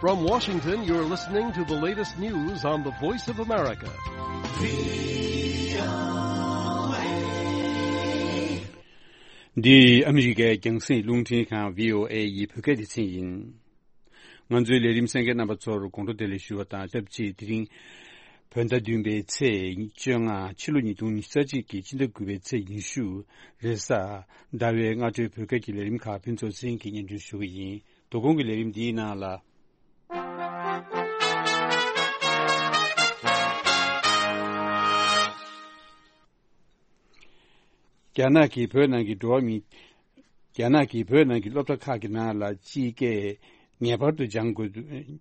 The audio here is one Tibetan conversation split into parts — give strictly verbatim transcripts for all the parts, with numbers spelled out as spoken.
From Washington, you're listening to the latest news on the Voice of America. འདི་ཨ་མི་རི་ཀའི་རྒྱང་སྲིང་རླུང་འཕྲིན་ཁང་བྷི་ཨོ་ཨེ་ཡི་བོད་སྐད་སྡེ་ཚན་ཡིན། ང་ཚོའི་ལས་རིམ་གསན་མཁན་རྣམ་པ་ཚོར་དགོང་དྲོ་བདེ་ལེགས་ཞུ་བ་དང་སྟབས་གཅིག་དེ་རིང་བོད་ཟླ་བདུན་པའི་ཚེས་བཅོ་ལྔ། ཕྱི་ལོ་ཉིས་སྟོང་ཉི་ཤུ་རྩ་གཅིག་གི་ཕྱི་ཟླ་དགུ་པའི་ཚེས་ཉི་ཤུ། རེས་གཟའ་ཟླ་བའི་སྔ་དྲོའི་བོད་སྐད་ཀྱི་ལས་རིམ་ཁག་ཕུན་ཚོགས་ཚེ་རིང་གིས་སྙན་སྒྲོན་ཞུ་གི་ཡིན། དོ་དགོང་གི་ལས་རིམ་འདིའི་ནང་ལ། རྒྱ་ནག་གིས་བོད་ནང་གི་འགྲོ་བ་མི། རྒྱ་ནག་གིས་བོད་ནང་གི་སློབ་གྲྭ་ཁག་གི་ནང་ལ་སྤྱི་སྐད་ངེས་པར་དུ་སྦྱང་དགོས།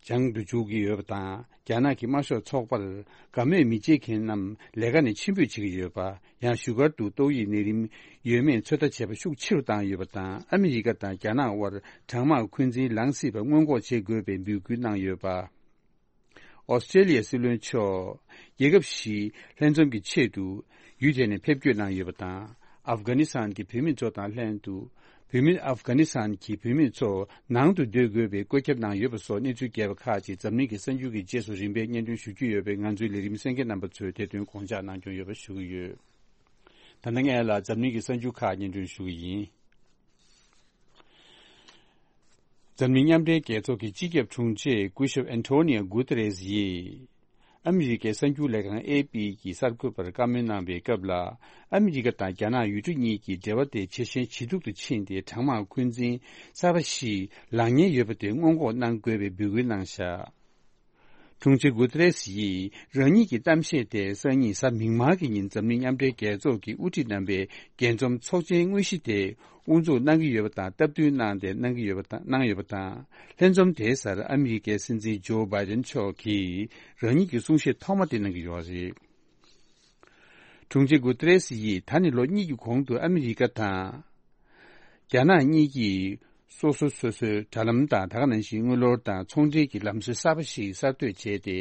སྦྱང་དུ་འཇུག་གི་ཡོད་པ་དང་། རྒྱ་ནག་གི་དམར་ཤོག་ཚོགས་པར་དགའ་མོས་མི་བྱེད་མཁན་རྣམས་ལས་ཀ་ནས་ཕྱིར་འབུད་བྱེད་ཀྱི་ཡོད་པ། ཡང་བཞུགས་སྒར་དུ་ཏོག་དབྱིབས་ནད་རིམས་ཡོད་མེད་ཚོད་ལྟ་བྱེད་པ་ཤུགས་ཆེ་རུ་བཏང་ཡོད་པ་དང་། ཨ་མི་རི་ཀ་དང་རྒྱ་ནག་དབར་གྲང་དམག་འཁོན་འཛིན་ལངས་སྲིད་པ་སྔོན་འགོག་བྱེད་དགོས་པའི་འབོད་སྐུལ་གནང་ཡོད་པ། ཨོ་སི་ཀྲེ་ལི་ཡའི་སྲིད་བློན་མཆོག་རྒྱལ་ཁབ་བཞིའི་ལྷན་འཛོམས་ཀྱི་ཆེད་དུ་ཡུལ་དེ་ནས་ཕེབས་སྐྱོད་གནང་ཡོད་པ་དང་། ཨབ་གྷ་ནི་སི་ཐན་གྱི་བོད་མི་ཚོ་དང་ལྷན་དུ། བོད་མི། ཨབ་གྷ་ནི་སི་ཐན་གྱི་བོད་མི་ཚོ་ནང་དུ་སྡོད་དགོས་པའི་བཀོད་ཁྱབ་གནང་ཡོད་པ་སོགས་གནས་ཚུལ་རྒྱས་པ་ཁག་ཅིག་འཛམ་གླིང་གི་གསར་འགྱུར་གྱི་རྗེས་སུ་རིམ་པས་སྙན་སྒྲོན་ཞུ་རྒྱུ་ཡོད་པས། ང་ཚོའི་ལས་རིམ་གསན་མཁན་རྣམ་པ་ཚོས་དེ་དོན་དགོངས་འཇགས་གནང་སྐྱོང་ཡོད་པ་ཞུ་གི་ཡོད། ད་ལྟ་སྔོན་ལ་འཛམ་གླིང་གི་གསར་འགྱུར་ཁག་སྙན་སྒྲོན་ཞུ་གི་ཡིན། འཛམ་གླིང་མཉམ་འབྲེལ་རྒྱལ་ཚོགས་ཀྱི་སྤྱི་ཁྱབ་དྲུང་ཆེ་སྐུ་ཞབས་ཨན་ཐོ་ནི་ཡ་གུ་ཏེ་རེས་ཡིས། ཨ་མི་རི་ཀའི་གསར་འགྱུར་ལས་ཁང་ཨེ་པི་གི་གསར་འགོད་པར་བཀའ་མོལ་གནང་བའི་སྐབས་ལ། ཨ་མི་རི་ཀ་དང་རྒྱ་ནག་ཡུལ་གྲུ་གཉིས་ཀྱི་འབྲེལ་བ་དེ་ཇེ་ཞན་ཇེ་སྡུག་ཏུ་ཕྱིན་ཏེ། གྲང་དམག་འཁོན་འཛིན་གསར་པ་ཞིག་ལངས་ཉེན་ཡོད་པ་དེ་སྔོན་འགོག་གནང་དགོས་པའི་འབོད་སྐུལ་གནང་བཞག་དྲུང་ཆེ་གུ་ཏེ་རེས་ཡིས་རང་ཉིད་ཀྱི་གཏམ་བཤད་དེ་སང་ཉིན་གཟའ་མིག་དམར་གྱི་ཉིན་འཛམ་གླིང་མཉམ་འབྲེལ་རྒྱལ་ཚོགས་ཀྱི་དབུ་ཁྲིད་རྣམ་པའི་རྒྱས་འཛོམས་ཚོགས་ཆེན་དངོས་གཞི་དེ་དབུ་འཛུགས་གནང་གི་ཡོད་པ་དང་། སྟབས་བསྟུན་གནང་སྟེ་གནང་གི་ཡོད་པ་དང་། གནང་ཡོད་པ་དང་། ལྷན་འཛོམས་དེའི་སར་ཨ་མི་རི་ཀའི་སྲིད་འཛིན་ཇོ་བྷའི་ཏན་མཆོག་གིས་རང་ཉིད་ཀྱི་གསུང་བཤད་ཐོག་མ་དེ་གནང་གི་ཡོད་རེད། དྲུང་ཆེ་གུ་ཏེ་རེས་ཡིས་ད་ནི་ལོ་གཉིས་ཀྱི་གོང་དུ་ཨ་མི་རི་ཀ་དང་རྒྱ་ནག་གཉིས་ཀྱིས་སོ་སོ་སོ་སོའི་དྲ་ལམ་དང་། ད་ག་ནང་བཞིན་དངུལ་ལོར་དང་ཚོང་འབྲེལ་གྱི་ལམ་སྲོལ་གསར་པ་ཞིག་གསར་གཏོད་བྱས་ཏེ།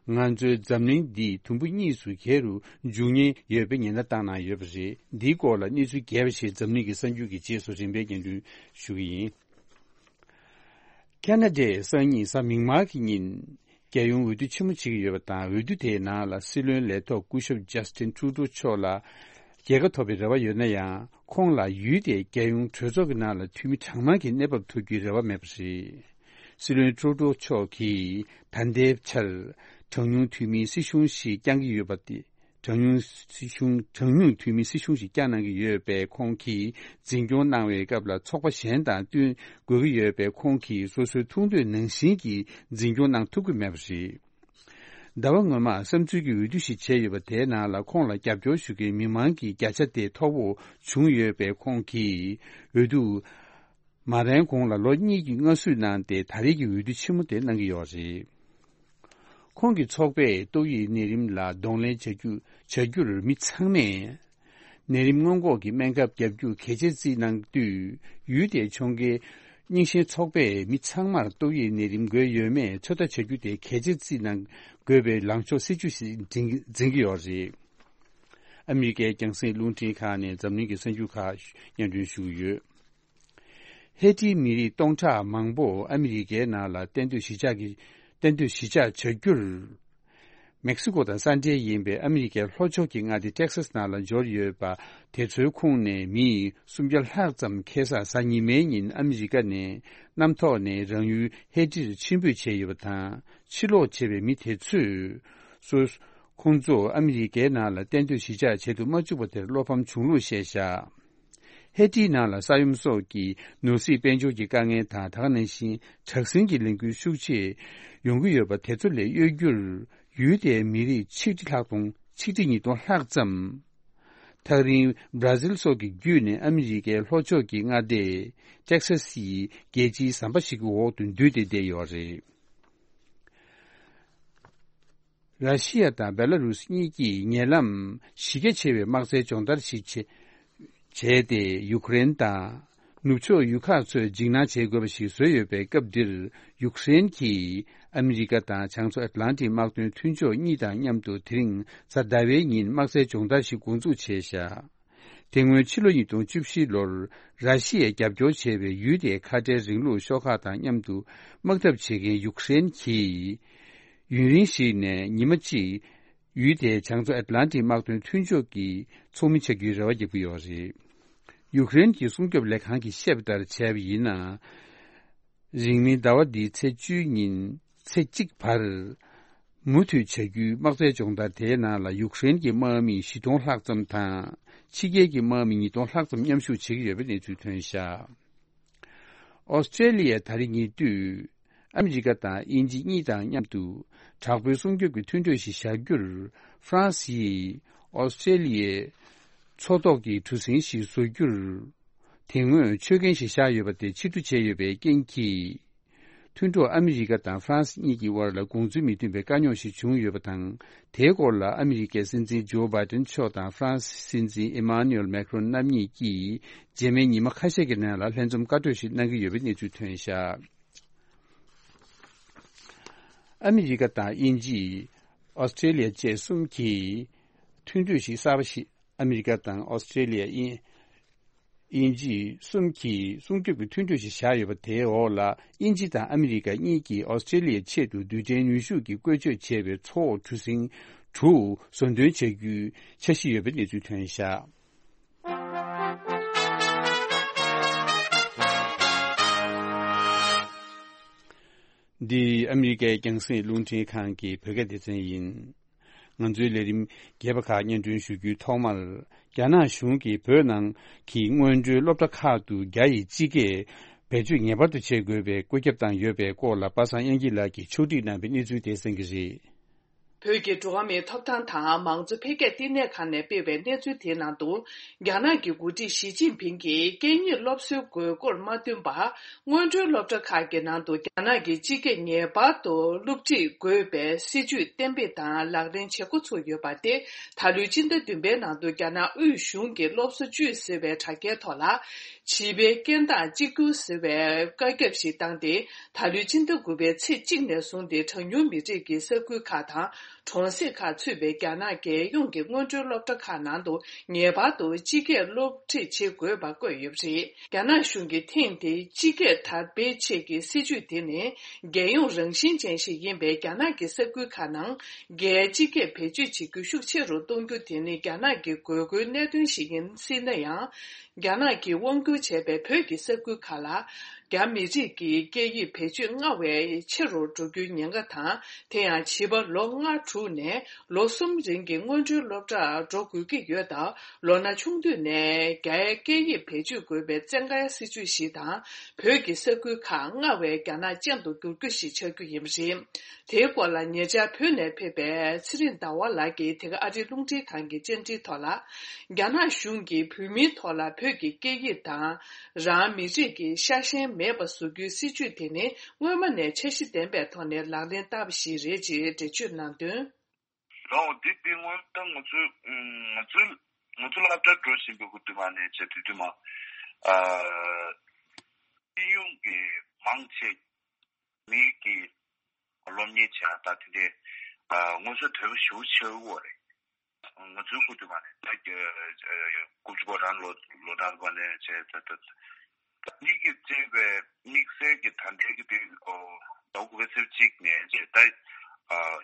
ང་ཚོའི་འཛམ་གླིང་འདི་དུམ་བུ་གཉིས་སུ་གྱེས་རུ་འཇུག་ཉེན་ཡོད་པའི་ཉེན་བརྡ་བཏང་གནང་ཡོད་པ་རེད། འདིའི་སྐོར་ལ་གནས་ཚུལ་རྒྱས་པ་ཞིག་འཛམ་གླིང་གི་གསར་འགྱུར་གྱི་རྗེས་སུ་རིམ་པས་སྙན་སྒྲོན་ཞུ་གི་ཡིན། ཁ་ན་ཌའི་སང་ཉིན་གཟའ་མིག་དམར་གྱི་ཉིན། རྒྱལ་ཡོངས་འོས་བསྡུ་ཆེན་མོ་བྱེད་ཀྱི་ཡོད་པ་དང་། འོས་བསྡུ་དེའི་ནང་ལ་སྲིད་བློན་ལས་ཐོག་སྐུ་ཞབས་ཇ་སི་ཏིན་ཁྲུ་ཏོ་མཆོག་ལ་རྒྱལ་ཁ་ཐོབ་པའི་རེ་བ་ཡོད་ན་ཡང་། ཁོང་ལ་ཡུལ་དེའི་རྒྱལ་ཡོངས་གྲོས་ཚོགས་ཀྱི་ནང་ལ་འཐུས་མི་གྲངས་མང་གི་གནས་བབ་ཐོབ་རྒྱུའི་རེ་བ་མེད་པ་རེད། སྲིད་བློན་ཁྲུ་ཏོ་མཆོག་གིས་ད་ལྟའི་ཆར་གྲངས་ཉུང་འཐུས་མིའི་སྲིད་གཞུང་ཞིག་བསྐྱང་གི་ཡོད་པ་དེ། གྲངས་ཉུང་སྲིད་གཞུང་། གྲངས་ཉུང་འཐུས་མི་སྲིད་གཞུང་ཞིག་བསྐྱངས་གནང་གི་ཡོད་པས། ཁོང་གིས་འཛིན་སྐྱོང་གནང་བའི་སྐབས་ལ་ཚོགས་པ་གཞན་དང་བསྟུན་དགོས་ཀྱི་ཡོད་པས། ཁོང་གིས་སོ་སོའི་ཐུགས་འདོད་ནང་བཞིན་གྱི་འཛིན་སྐྱོང་གནང་ཐུབ་ཀྱི་མེད་པ་རེད། ཟླ་བ་སྔོན་མ་བསམ་ཚུལ་གྱི་འོས་བསྡུ་ཞིག་བྱས་ཡོད་པ། དེའི་ནང་ལ་ཁོང་ལ་རྒྱབ་སྐྱོར་ཞུ་མཁན་མི་མང་གི་བརྒྱ་ཆ་དེ་མཐོ་བོ་བྱུང་ཡོད་པས། ཁོང་གིས་འོས་བསྡུ་མ་རན་གོང་ལ་ལོ་གཉིས་ཀྱི་སྔ་གཟུགས་གནང་སྟེ། ད་རེས་ཀྱི་འོས་བསྡུ་ཆེན་མོ་དེ་གནང་གི་ཡོད་རེད། ཁོང་གི་ཚོགས་པས་ཏོག་དབྱིབས་ནད་རིམས་ལ་གདོང་ལེན་བྱ་རྒྱུ། བྱ་རྒྱུར་མི་ཚང་མས་ནད་རིམས་སྔོན་འགོག་གི་སྨན་ཁབ་བརྒྱབ་རྒྱུ་གལ་ཆེར་བརྩིས་གནང་དུས། ཡུལ་དེའི་ཁྱོན་གའི་རྙིང་ཞེན་ཚོགས་པས་མི་ཚང་མར་ཏོག་དབྱིབས་ནད་རིམས་འགོས་ཡོད་མེད་ཚོད་ལྟ་བྱ་རྒྱུ་དེ་གལ་ཆེར་བརྩིས་གནང་དགོས་པའི་ལངས་ཕྱོགས་སྲིད་ཇུས་ཤིག་འཛིན། འཛིན་གྱི་ཡོད་རེད། ཨ་མི་རི་ཀའི་རྒྱང་སྲིང་རླུང་འཕྲིན་ཁང་ནས་འཛམ་གླིང་གི་གསར་འགྱུར་ཁག་སྙན་སྒྲོན་ཞུ་གི་ཡོད། ཧེ་ཏིའི་མི་རིགས་སྟོང་ཕྲག་མང་པོ་ཨ་མི་རི་ཀའི་ནང་ལ་གཏན་སྡོད་གཞིས་ཆགས་ཀྱི། གཏན་སྡོད་གཞིས་ཆགས་བྱ་རྒྱུར། མེག་སི་ཀོ་དང་ས་འབྲེལ་ཡིན་པའི་ཨ་མི་རི་ཀའི་ལྷོ་ཕྱོགས་ཀྱི་མངའ་སྡེ་ཏེག་སཱས་ནང་ལ་འབྱོར་ཡོད་པ། དེ་ཚོའི་ཁོངས་ནས་མི་སུམ་བརྒྱ་ལྷག་ཙམ་ཁ་སང་གཟའ་ཉི་མའི་ཉིན་ཨ་མི་རི་ཀ་ནས་གནམ་ཐོག་ནས་རང་ཡུལ་ཧེ་ཏིར་ཕྱིར་འབུད་བྱས་ཡོད་པ་དང་། ཕྱིར་ལོག་བྱས་པའི་མི་དེ་ཚོས། སོ། ཁོང་ཚོ་ཨ་མི་རི་ཀའི་ནང་ལ་གཏན་སྡོད་གཞིས་ཆགས་བྱེད་དུ་མ་བཅུག་པ་དེར་བློ་ཕམ་བྱུང་ལུགས་བཤད་བཞག་ཧེ་ཏིའི་ནང་ལ་ས་ཡོམ་སོགས་ཀྱི་ནོར་སྲིད་དཔལ་འབྱོར་གྱི་དཀའ་ངལ་དང་། ད་ག་ནང་བཞིན་དྲག་ཟིང་གི་ལས་འགུལ་ཤུགས་ཆེ་ཡོང་གི་ཡོད་པ་དེ་ཚོ་ལས་གཡོལ་རྒྱུར། ཡུལ་དེའི་མི་རིགས་ཆིག་ཁྲི་ལྷག་དང་ཆིག་ཁྲི་ཉིས་སྟོང་ལྷག་ཙམ། ཐག་རིང་བྷ་ར་ཟིལ་སོགས་ཀྱི་བརྒྱུད་ནས་ཨ་མི་རི་ཀའི་ལྷོ་ཕྱོགས་ཀྱི་མངའ་སྡེ་ཏེག་སཱ་སི་ཡི་རྒྱལ་སྤྱིའི་ཟམ་པ་ཞིག་གི་འོག་ཏུ་འདུས་ཏེ་བསྡད་ཡོད་རེད། ར་ཤི་ཡ་དང་བེ་ལ་རུས་གཉིས་ཀྱིས་ཉེ་ལམ་གཞི་རྒྱ་ཆེ་བའི་དམག་རྩལ་སྦྱོང་བརྡར་ཞིག་བྱས། བྱས་ཏེ། ཡུཀ་རེན་དང་ནུབ་ཕྱོགས་ཡུལ་ཁག་ཚོས་འཇིགས་སྣང་བྱེད་དགོས་པ་ཞིག་བཟོས་ཡོད་པའི་སྐབས་འདིར། ཡུཀ་རེན་གྱིས་ཨ་མི་རི་ཀ་དང་བྱང་མཚོ་ཨེཊ་ལན་ཊིག་དམག་དོན་མཐུན་ཕྱོགས་གཉིས་དང་མཉམ་དུ་དེ་རིང་གཟའ་ཟླ་བའི་ཉིན་དམག་རྩལ་སྦྱོང་བརྡར་ཞིག་འགོ་འཛུགས་བྱས་བཞག་དེ་སྔོན་ཕྱི་ལོ་ཉིས་སྟོང་བཅུ་བཞི་ལོར་ར་ཤི་ཡས་རྒྱབ་སྐྱོར་བྱས་པའི་ཡུལ་དེའི་ཁ་བྲལ་རིང་ལུགས་ཤོག་ཁག་དང་མཉམ་དུ་དམག་འཐབ་བྱེད་མཁན་ཡུཀ་རེན་གྱིས། ཡུན་རིང་ཞིག་ནས་ཉི་མ་གཅིག་ཡུལ་དེའི་བྱང་མཚོ་ཨེཊ་ལན་ཊིག་དམག་དོན་མཐུན་ཕྱོགས་ཀྱི་ཚོགས་མི་ཆགས་རྒྱུའི་རེ་བ་རྒྱག་གི་ཡོད་རེད། ཡུཀ་རེན་གྱི་སྲུང་སྐྱོབ་ལས་ཁང་གིས་བཤད་པ་ལྟར་བྱས་པ་ཡིན་ན། རིང་མིན་ཟླ་བ་འདིའི་ཚེས་བཅུའི་ཉིན་ཚེས་གཅིག་བར། མུ་མཐུད་བྱ་རྒྱུའི་དམག་རྩལ་སྦྱོང་བརྡར་དེའི་ནང་ལ་ཡུཀ་རེན་གྱི་དམག་མི་བཞི་སྟོང་ལྷག་ཙམ་དང་། ཕྱི་རྒྱལ་གྱི་དམག་མི་ཉིས་སྟོང་ལྷག་ཙམ་མཉམ་ཞུགས་བྱེད་ཀྱི་ཡོད་པའི་གནས་ཚུལ་ཐོན་བཞག་ཨོ་སི་ཀྲེ་ལི་ཡས་ད་རེས་ཉེ་དུས་ཨ་མི་རི་ཀ་དང་དབྱིན་ཇི་གཉིས་དང་མཉམ་དུ་དྲག་པོའི་སྲུང་སྐྱོབ་ཀྱི་མཐུན་གྲོས་ཤིག་བཞག་རྒྱུར། ཧྥ་རན་སི་ཡིས་ཨོ་སི་ཀྲེ་ལི་ཡའི་མཚོ་ཐོག་གི་གྲུ་གཟིངས་ཤིག་བཟོ་རྒྱུར། དེ་སྔོན་ཆོད་གན་ཞིག་བཞག་ཡོད་པ་དེ་ཕྱིར་བསྡུ་བྱས་ཡོད་པའི་རྐྱེན་གྱིས། མཐུན་གྲོགས་ཨ་མི་རི་ཀ་དང་ཧྥ་རན་སི་གཉིས་ཀྱི་དབར་ལ་དགོངས་ཚུལ་མི་མཐུན་པའི་དཀའ་རྙོག་ཞིག་བྱུང་ཡོད་པ་དང་། དེའི་སྐོར་ལ་ཨ་མི་རི་ཀའི་སྲིད་འཛིན་ཇོ་བྷའི་ཏན་མཆོག་དང་ཧྥ་རན་སིའི་སྲིད་འཛིན་ཨི་མཱ་ནུ་ཨེལ་མེག་རོན་རྣམ་གཉིས་ཀྱིས་རྗེས་མའི་ཉི་མ་ཁ་ཤས་ཀྱི་ནང་ལ་ལྷན་འཛོམས་བཀའ་གྲོས་ཤིག་གནང་གི་ཡོད་པའི་གནས་ཚུལ་ཐོན་བཞག་ཨ་མི་རི་ཀ་དང་དབྱིན་ཇི། ཨོ་སི་ཀྲེ་ལི་ཡ་བཅས་གསུམ་གྱིས་མཐུན་གྲོས་ཤིག་གསར་པ་ཞིག་ཨ་མི་རི་ཀ་དང་ཨོ་སི་ཀྲེ་ལི་ཡ། དབྱིན་ཇི་གསུམ་གྱིས་སྲུང་སྐྱོབ་ཀྱི་མཐུན་གྲོས་ཤིག་བཞག་ཡོད་པ་དེའི་འོག་ལ། དབྱིན་ཇི་དང་ཨ་མི་རི་ཀ་གཉིས་ཀྱིས་ཨོ་སི་ཀྲེ་ལི་ཡའི་ཆེད་དུ་རྡུལ་ཕྲན་ནུས་ཤུགས་ཀྱིས་བཀོལ་སྤྱོད་བྱས་པའི་མཚོ་འོག་གྲུ་གཟིངས་དྲུག་བཟོ་འདོན་བྱ་རྒྱུའི་འཆར་གཞི་ཡོད་པའི་གནས་ཚུལ་ཐོན་བཞག་འདི་ཨ་མི་རི་ཀའི་རྒྱང་སྲིང་རླུང་འཕྲིན་ཁང་གི་བོད་སྐད་སྡེ་ཚན་ཡིན། ང་ཚོའི་ལས་རིམ་རྒྱས་པ་ཁག་སྙན་སྒྲོན་ཞུ་རྒྱུའི་ཐོག་མར། རྒྱ་ནག་གཞུང་གིས་བོད་ནང་གི་སྔོན་འགྲོའི་སློབ་གྲྭ་ཁག་ཏུ་རྒྱ་ཡི་སྤྱི་སྐད་བེད་སྤྱོད་ངེས་པར་དུ་བྱེད་དགོས་པའི་བཀོད་ཁྱབ་བཏང་ཡོད་པའི་སྐོར་ལ། པ་སངས་དབྱངས་སྐྱིད་ལགས་ཀྱིས་ཕྱོགས་སྒྲིག་གནང་བའི་གནས་ཚུལ་དེ་གསན་གྱི་རེད། བོད་ཀྱི་འགྲོ་བ་མིའི་ཐོབ་ཐང་དང་མང་གཙོ་འཕེལ་རྒྱས་བསྟི་གནས་ཁང་ནས་སྤེལ་བའི་གནས་ཚུལ་དེའི་ནང་དུ། རྒྱ་ནག་གི་འགོ་ཁྲིད་ཞི་ཅིན་ཕིང་གིས་སྐད་གཉིས་སློབ་གསོའི་དགོས་མཁོར་མ་བསྟུན་པར། སྔོན་འགྲོའི་སློབ་གྲྭ་ཁག་གི་ནང་དུ་རྒྱ་ནག་གི་སྤྱི་སྐད་ངེས་པར་དུ་སློབ་ཁྲིད་དགོས་པའི་སྲིད་ཇུས་གཏན་འབེབས་དང་ལག་ལེན་བྱེད་འགོ་ཚུགས་ཡོད་པ་སྟེ། ད་ལོའི་སྤྱི་ཟླ་བདུན་པའི་ནང་དུ་རྒྱ་ནག་དབུས་གཞུང་གིས་སློབ་གསོ་བཅུད་ཟེར་བའི་དྲ་རྒྱའི་ཐོག་ལ། བྱིས་པའི་སྐད་གདངས་གཅིག་གྱུར་ཟེར་བའི་བཀའ་ཁྱབ་ཞིག་བཏང་སྟེ། ད་ལོའི་སྤྱི་ཟླ་དགུ་པའི་ཚེས་གཅིག་ནས་བཟུང་སྟེ། གྲངས་ཉུང་མི་རིགས་ཀྱི་ས་ཁུལ་ཁག་དང་། གྲོང་གསེབ་ཁག་ཚུད་པའི་རྒྱ་ནག་རྒྱལ་ཡོངས་ཀྱི་སྔོན་འགྲོའི་སློབ་གྲྭ་ཁག་ནང་དུ་ངེས་པར་དུ་སྤྱི་སྐད་སློབ་ཁྲིད་བྱེད་དགོས་པ་བཀོད་ཡོད་པ་རེད། རྒྱ་ནག་གཞུང་གིས་ཐེངས་འདིའི་སྤྱི་སྐད་དར་སྤེལ་ཆེད་ཀྱི་སྲིད་ཇུས་དེ་ནི། རྒྱལ་ཡོངས་རང་བཞིན་ཅན་ཞིག་ཡིན་པས། རྒྱ་ནག་གི་ས་ཁུལ་ཁག་ནང་རྒྱའི་སྤྱི་སྐད་བེད་སྤྱོད་བྱེད་རྒྱུ་ཤུགས་ཆེ་རུ་གཏོང་རྒྱུ་དེ་ནི་རྒྱ་ནག་གི་དགོས་མཁོའི་གནད་དོན་ཞིག་ཡིན་སྲིད་ན་ཡང་། རྒྱ་ནག་གིས་དབང་བསྒྱུར་བྱས་པའི་བོད་ཀྱི་ས་ཁུལ་ཁག་ལ། རྒྱ་མི་རིགས་ཀྱི་སྐད་ཡིག་བེད་སྤྱོད་སྔར་བས་ཆེ་རུ་འགྲོ་རྒྱུའི་ཉེན་ཁ་དང་། དེ་ཡང་བྱིས་པ་ལོ་ལྔ་དྲུག་ནས་ལོ་གསུམ་རིང་གི་སྔོན་འགྲོའི་སློབ་གྲྭར་འགྲོ་དགོས་ཀྱི་ཡོད་སྟབས། ལོ་ན་ཆུང་དུས་ནས་རྒྱའི་སྐད་ཡིག་བེད་སྤྱོད་དགོས་པའི་བཙན་བཀའི་སྲིད་ཇུས་ཤིག་དང་། བོད་ཀྱི་ས་ཁུལ་ཁག་སྔར་བས་རྒྱ་ནག་ཅན་དུ་འགྱུར་རྒྱུ་ཞིག་ཆགས་རྒྱུ་ཡིན་པ་རེད། དེའི་སྐོར་ལ་ཉེ་ཆར་བོད་ནས་ཕེབས་པའི་ཚེ་རིང་ཟླ་བ་ལགས་ཀྱིས་དེ་ག་ཨ་རིའི་རླུང་འཕྲིན་ཁང་གི་བཅར་འདྲིའི་ཐོག་ལ། རྒྱ་ནག་གཞུང་གིས་བོད་མིའི་ཐོག་ལ་བོད་ཀྱི་སྐད་ཡིག་དང་། རང་མི་རིགས་ཀྱི་ཤ་ཞེན་མེད་པ་བཟོ་རྒྱུའི་སྲིད་ཇུས་དེ་ནི། སྔོན་མ་ནས་འཆར་གཞི་ལྡན་པའི་ཐོག་ནས་ལག་ལེན་བསྟར་བ་ཞིག་རེད་ཅེས་འགྲེལ་བརྗོད་གནང་དོན། ལའོ། འདི་འདི་སྔོན་ད་ང་ཚོའི་ང་ཚོའི་ང་ཚོའི་སློབ་གྲྭར་འགྲོ་བཞིན་པའི་ཁུ་དུ་མ་ནས་བྱས་དུས་དུ་མ། ཨ། སྤྱི་ཡོངས་ཀྱི་མང་ཆེ་མིའི་གི་སློབ་གཉེར་བྱ་ད་དེ་འདྲས་ཨ་སྔོན་ཚོད་དོད་པོ་ཞེ་པོ་ཆེ་བོ་རེད། ང་ཚོའི་ཁུ་དུ་མ་ནས་ད་དགུ་བཅུ་གོ་གྲངས་ལོ་ལོ་གྲངས་པ་ནས་བྱས་ད་ད། མིག་གིས་བཙལ་བའི་དམིགས་བསལ་གྱི་ད་ལྟའི་གི་དུས་ཟླ་བ་དགུ་པའི་ཚེས་གཅིག་ནས་བྱས་ད་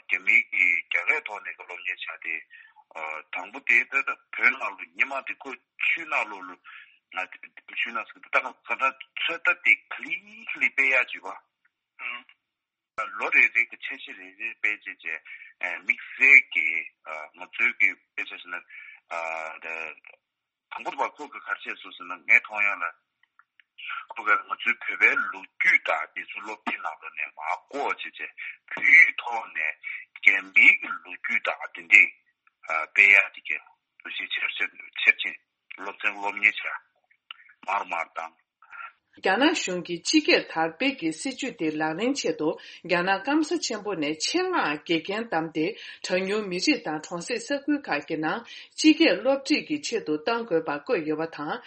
རྒྱ་མིའི་གི་རྒྱ་སྐད་ཐོག་ནས་གི་སློབ་གཉེར་བྱ་དེ། དང་པོ་དེ་ད་ལྟ་བོད་ནང་ལ་སྔོན་མ་དེ་ཁོ་ཆུ་ནང་ལོགས་ལ་ང་ཆུ་ནང་ཟེར་ད་ག་ད་ཚོད་ལྟ་དེ་ག་ལེ་ག་ལེ་སྤེལ་ཡག་བྱས་པ། ལོ་རེ་རེ་གི་འཆར་གཞི་རེ་རེ་སྤེལ་བྱས་བྱས། དམིགས་བསལ་གྱི་ང་ཚོའི་གི་དཔེ་ཆ་བཞག་ན། དང་པོ་བ་ཁོ་གི་ག་རེ་བྱས་སོང་ཟེར་ན། ངས་མཐོང་ཡག་ལ་ཁོ་གི་ང་ཚོའི་བོད་པའི་ལོ་རྒྱུས་དང་དེ་ཚོ་སློབ་དེབ་ནང་ལོགས་ནས་མར་བཀོག་བྱས་བྱས། བོད་ཡིག་ཐོག་ནས་རྒྱ་མིའི་གི་ལོ་རྒྱུས་དང་དེ་འདྲས་སྤེལ་ཡག་དེ་གའི་འདུ་ཤེས་ཆེར་ཆེར་ཆེར་ཕྱིན། སློབ་ཚན་སློབ་གཉེར་བྱས་མར་མར་བཏང་། རྒྱ་ནག་གཞུང་གིས་སྤྱི་སྐད་དར་སྤེལ་གྱི་སྲིད་ཇུས་དེ་ལག་ལེན་ཆེད་དུ། རྒྱ་ནག་སྐམ་ས་ཆེན་པོ་ནས་ཆེད་མངགས་དགེ་རྒན་བདམས་ཏེ། གྲངས་ཉུང་མི་རིགས་དང་གྲོང་གསེབ་ས་ཁུལ་ཁག་གི་ནང་སྤྱི་སྐད་སློབ་ཁྲིད་ཀྱི་ཆེད་དུ་གཏང་དགོས་པ་བཀོད་ཡོད་པ་དང་།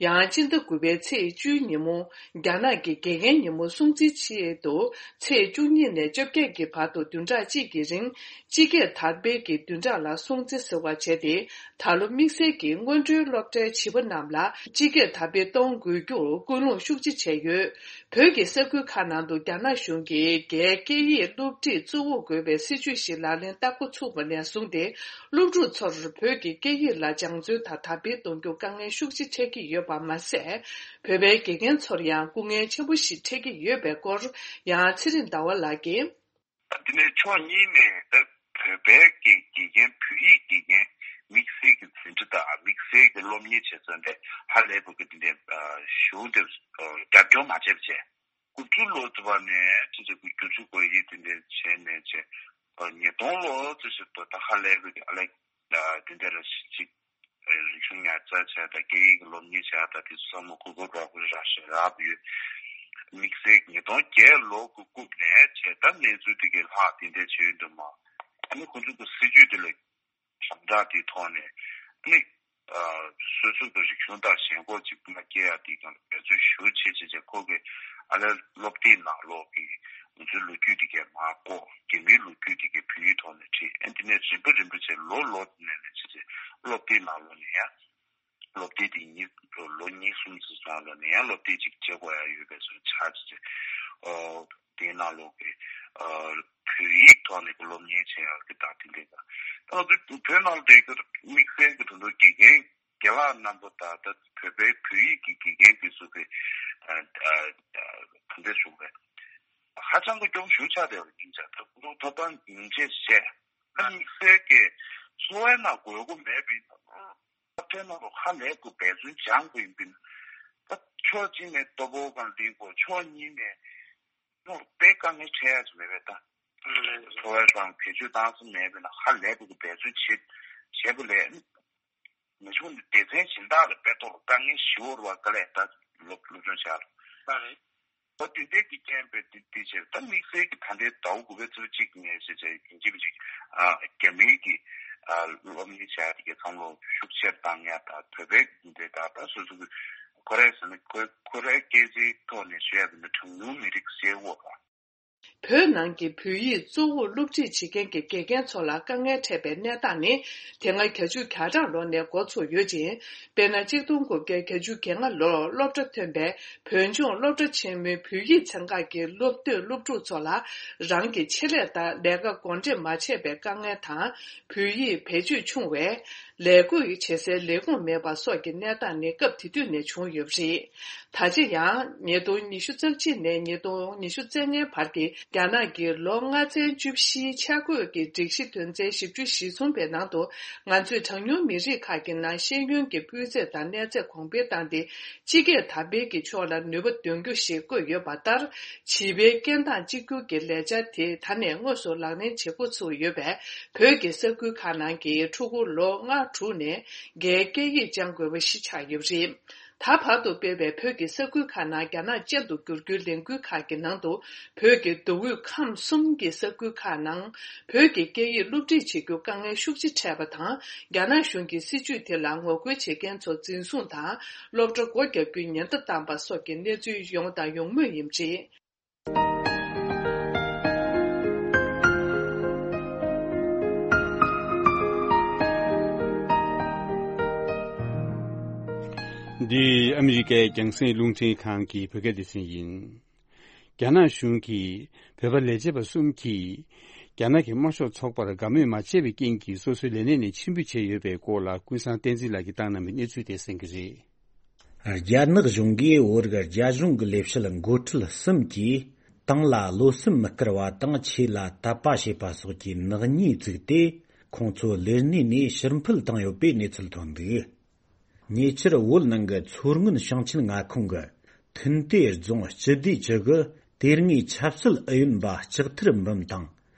ཡང་། སྤྱི་ཟླ་དགུ་པའི་ཚེས་བཅུའི་ཉིན་མོ། རྒྱ་ནག་གི་དགེ་རྒན་ཉིན་མོ་སྲུང་བརྩིའི་ཆེད་དུ། ཚེས་བཅུ་གཉིས་ནས་བཅོ་བརྒྱད་ཀྱི་བར་དུ་བདུན་ཕྲག་གཅིག་གི་རིང་། སྤྱི་སྐད་དར་སྤེལ་གྱི་བདུན་ཕྲག་ལ་སྲུང་བརྩི་ཟེར་བ་བྱས་ཏེ། ད་ལོ་དམིགས་བསལ་གྱིས་སྔོན་འགྲོའི་སློབ་གྲྭའི་བྱིས་པ་རྣམས་ལ་སྤྱི་སྐད་དར་སྤེལ་གཏོང་དགོས་རྒྱུར་སྐུལ་སློང་ཤུགས་ཆེ་བྱས་ཡོད། བོད་ཀྱི་ས་ཁུལ་ཁག་ནང་དུ་རྒྱ་ནག་གཞུང་གིས་རྒྱའི་སྐད་ཡིག་སློབ་ཁྲིད་གཙོ་བོར་དགོས་པའི་སྲིད་ཇུས་ཤིག་ལག་ལེན་བསྟར་འགོ་ཚུགས་པ་ནས་བཟུང་སྟེ། སློབ་ཕྲུག་ཚོར་བོད་ཀྱི་སྐད་ཡིག་ལ་སྦྱང་བརྩོན་དང་དར་སྤེལ་གཏོང་རྒྱུར་དཀའ་ངལ་ཤུགས་ཆེ་འཕྲད་ཀྱི་ཡོད་པ་མ་ཟད། བོད་པའི་དགེ་རྒན་ཚོར་ཡང་སྐུ་ངལ་ཆེན་པོ་ཞིག་འཕྲད་ཀྱི་ཡོད་པའི་སྐོར། ཡང་ཚེ་རིང་ཟླ་བ་ལགས་ཀྱིས། འདི་ནས་ཕྱོགས་གཉིས་ནས་ད་བོད་པའི་གི་དགེ་རྒན། བོད་ཡིག་དགེ་རྒན་དམིགས་བསལ་གྱི་འཛིན་གྲྭ་དང་དམིགས་བསལ་གྱི་སློབ་གཉེར་བྱེད་ས་འདི་ཧ་ལས་པའི་གི་འདི་འདྲའི་གཞུང་དེ་རྒྱབ་སྐྱོར་མ་བྱས་པ་བྱས། དགུ་བཅུ་ལོ་ཙམ་པ་ནས་ཅི་ཟེར་དགུ་བཅུ་གོ་ཡི་དེ་འདྲ་བྱས་ནས་བྱས། ཉིས་སྟོང་ལོ་ཙམ་ཞིག་ཏུ་ད་ཧ་ལས་པའི་གི་ཨ་ལེ། དེ་འདྲ་ར་ཞིག་རིག་གཞུང་ཉར་ཚགས་བྱས་དང་སྐད་ཡིག་གི་སློབ་གཉེར་བྱས་དང་དེ་ཚོ་ཚང་མ་གོ་སྐབས་རག་པ་རག་བཞིན་རག་པ་ཡོད། དམིགས་བསལ་ཉིས་སྟོང་བརྒྱད་ལོ་གི་རྐུབ་ནས་བྱས་ད་གནས་ཚུལ་དེ་གའི་ལྷག་དེ་འདྲ་བྱས་ཡོད་འདུག་མ། ཨ་ནི་ཁོ་ཚོ་གི་སྲིད་ཇུས་དེ་ལ་དམ་དྲག་དེའི་ཐོག་ནས་ཨ་ནི་སོ་སོ་གི་རིག་གཞུང་དང་ཞེན་ཁོག་ཅིག་མ་སྐྱེ་ཡ་དེ་གང་འབད་བརྩོན་ཞུ་བྱེད་བྱེད་བྱེད་ཁོ་གི་ཨ་ལས་སློབ་དེབ་ནང་ལོགས་ཀྱི་ང་ཚོའི་ལོ་རྒྱུས་དེ་གའི་མར་བཀོག་རྒྱ་མིའི་ལོ་རྒྱུས་དེ་གའི་བོད་ཡིག་ཐོག་ནས་བྲིས། ཨ་དེ་ནས་རིམ་པ་རིམ་པ་བྱས་ལོ་ལོ་དེ་ནས་ནས་བྱས་བྱས་སློབ་དེབ་ནང་ལོགས་ནས་ཡང་སློབ་དེབ་དེ་གཉིས་ལོ་གཉིས་གསུམ་ཙམ་སོང་ལོ་ནས་ཡང་སློབ་དེབ་ཅིག་བྱེད་དགོས་ཡ་ཡོད་པའི་བཟོ་ཆགས་བྱས་བྱས་ཨོ་དེའི་ནང་ལོགས་ཀྱི་ཨ་བོད་ཡིག་ཐོག་ནས་ཀྱི་སློབ་གཉེར་བྱེད་ཡ་གི་དང་དེ་འདྲས་དང་ད་ང་ཚོ་བོད་ནང་ལ་བསྡད་རྒྱུ་དམིགས་བསལ་གྱི་དོན་དུ་དགེ་རྒན་རྒན་ལགས་རྣམ་པ་དང་ད་བོད་པའི་བོད་ཡིག་གི་དགེ་རྒན་དེ་ཚོ་གི་ཨ་ཨ་ག་འདྲ་ཞུ་དགོས་རེད། ཧ་ཅང་གི་སྐྱོ་པོ་ཞེ་པོ་ཆགས་བསྡད་པ་ཡིན་ཙང་ད་ཁོང་ཚོ་ཐོབ་ཐང་ཉིན་བྱེད་བྱས་ཨ་དམིགས་བསལ་གྱི་འཚོ་བའི་ནང་དགོས་མཁོ་མེད་པའི་ཐབས་བྲལ་ནང་ལ་ཧ་ལས་དགོས་འབད་བརྩོན་སྦྱང་དགོས་ཡིན་པས་ད་ཕྱོགས་གཅིག་ནས་ལྟོ་ཕོག་གང་ལེན་དགོས་ཕྱོགས་གཉིས་ནས་ནོར་དཔེ་དཀའ་ངལ་འཕྲད་ཡ་ཅིག་མེད་པས་ད། འཚོ་བའི་སྒང་བེད་སྤྱོད་བཏང་ས་མེད་པས་ན་ཧ་ལས་པའི་འབད་བརྩོན་བྱེད་བྱེད་པ་ལས། ན་ཆུང་སྡེ་ཚན་གཞན་དག་ལ་དཔེ་ཐོག་ལ་དཀའ་ངལ་ཞེ་པོ་རེད་བ། དཀའ་ལས་ད་སློབ་སློབ་སྦྱོང་བྱ་ལ། ལགས་རེད། ཨོ་དེ་འདྲའི་གི་རྐྱེན་པས་དེ་དེ་བྱས་ད་དམིགས་བསལ་གྱི་ད་ལྟའི་ཟླ་བ་དགུ་པའི་ཚེས་གཅིག་ནས་བྱས་བྱས་ཡིན་གཅིག་མིན་གཅིག་ཨ་རྒྱ་མིའི་གི་ཨ་སློབ་གཉེར་བྱ་ཡ་དེ་གའི་བསམ་བློ་ཤུགས་ཆེར་བཏང་ཡ་ད་བོད་པའི་འདི་ད་ད་སོ་སོ་གི་ཁོ་རའི་ཟེར་ན་ཁོ་ཁོ་རའི་སྐད་ཆའི་ཐོག་ནས་ཞུ་ཡ་དེ་ནི་གྲངས་ཉུང་མི་རིགས་སེར་པོ་དང་། བོད་ནང་གི་བོད་ཡིག་གཙོ་བོར་སློབ་ཁྲིད་བྱེད་མཁན་གྱི་དགེ་རྒན་ཚོ་ལ་དཀའ་ངལ་འཕྲད་པའི་གནས་སྟངས་ནི་དེ་སྔ་བརྒྱད་ཅུ་གྱ་གྲངས་ལོ་ནས་འགོ་ཚུགས་ཡོད་ཅིང་། དཔེར་ན། གཅིག་སྟོང་དགུ་བརྒྱ་གྱ་གྲངས་ལོར་སློབ་གྲྭ་ཐོན་པའི་བོད་ལྗོངས་སློབ་གྲྭ་ཆེན་མོའི་བོད་ཡིག་ཚན་ཁག་གི་སློབ་དེབ་སློབ་ཕྲུག་ཚོ་ལ་རང་གི་ཆེད་ལས་ལྟར་ལས་ཀ་འགོ་འདྲེན་མ་བྱས་པའི་དཀའ་ངལ་དང་། བོད་ཡིག་བེད་སྤྱོད་ཆུང་བས། ལས་བགོས་བྱེད་སའི་ལས་ཁུངས་མེད་པ་སོགས་ཀྱི་གནས་སྟངས་ནི་སྐབས་དེ་དུས་ནས་བྱུང་ཡོད་པ་རེད། ད་ཆ་ཡང་ཉིས་སྟོང་ཉི་ཤུ་རྩ་གཅིག་ནས་ཉིས་སྟོང་ཉི་ཤུ་རྩ་ལྔའི་བར་གྱི་རྒྱ་ནག་གི་ལོ་ལྔ་ཚན་བཅུ་བཞིའི་འཆར་འགོད་ཀྱི་སྒྲིག་གཞི་དོན་ཚན་བཞི་བཅུ་ཞེ་གསུམ་པའི་ནང་དུ། ང་ཚོས་གྲངས་ཉུང་མི་རིགས་ཁག་གི་ནང་ཤེས་ཡོན་གྱི་སྤུས་ཚད་དང་གནས་ཚད་གོང་འཕེལ་བཏང་སྟེ། སྤྱི་སྐད་དར་སྤེལ་གྱི་ཕྱོགས་ལ་ནུས་པ་འདོན་རྒྱུ་ཞེས་བཀོད་ཡོད་པ་ལྟར། བྱིས་པའི་སྐད་གདངས་གཅིག་གྱུར་གྱི་ལས་འཆར་དེ་ད་ནས་དངོས་སུ་ལག་ལེན་བྱེད་འགོ་ཚུགས་ཡོད་པས། བོད་ཀྱི་ས་ཁུལ་ཁག་ནང་གི་ཕྲུ་གུ་ལོ་ལྔ་དྲུག་ནས་རྒྱའི་སྐད་ཡིག་སྦྱང་དགོས་པ་ཞིག་ཆགས་ཡོད་པ་རེད། ད་བར་དུ་སྤེལ་བའི་བོད་ཀྱི་ས་ཁུལ་ཁག་ནང་རྒྱ་ནག་ཅན་དུ་བསྒྱུར་རྒྱུའི་ལས་འགུལ་ཁག་གི་ནང་དུ། བོད་ཀྱི་མདོ་དབུས་ཁམས་གསུམ་གྱི་ས་ཁུལ་ཁག་ནང་བོད་ཀྱི་སྐད་ཡིག་སློབ་ཁྲིད་བྱེད་རྒྱུ་དཀའ་ངལ་ཤུགས་ཆེ་འཕྲད་པ་དང་། རྒྱ་ནག་གཞུང་གིས་སྲིད་ཇུས་དེ་ལ་ངོ་རྒོལ་བྱེད་མཁན་ཚོ་འཛིན་བཟུང་དང་། སློབ་གྲྭ་སྒོ་རྒྱག་རྒྱུའི་ཉེན་བརྡ་བཏང་པ་སོགས་ཀྱི་གནས་ཚུལ་ཡོང་དང་ཡོང་མུས་ཡིན་པ་རེད། འདི་ཨ་མི་རི་ཀའི་རྒྱང་སྲིང་རླུང་འཕྲིན་ཁང་གི་བོད་སྐད་སྡེ་ཚན་ཡིན། རྒྱ་ནག་གཞུང་གིས་བོད་པ་ལས་བྱེད་པ་གསུམ་གྱིས་རྒྱ་ནག་གི་དམར་ཤོག་ཚོགས་པར་དགའ་མོས་མ་བྱས་པའི་རྐྱེན་གྱིས་སོ་སོའི་ལས་གནས་ནས་ཕྱིར་འབུད་བྱས་ཡོད་པའི་སྐོར་ལ་ཀུན་བཟང་བསྟན་འཛིན་ལགས་ཀྱིས་བཏང་གནང་བའི་གནས་ཚུལ་དེ་གསན་གྱི་རེད། རྒྱ་ནག་གཞུང་གིས་བོད་རིགས་རྒྱ་གཞུང་གི་ལས་བྱེད་འགོ་ཁྲིད་གསུམ་གྱིས་ཏང་ལ་བློ་སེམས་མི་དཀར་བ་དང་ཆོས་ལ་དད་པ་བྱེད་པ་སོགས་ཀྱི་ནག་ཉེས་བཙུགས་ཏེ་ཁོང་ཚོ་ལས་གནས་ནས་ཕྱིར་འཕུད་བཏང་ཡོད་པའི་གནས་ཚུལ་ཐོན་འདུག་ཉེ་ཆར་བོད་ནང་གི་མཚོ་སྔོན་ཞིང་ཆེན་མངའ་ཁོངས་ཀྱི་ཐུན་ཏེ་རྫོང་སྤྱི་བདེ་ཅུ་གི་དེ་སྔའི་ཆབ་སྲིད་ཨུ་ཡོན་པ་ལྕགས་ཐར་འབུམ་དང་།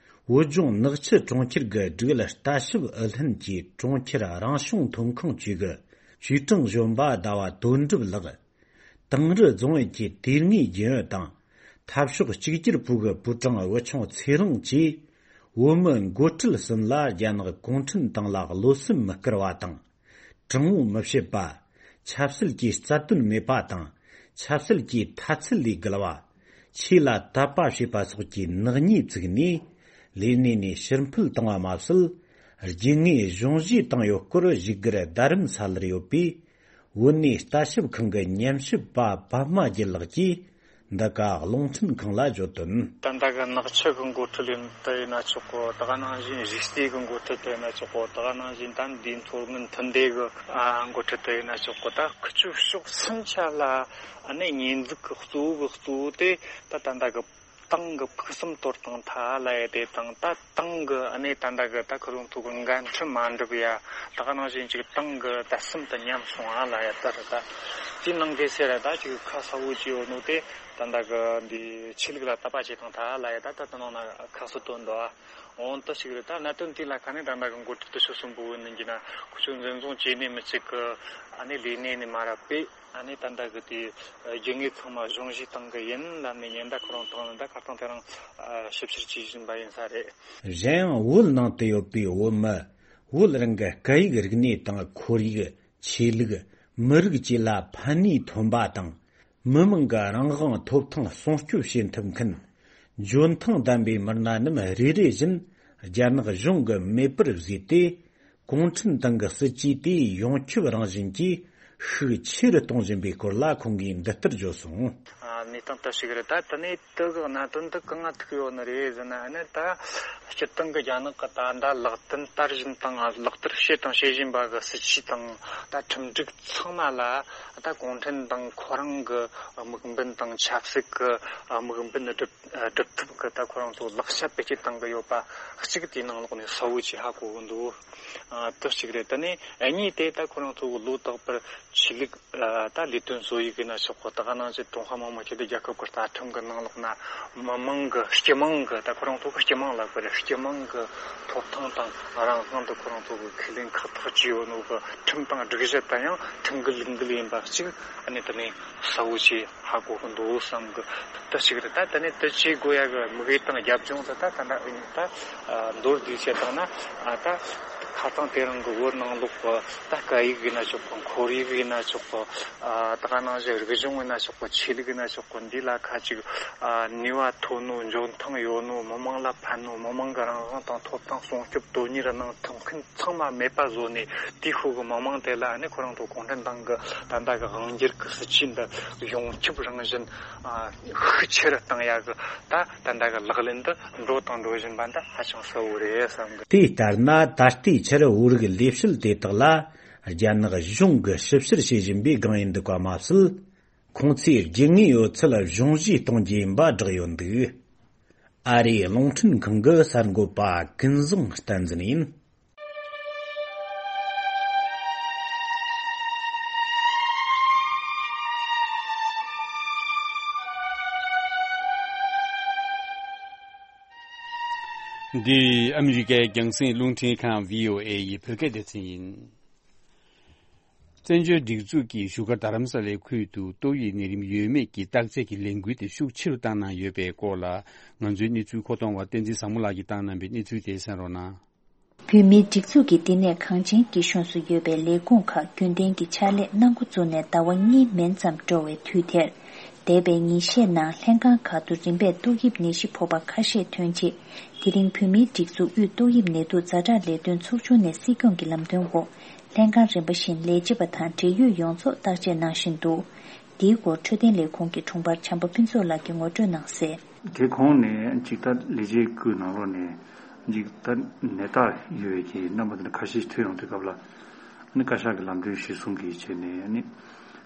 བོད་ལྗོངས་ནག་ཆུ་གྲོང་ཁྱེར་གྱི་སྒྲིག་ལ་ལྟ་ཞིབ་ཨུ་ལྷན་གྱི་གྲོང་ཁྱེར་རང་སྐྱོང་ཐོན་ཁུངས་ཅུས་ཀྱི་ཅུས་ཀྲང་གཞོན་པ་ཟླ་བ་དོན་གྲུབ་ལགས། དིང་རི་རྫོང་ཡུལ་གྱི་དེ་སྔའི་རྒྱུན་ཡོད་དང་། འཐབ་ཕྱོགས་གཅིག་གྱུར་པུའུ་གི་པུའུ་ཀྲང་བུ་ཆུང་ཚེ་རིང་གིས། བོད་མི་འགོ་ཁྲིད་གསུམ་ལ་རྒྱ་ནག་གུང་ཁྲན་ཏང་ལ་བློ་སེམས་མི་དཀར་བ་དང་། དྲང་བོ་མི་བྱེད་པ། ཆབ་སྲིད་ཀྱི་རྩ་དོན་མེད་པ་དང་། ཆབ་སྲིད་ཀྱི་མཐའ་ཚད་ལས་བརྒལ་བ། ཆོས་ལ་དད་པ་བྱེད་པ་སོགས་ཀྱི་ནག་ཉེས་བཙུགས་ནས། ལས་གནས་ནས་ཕྱིར་འཕུད་བཏང་བ་མ་ཟད། རྒྱུ་དངོས་གཞུང་བཞེས་བཏང་ཡོད་སྐོར་བཞུགས་སྒར་རྡ་རམ་ས་ལར་ཡོད་པའི་བོད་གནས་ལྟ་ཞིབ་ཁང་གི་ཉམས་ཞིབ་པ་པདྨ་རྒྱལ་ལགས་ཀྱིས་འདི་ག་རླུང་འཕྲིན་ཁང་ལ་བརྗོད་དོན། ད་ལྟ་གི་ནག་ཆུ་གི་འགོ་ཁྲིད་ཡིན་དུ་ཡིན་ན་ཆོག་གོ། ད་ག་ནང་བཞིན་རིག་རྩེ་གི་འགོ་ཁྲིད་དུ་ཡིན་ན་ཆོག་གོ། ད་ག་ནང་བཞིན་ད་འདིའི་མཐོ་སྔོན་མཐུན་སྡེ་གི་ཨ་འགོ་ཁྲིད་དུ་ཡིན་ན་ཆོག་གོ། ད་ཁུ་ཆུ་ཕྱོགས་སུན་ཆ་ལ་ཨ་ནི་ཉེས་འཛུགས་གི་གཙོ་བོ་གི་གཙོ་བོ་དེ་ད་ད་ལྟ་གི་ཏང་གི་ཕུགས་བསམ་དོར་བཏང་ཐལ་ལབ་ཡ་དེ་དང་། ད་ཏང་གི་ཨ་ནི་ད་ལྟ་གི་ད་ཁོ་རང་ཚོ་གི་འགན་འཁྲི་མ་འགྲུབ་ཡ། ད་ག་ནང་བཞིན་ཅིག་ཏང་གི་དད་སེམས་དེ་ཉམས་སོང་ཨ་ལབ་ཡ། ད་རེད། ད་དེའི་ནང་གི་ཟེར་ཡ་ད་ཅིག་ཁ་གསལ་བོ་ཅིག་ཡོད་ནོ་དེ་ད་ལྟ་གི་འདི་ཆོས་ལུགས་ལ་དད་པ་བྱེད་བཏང་ཐལ་ལབ་ཡ། ད་ད་ད་ནང་ན་ཁ་གསལ་དོན་འདུག་ཨ། འོན་ཏེ་ཞིག་རེད། ད་གནད་དོན་དེ་ལ་ཁ་ནས་ད་ལྟ་གི་འགོ་ཁྲིད་དེ་ཚོ་གསུམ་པོ་ཡིན་གྱི་ན་ཁོ་ཚོ་འཛིན་བཟུང་བྱས་ནས་མི་གཅིག་གི་ཨ་ནི་ལས་གནས་ནས་མར་ཕུད། ཨ་ནི་ད་ལྟ་གི་དེ་རྒྱུ་དངོས་ཚང་མ་གཞུང་བཞེས་བཏང་གི་ཡིན་ལབ་ནས་ཉེན་བརྡ་ཁོ་རང་བཏང་ནས། ད་ཁ་སང་དེ་རིང་ཞིབ་བཤེར་བྱེད་བཞིན་པ་ཡིན་ས་རེད། གཞན་ཡང་བོད་ནང་དུ་ཡོད་པའི་བོད་མི། བོད་རང་གི་སྐད་ཡིག་རིག་གནས་དང་ཁོར་ཡུག་ཆོས་ལུགས། མི་རིགས་བཅས་ལ་ཕན་ནུས་ཐོན་པ་དང་། མི་དམངས་ཀྱི་རང་དབང་ཐོབ་ཐང་སྲུང་སྐྱོབ་བྱེད་ཐུབ་མཁན། འཇོན་ཐང་ལྡན་པའི་མི་སྣ་རྣམས་རེ་རེ་བཞིན་རྒྱ་ནག་གཞུང་གིས་མེད་པར་བཟོས་ཏེ། གུང་ཁྲན་ཏང་གི་སྲིད་ཇུས་དེ་ཡོངས་ཁྱབ་རང་བཞིན་གྱིས་ཤུགས་ཆེ་རུ་གཏོང་བཞིན་པའི་སྐོར་ལ་ཁོང་གིས་འདི་ལྟར་བརྗོད་སོང་། ཨ། གནས་སྟངས་དེ་ཞིག་རེད། ད་དེ་ནས་དེ་གི་གནད་དོན་འདི་གང་ང་ཐུག་ཡོད་ནི་རེད་ཟེར་ན། ཨ་ནི་ད་སྤྱིར་བཏང་གི་རྒྱ་ནག་གི་ད་ལྟ་ལག་ལེན་བསྟར་བཞིན་དང་ལག་བསྟར་བྱས་དང་བྱེད་བཞིན་པ་གི་སྲིད་ཇུས་དང་ད་ཁྲིམས་སྒྲིག་ཚང་མ་ལ། ད་གུང་ཁྲན་ཏང་ཁོ་རང་གི་དམིགས་འབེན་དང་ཆབ་སྲིད་ཀྱི་དམིགས་འབེན་སྒྲུབ་སྒྲུབ་ཐབས་ཀྱི་ད་ཁོ་རང་ཚོ་ལག་ཆ་བེད་སྤྱོད་བཏང་གི་ཡོད་པ་གཅིག་དེའི་ནང་ལོགས་ནས་གསལ་བོ་ཅིག་ཧ་གོ་གི་འདུག། ཨ། དེ་གཅིག་རེད། དེ་ནས་གཉིས་དེ་ད་ཁོ་རང་ཚོ་གི་ལོ་རྟག་པར་ཆོས་ལུགས། ཨ། ད་ལས་དོན་བཟོ་ཡིག་ཡིན་ན་ཆོག་གོ། ད་ག་ནང་བཞིན་ཀྲུང་ཧྭ་མི་དམངས་སྤྱི་མཐུན་རྒྱལ་ཁབ་ཀྱི་རྩ་ཁྲིམས་ཀྱི་ནང་ལོགས་ན་མི་དམངས་ཀྱི་སྤྱི་དམངས་ཀྱི། ད་ཁོ་རང་ཚོ་གི་སྤྱི་དམངས་ལབ་དགོས་རེད། སྤྱི་དམངས་ཀྱི་ཐོབ་ཐང་དང་རང་དབང་དེ་ཁོ་རང་ཚོ་གི་ཁས་ལེན་ཁག་ཐེག་བྱས་ཡོད་ནོ་གི་ཁྲིམས་དང་སྒྲིག་གཞི་དེ་ཡང་ཁྲིམས་འགལ་ལུགས་འགལ་ཡིན་པ་གཅིག། ཨ་ནི་དེ་ནས་གསལ་བོ་ཅིག་ཧ་གོ་གི་འདུག་བསམ་གི། དེ་གཅིག་རེད། ད་དེ་ནས་དེ་བྱེད་དགོས་ཡ་གི་དམིགས་ཡུལ་དང་རྒྱབ་ལྗོངས་དེ་ད་ད་ད་ད་མདོར་བསྡུས་བཤད་བཏང་ན། ཨ། ད་ཁ་སང་དེ་རིང་གི་བོད་ནང་ལོགས་ཀྱི་ད་སྐད་ཡིག་ཡིན་ན་ཆོག་གི། ཁོར་ཡུག་ཡིན་ན་ཆོག་གི། ཨ། ད་ག་ནང་བཞིན་རིག་གཞུང་ཡིན་ན་ཆོག་གི། ཆོས་ལུགས་ཡིན་ན་ཆོག་གི། འདི་ལ་ཁ་ཅིག། ཨ། ནུས་པ་ཐོན་ནོ། འཇོན་ཐང་ཡོད་ནོ། མི་དམངས་ལ་ཕན་ནོ། མི་དམངས་ཀྱི་རང་དབང་དང་ཐོབ་ཐང་སྲུང་སྐྱོབ་དོན་གཉེར་གནང་ཐུབ་མཁན་ཚང་མ་མེད་པ་བཟོ་ནས། དེའི་ཤུགས་ཀྱིས་མི་དམངས་དེ་ལ་ནི་ཁོ་རང་ཚོ་གུང་ཁྲན་ཏང་གི་ད་ལྟ་གི་དབང་སྒྱུར་གྱི་སྲིད་ཇུས་འདི་ཡོངས་ཁྱབ་རང་བཞིན། ཨ། ཤུགས་ཆེ་རུ་བཏང་ཡ་གི་ད་ད་ལྟ་གི་ལག་ལེན་འདི་འགྲོ་དང་འགྲོ་བཞིན་པ་འདི་ཧ་ཅང་གསལ་བོ་རེད་བསམ་གི། དེ་ལྟར་ན། ད་ལྟའི་ཆར་བོད་རིགས་ལས་བྱེད་དེ་དག་ལ་རྒྱ་ནག་གཞུང་གིས་ཞིབ་བཤེར་བྱེད་བཞིན་པའི་སྒང་ཡིན་འདུག་པ་མ་ཟད། ཁོང་ཚོས་རྒྱུ་དངོས་ཡོད་ཚད་གཞུང་བཞེས་གཏོང་རྒྱུ་ཡིན་པ་བསྒྲགས་ཡོད་འདུག། ཨ་རིའི་རླུང་འཕྲིན་ཁང་གི་གསར་འགོད་པ་ཀུན་བཟང་བསྟན་འཛིན་ཡིན། འདི་ཨ་མི་རི་ཀའི་རྒྱང་སྲིང་རླུང་འཕྲིན་ཁང་བྷི་ཨོ་ཨེ་ཡི་བོད་སྐད་སྡེ་ཚན་ཡིན། བཙན་བྱོལ་སྒྲིག་འཛུགས་ཀྱིས་བཞུགས་སྒར་རྡ་རམ་ས་ལའི་ཁུལ་དུ་ཏོག་དབྱིབས་ནད་རིམས་ཡོད་མེད་ཀྱི་བརྟག་དཔྱད་ཀྱི་ལས་འགུལ་དེ་ཤུགས་ཆེ་རུ་བཏང་གནང་ཡོད་པའི་སྐོར་ལ། ང་ཚོའི་གནས་ཚུལ་མཁོ་གཏོང་བ་བསྟན་འཛིན་བཟང་མོ་ལགས་ཀྱིས་བཏང་གནང་པའི་གནས་ཚུལ་དེ་གསན་རོགས་གནང་། བོད་མིའི་སྒྲིག་འཛུགས་ཀྱི་བསྟི་གནས་གངས་ཅན་སྐྱིད་གཤོངས་སུ་ཡོད་པའི་ལས་ཁུངས་ཁག་རྒྱུན་ལྡན་གྱི་ཕྱག་ལས་གནང་འགོ་བཙུགས་ནས་ཟླ་བ་གཉིས་མན་ཙམ་འགྲོ་བའི་དུས་དེར། འདས་པའི་ཉིན་ཤས་ནང་ལྷན་ཁང་ཁག་ཏུ་རིམ་པས་ཏོག་དབྱིབས་ནད་གཞི་ཕོག་པ་ཁ་ཤས་ཐོན་རྗེས། དེ་རིང་བོད་མིའི་སྒྲིག་འཛུགས་དབུས་ཏོག་དབྱིབས་ནད་དུག་ཛ་དྲག་ལས་དོན་ཚོགས་ཆུང་ནས་སྲིད་སྐྱོང་གི་ལམ་སྟོན་འོག་ལྷན་ཁང་རིམ་པ་བཞིན་ལས་བྱེད་པ་དང་འབྲེལ་ཡོད་ཡོངས་རྫོགས་བརྟག་དཔྱད་གནང་བཞིན་འདུག། འདིའི་སྐོར་འཕྲོད་བསྟེན་ལས་ཁུངས་ཀྱི་དྲུང་འཕར་བྱམས་པ་ཕུན་ཚོགས་ལགས་ཀྱིས་ངོ་སྤྲོད་གནང་གསལ། དེ་གོང་ནས་ཅིག་ད་ལས་བྱེད་ཀྱི་ནང་ལོགས་ནས་ཅིག་ད་ནད་རྟགས་ཡོད་པའི་གི་རྣམ་པ་དེ་འདྲ་ཁ་ཤས་ཐོན་ཡོང་དུས་སྐབས་ལ། ཨ་ནི་བཀའ་ཤག་གི་ལམ་སྟོན་གཞིར་བཟུང་གིས་བྱས་ནས། ཨ་ནི་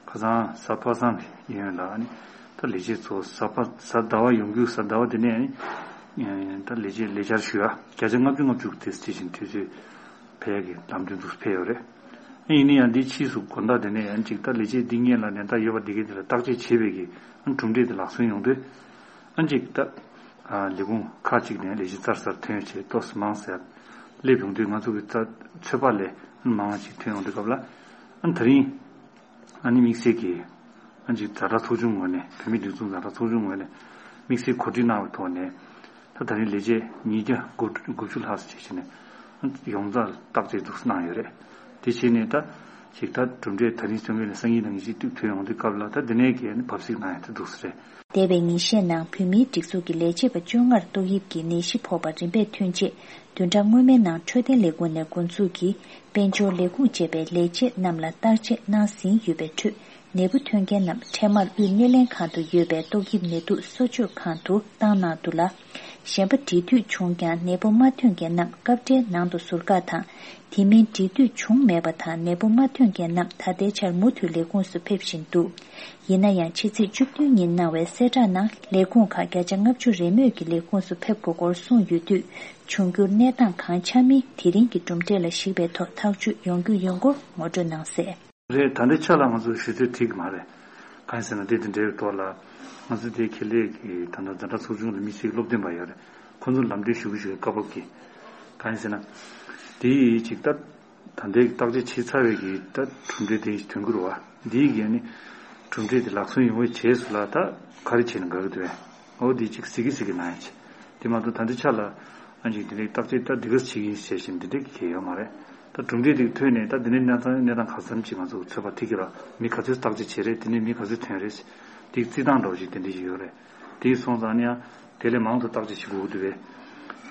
ཁ་སང་གཟའ་པ་སངས་ཡིན་ལ། ཨ་ནི་ད་ལས་བྱེད་ཚོ་གཟའ་པ་གཟའ་ཟླ་བ་ཡོང་རྒྱུ། གཟའ་ཟླ་བ་དེ་ནས་ཨ་ནི་ད་ལས་བྱེད་ལས་འཆར་ཞུ་ཡ་བརྒྱ་ཆ་ལྔ་བཅུ་ལྔ་བཅུ་དེ་ཇི་བཞིན་དུས་ཚོད་ཕེབས་ཡ་གི་ལམ་སྟོན་དུ་ཕེབས་ཡོད་རེད། ཨ་ཡིན་ན་ཡང་འདིའི་ཕྱིས་སུ་དགོང་དག་དེ་ནས་ཨ་ནི་ཅིག་ད་ལས་བྱེད་འདི་སྔོན་ལ་ནད་རྟགས་ཡོད་པ་འདི་གའི་དེ་ལ་བརྟག་དཔྱད་བྱེད་པའི་གི་ཨ་ནི་གྲུབ་འབྲས་དེ་ལག་སོན་ཡོང་དུས། ཨ་ནི་ཅིག་ད་ཨ་ལས་ཁུངས་ཁག་ཅིག་ནས་ལས་བྱེད་ཚར་ཚར་ཐོན་བྱས་ཏོག་ཙམ་མང་ཙམ་སླེབས་ཡོང་དུས། ང་ཚོ་གི་ཚ་ཚོད་དཔག་ལས་ཨ་ནི་མང་བ་ཅིག་ཐོན་ཡོང་དུས་སྐབས་ལ། ཨ་ནི་ད་རིང་ཨ་ནི་དམིགས་བསལ་གྱི་ ཨ་ཅིག་ཛ་དྲག་ཚོགས་ཆུང་ངོས་ནས། བོད་མིའི་སྒྲིག་འཛུགས་ཛ་དྲག་ཚོགས་ཆུང་ངོས་ནས་དམིགས་བསལ་གོ་སྒྲིག་གནང་བའི་ཐོག་ནས། ད་ད་རིང་ལས་བྱེད་ཉིས་བརྒྱ་དགུ་བཅུ་ལྷག་ཙམ་བྱས་བྱས་ནས་ཡོངས་རྫོགས་བརྟག་དཔྱད་འདུག་སེ་གནང་ཡོད་རེད། དེ་བྱས་ནས་ད་ཅིག་ད་གྲུབ་འབྲས་ད་རིང་བཙོན་ཁང་ནས་སང་ཉིན་དང་ཉི་ཤུ་དུས་ཐོན་ཡོང་དུས་སྐབས་ལ། ད་འདི་ནས་གས་ནི་བབས་གཟིགས་གནང་ཡ་དེ་འདུག་སེ་རེད། འདས་པའི་ཉིན་ཤས་ནང་བོད་མིའི་སྒྲིག་འཛུགས་ཀྱི་ལས་བྱེད་པ་བཅོ་ལྔར་ཏོག་དབྱིབས་ཀྱི་ནད་གཞི་ཕོག་པ་རིམ་པས་ཐོན་རྗེས། བདུན་ཕྲག་སྔོན་མའི་ནང་འཕྲོད་བསྟེན་ལས་ཁུངས་ནས་འགོ་འཛུགས་ཀྱིས་དཔལ་འབྱོར་ལས་ཁུངས་བཅས་པའི་ལས་བྱེད་རྣམས་ལ་བརྟག་དཔྱད་གནང་ཟིན་ཡོད་པའི་ཁྲོད། ནད་འབུ་ཐོན་མཁན་རྣམས་འཕྲལ་མར་དབུས་སྣེ་ལེན་ཁང་དུ་ཡོད་པའི་ཏོག་དབྱིབས་ནད་དུག་གསོ་བཅོས་ཁང་དུ་བཏང་གནང་འདུག་ལ། གཞན་པ་འབྲེལ་མཐུད་བྱུང་ཀྱང་ནད་འབུ་མ་ཐོན་མཁན་རྣམས་སྐབས་འཕྲལ་ནང་དུ་ཟུར་བཀག་དང་། དེ་མིན་འབྲེལ་མཐུད་བྱུང་མེད་པ་དང་ནད་འབུ་མ་ཐོན་མཁན་རྣམས་ད་ལྟའི་ཆར་མུ་མཐུད་ལས་ཁུངས་སུ་ཕེབས་བཞིན་འདུག་ཡིན་ན་ཡང་ཕྱི་ཚེས་བཅུ་བདུན་ཉིན་གནང་བའི་གསལ་བསྒྲགས་ནང་ལས་ཁུངས་ཁག་བརྒྱ་ཆ་ལྔ་བཅུ་རེ་མོས་ཀྱིས་ལས་ཁུངས་སུ་ཕེབས་དགོས་སྐོར་གསུངས་ཡོད་དུས། འབྱུང་འགྱུར་གནས་སྟངས་གང་ཆགས་མིན་དེ་རིང་གི་གྲུབ་འབྲས་ལ་གཞིགས་པའི་ཐོག་ཐག་གཅོད་ཡོང་རྒྱུ་ཡིན་སྐོར་ངོ་སྤྲོད་གནང་གསལ། རེད། ད་ལྟའི་ཆ་ལ་ང་ཚོ་ཞུ་ཚོད་འགྲིག་གི་མ་རེད། གང་ཡིན་ཟེར་ན་དེ་དང་འབྲེལ་བའི་ཐོག་ལ་ང་ཚོ་དེ་ཁེ་ལས་ཀྱི་ད་ལྟ་ཛ་དྲག་ཚོགས་ཆུང་ལ་དམིགས་བསལ་གྱི་སློབ་སྟོན་པ་ཡོད་རེད། ཁོང་ཚོ་ལམ་སྟོན་ཞུ་གི་ཞུ་གི་བཀའ་བབས་ཀྱིས། གང་ཡིན་ཟེར་ན། དེ་ཡིས་ཅིག་ད་ད་ལྟའི་བརྟག་དཔྱད་བྱས་ཚར་བའི་གི་ད་གྲུབ་འབྲས་དེ་ཐོན་གྱི་རེད་བ། འདིའི་གི་ནི་གྲུབ་འབྲས་དེ་ལག་སོན་ཡོང་བའི་རྗེས་སུ་ལ་ད་ག་རེ་བྱས་ན་དགའ་གི་འདུག་བས། འོ་འདི་ཅིག་གཟིགས་གི་གཟིགས་གི་གནང་ཡ་ཆེ། དེ་མ་གཏོགས་ད་ལྟའི་ཆ་ལ་ཨ་ཅིག་དེ་འདྲའི་བརྟག་དཔྱད་ད་འདི་ག་བྱེད་ཀྱི་ཡིན་ཟེར་བཞིན་དེ་འདྲའི་གི་གལ་ཡོད་མ་རེད། ད་གྲུབ་འབྲས་དེ་ཐོན་ནས་ད་འདི་ནས་གནས་སྟངས་གནས་སྟངས་ག་ཙམ་ཅིག་ང་ཚོ་ཚོད་དཔག་ཐིག་གི་ར། མི་ག་ཚོད་བརྟག་དཔྱད་བྱེད་རེད། དེ་ནས་མི་ག་ཚོད་ཐོན་རེད། དེ་རྩིས་སྟངས་འདྲ་བོ་ཅིག་དེ་འདྲ་ཞིག་ཡོད་རེད། དེ་སོང་ཙང་ནི་ཡང་དེ་ལས་མང་དུ་བརྟག་དཔྱད་བྱེད་དགོས་ཀྱི་འདུག་བས།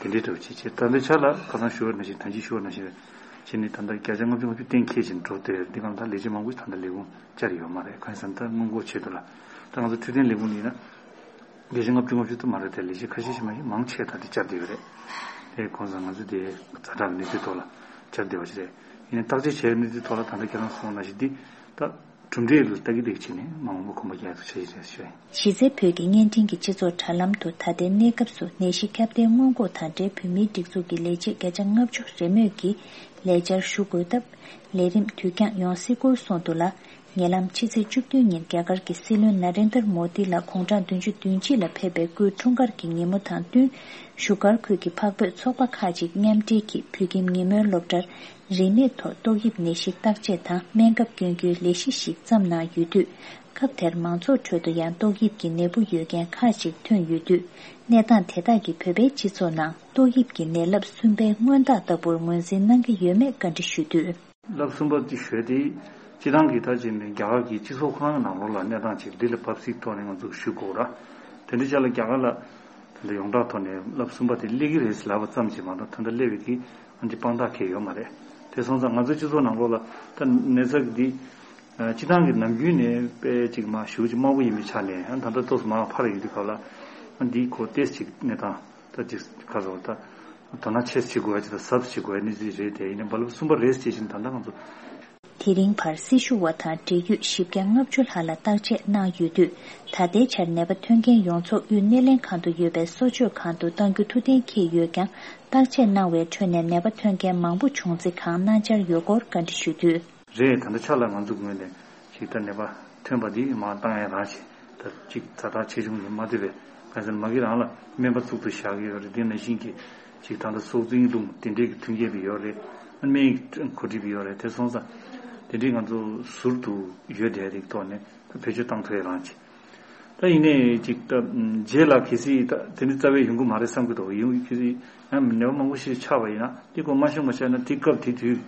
དེ་འདྲའི་འདྲ་བོ་ཅིག་བྱེད། ད་ལྟའི་ཆ་ལ་ཁ་སང་ཞུ་བ་ནང་བཞིན་ད་ཅི་ཞུ་བ་ནང་བཞིན་བྱས་ནས་ད་ལྟ་བརྒྱ་ཆ་ལྔ་བཅུ་ང་བཅུ་གཏན་འཁེལ་བཞིན་འགྲོ་བསྡད་ཡོད་རེད། འདི་གང་ལྟར་ལས་བྱེད་མང་པོ་ཞིག་ད་ལྟ་ལས་ཁུངས་བཅར་ཡོད་མ་རེད། གང་ཡིན་ཟེར་ན་ད་སྔོན་འགོག་ཆེད་དུ་ལ་ད་ང་ཚོ་འཕྲོད་བསྟེན་ལས་ཁུངས་ཡིན་ན། བརྒྱ་ཆ་ལྔ་བཅུ་ང་བཅུ་ཙམ་མ་རེད་དེ། ལས་བྱེད་ཁ་ཤས་ཤིག་མ་ཡིན་མང་ཆེ་ད་དེ་བཅར་བསྡད་ཡོད་རེད། དེ་གོང་ས་ང་ཚོ་དེ་ཛ་དྲག་གི་གནས་ཚུལ་ཐོག་ལ་བཅར་བསྡད་པ་ཞིག་རེད། ཡིན་ནའི་བརྟག་དཔྱད་བྱས་གནས་ཚུལ་ཐོག་ལ་ད་ལྟ་ཁྱེད་རང་གསུངས་ནང་བཞིན་འདི་ད་གྲུབ་འབྲས་ལ་ལྟ་གི་ལྟ་གི་བྱས་ནས་མ་འོངས་པ་གོམ་པ་རྒྱག་ཐུབ་ཆ་ཞིག་རེད་ཞུ་ཡིན། གཞི་རྩའི་བོད་ཀྱི་བརྙན་འཕྲིན་གྱི་སྤྱི་ཚོགས་དྲ་ལམ་དུ་ད་ལྟའི་གནས་སྐབས་སུ་ནད་གཞི་ཁྱབ་གདལ་སྔོན་འགོག་དང་འབྲེལ་བོད་མིའི་སྒྲིག་འཛུགས་ཀྱི་ལས་བྱེད་བརྒྱ་ཆ་ལྔ་བཅུ་རེ་མོས་ཀྱིས་ལས་བཅར་ཞུ་དགོས་སྟབས་ལས་རིམ་དུས་འགྱངས་ཡོང་སྲིད་སྐོར་གསུངས་འདུག་ལ། ཉེ་ལམ་ཕྱི་ཚེས་བཅུ་བདུན་ཉིན་རྒྱ་གར་གྱི་སྲིད་བློན་ན་རེན་དར་མོ་དི་ལ་དགུང་གྲངས་བདུན་ཅུ་དོན་གཅིག་ལ་ཕེབས་པའི་སྐུའི་འཁྲུངས་སྐར་གྱི་ཉིན་མོ་དང་བསྟུན། བཞུགས་སྒར་ཁུལ་གྱི་འཕགས་བོད་ཚོགས་པ་ཁག་ཅིག་མཉམ་འབྲེལ་གྱིས་བོད་ཁྱིམ་ཉིན་མོའི་སློབ་གྲྭར་རིན་མེད་ཐོག་ཏོག་དབྱིབས་ནད་གཞི་བརྟག་དཔྱད་དང་སྨན་ཁབ་སྐྱོན་རྒྱུའི་ལས་གཞི་ཞིག་བརྩམས་གནང་ཡོད་དུས། སྐབས་དེར་མང་ཚོགས་ཁྲོད་དུ་ཡང་ཏོག་དབྱིབས་ཀྱི་ནད་འབུ་ཡོད་མཁན་ཁག་ཅིག་ཐོན་ཡོད་དུས། གནས་སྟངས་དེ་དག་གིས་བོད་པའི་སྤྱི་ཚོགས་ནང་ཏོག་དབྱིབས་ཀྱི་ནད་རླབས་གསུམ་པའི་སྔོན་རྟགས་ལྟ་བུར་ངོས་འཛིན་གནང་གི་ཡོད་མེད་བཀའ་འདྲི་ཞུས་དུས། རླབས་གསུམ་པ་དེ་ཞུས་ཏེ། སྤྱི་བཏང་གི་ད་ཅིག་ནས་རྒྱ་གར་གྱི་སྤྱི་ཚོགས་ཁོ་རང་གི་ནང་ལོགས་ལ་གནས་སྟངས་ཅིག་འདི་ལ་བབས་སིག་ཐོག་ནས་ང་ཚོ་ཞུ་དགོས་ར། དེ་འདྲ་ཅག་ལ་རྒྱ་གར་ལ་དེ་འདྲ་ཡོངས་གྲགས་ཐོག་ནས་རླབས་གསུམ་པ་དེ་སླེབས་ཀྱི་རེད་ཟེར་ལབ་པ་ཙམ་གྱིས་མ་གཏོགས་ད་ལྟ་སླེབས་པའི་གི་ཨ་ནི་དཔང་རྟགས་གང་ཡང་ཡོད་མ་རེད། དེ་སོང་ཙང་ང་ཚོའི་སྤྱི་ཚོགས་ནང་ལོགས་ལ་ད་ནད་ཚབས་ཀྱི་འདི་སྤྱི་བཏང་གི་ནམ་རྒྱུན་ནས་དཔེ་ཅིག་མ་ཞུ་ཅིག་དམའ་པོ་ཡིན་པའི་ཆ་ནས་ཨ་ད་ལྟ་ཏོག་ཙམ་མར་འཕར་ཡོང་དུས་སྐབས་ལ་ཨ་འདི་ཁོ་ཏེས་ཅིག་གནས་སྟངས། ད་ཅིག་ཁ་སོ་ད། དོ་སྣང་ཆེ་བྱེད་དགོས་ཡ་ཅིག་དང་གཟབ་བྱེད་དགོས་ཡ་གནས་ཚུལ་རེད་དེ། ཡིན་ནའི་རླབས་གསུམ་པ་རེད་ཅེས་བཞིན་ད་ལྟ་ང་ཚོ། དེ་རིང་བར་སྲི་ཞུ་བ་དང་འབྲེལ་ཡོད་བཞི་བརྒྱ་ལྔ་བཅུ་ལྷག་ལ་བརྟག་དཔྱད་གནང་ཡོད་དུས། ད་ལྟའི་ཆར་ནད་པ་ཐོན་མཁན་ཡོངས་རྫོགས་དབུས་སྣེ་ལེན་ཁང་དུ་ཡོད་པའི་གསོ་བཅོས་ཁང་དུ་གཏང་རྒྱུ་ཐུགས་གཏན་འཁེལ་ཡོད་ཀྱང་། བརྟག་དཔྱད་གནང་བའི་ཁྲོད་ནས་ནད་པ་ཐོན་མཁན་མང་པོ་བྱུང་ཚེ་གང་གནང་འཆར་ཡོད་སྐོར་བཀའ་འདྲི་ཞུས་དུས། རེད། ད་ལྟ་ཆ་ལ་ང་ཚོ་ངོས་ནས་ཞིག་ད་ནད་པ་ཐོན་པ་འདི་མར་བཏང་ཡ་རང་བྱས། ད་གཅིག་ཛ་དྲག་ཆེ་ཆུང་ཡིན་མ་ཐུབ་པས། གང་ཟེར་ན་མ་གི་རང་ལ་སྨན་པ་གཙུག་ཏུ་བཞག་གི་ཡོད་རེད། དེ་ནང་བཞིན་གྱི་ཅིག་ད་ལྟ་སྲོག་འཛིན་རླུང་དེ་འདྲའི་གི་མཐུན་རྐྱེན་པ་ཡོད་རེད། སྨན་གྱི་གོ་སྒྲིག་པ་ཡོད་རེད། དེ་སོང་ཙང་དེ་འདྲའི་ང་ཚོ་ཟུར་དུ་ཡོད་བསྡད་རིགས་ཐོག་ནས་ད་བེད་སྤྱོད་བཏང་ཐུབ་ཡ་རང་བྱས། ད་ཡིན་ནའི་ཅིག་ད་རྗེས་ལ་གལ་སྲིད་ད་དེ་འདྲའི་རྩ་བའི་ཡོང་གི་མ་རེད་བསམ་གི་འདུག་ཡོང་གལ་སྲིད་ཡང་ནད་པ་མང་པོ་ཞིག་ཆགས་པ་ཡིན་ན་དེ་ཁོ་མ་ཤོང་མ་ཤོང་ན་དེ་སྐབས་དེ་དུས་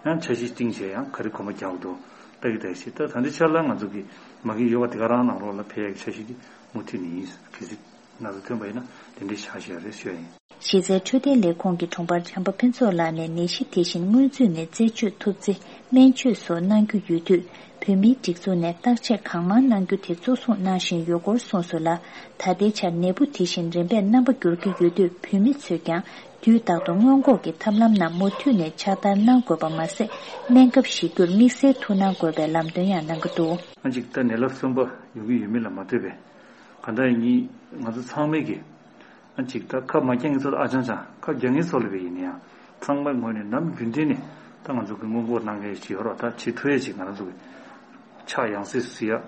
ཡང་འཆར་གཞི་བཏིང་བྱས་ཡང་ག་རེ་གོམ་པ་རྒྱག་འདུག་ལྟ་གི་ལྟ་གི་ཞིག་ད་ད་འདི་ཆ་ལ་ང་ཚོ་གི་མ་གི་ཡོད་པ་དེ་ག་རང་ནང་ལོགས་ལ་ཕེབས་ཡག་གི་འཆར་གཞི་དེ་མུ་མཐུད་ནས་ཡིན། གལ་སྲིད་ན་ཚ་ཐོན་པ་ཡིན་ན་དེ་འདྲའི་བྱ་བཞག་རེད་ཞུ་ཡ་ཡིན། གཞི་རྩའི་འཕྲོད་བསྟེན་ལས་ཁུངས་ཀྱི་དྲུང་འཕར་བྱམས་པ་ཕུན་ཚོགས་ལགས་ནས་ནད་གཞི་དེ་བཞིན་སྔོན་ཚུད་ནས་རྩད་གཅོད་ཐུབ་ཚེ་སྨན་བཅོས་སོགས་གནང་རྒྱུ་ཡོད་དུས། བོད་མིའི་སྒྲིག་འཛུགས་ནས་བརྟག་དཔྱད་གང་མང་གནང་རྒྱུ་དེ་གཙོ་བཟུང་གནང་བཞིན་ཡོད་སྐོར་གསུངས་སོང་ལ། ད་ལྟའི་ཆར་ནད་འབུ་དེ་བཞིན་རིམ་པས་རྣམ་པ་འགྱུར་གྱི་ཡོད་དུས། བོད་མི་ཚོས་ཀྱང་དུས་རྟག་ཏུ་སྔོན་འགོག་གི་ཐབས་ལམ་རྣམས་མུ་མཐུད་ནས་ཕྱག་བསྟར་གནང་དགོས་པ་མ་ཟད། སྨན་ཁབ་བཞེས་རྒྱུར་དམིགས་བསལ་ཐུགས་སྣང་དགོས་པའི་ལམ་སྟོན་ཡང་གནང་གི་འདུག་ཨ་ཅིག་ད་ནད་རླབས་གསུམ་པ་ཡོང་གི་ཡོད་མེད་ལ་མ་ལྟོས་པའི་གང་ལྟར་ཡིན། ང་ཚོ་ཚང་མས་ཀྱི། ཨ་ཅིག་ད་ཁབ་མ་རྒྱག་མཁན་ཚོ་ལ་ཨ་ཅང་ཅང་། ཁབ་རྒྱག་མཁན་ཚོ་ལ་བས་ཡིན་ན་ཡང་ཚང་མའི་ངོས་ནས་ནམ་རྒྱུན་ལྡན་ནས་ད་ང་ཚོ་གི་སྔོན་འགོག་གནང་མཁན་ཞིག་ཡོད་རོགས། ད་བྱེད་ཐུབ་ཡས་ཅིག་ང་རང་ཚོ་གི་ཕྱག་ཡང་སེ་སུ་ཡ་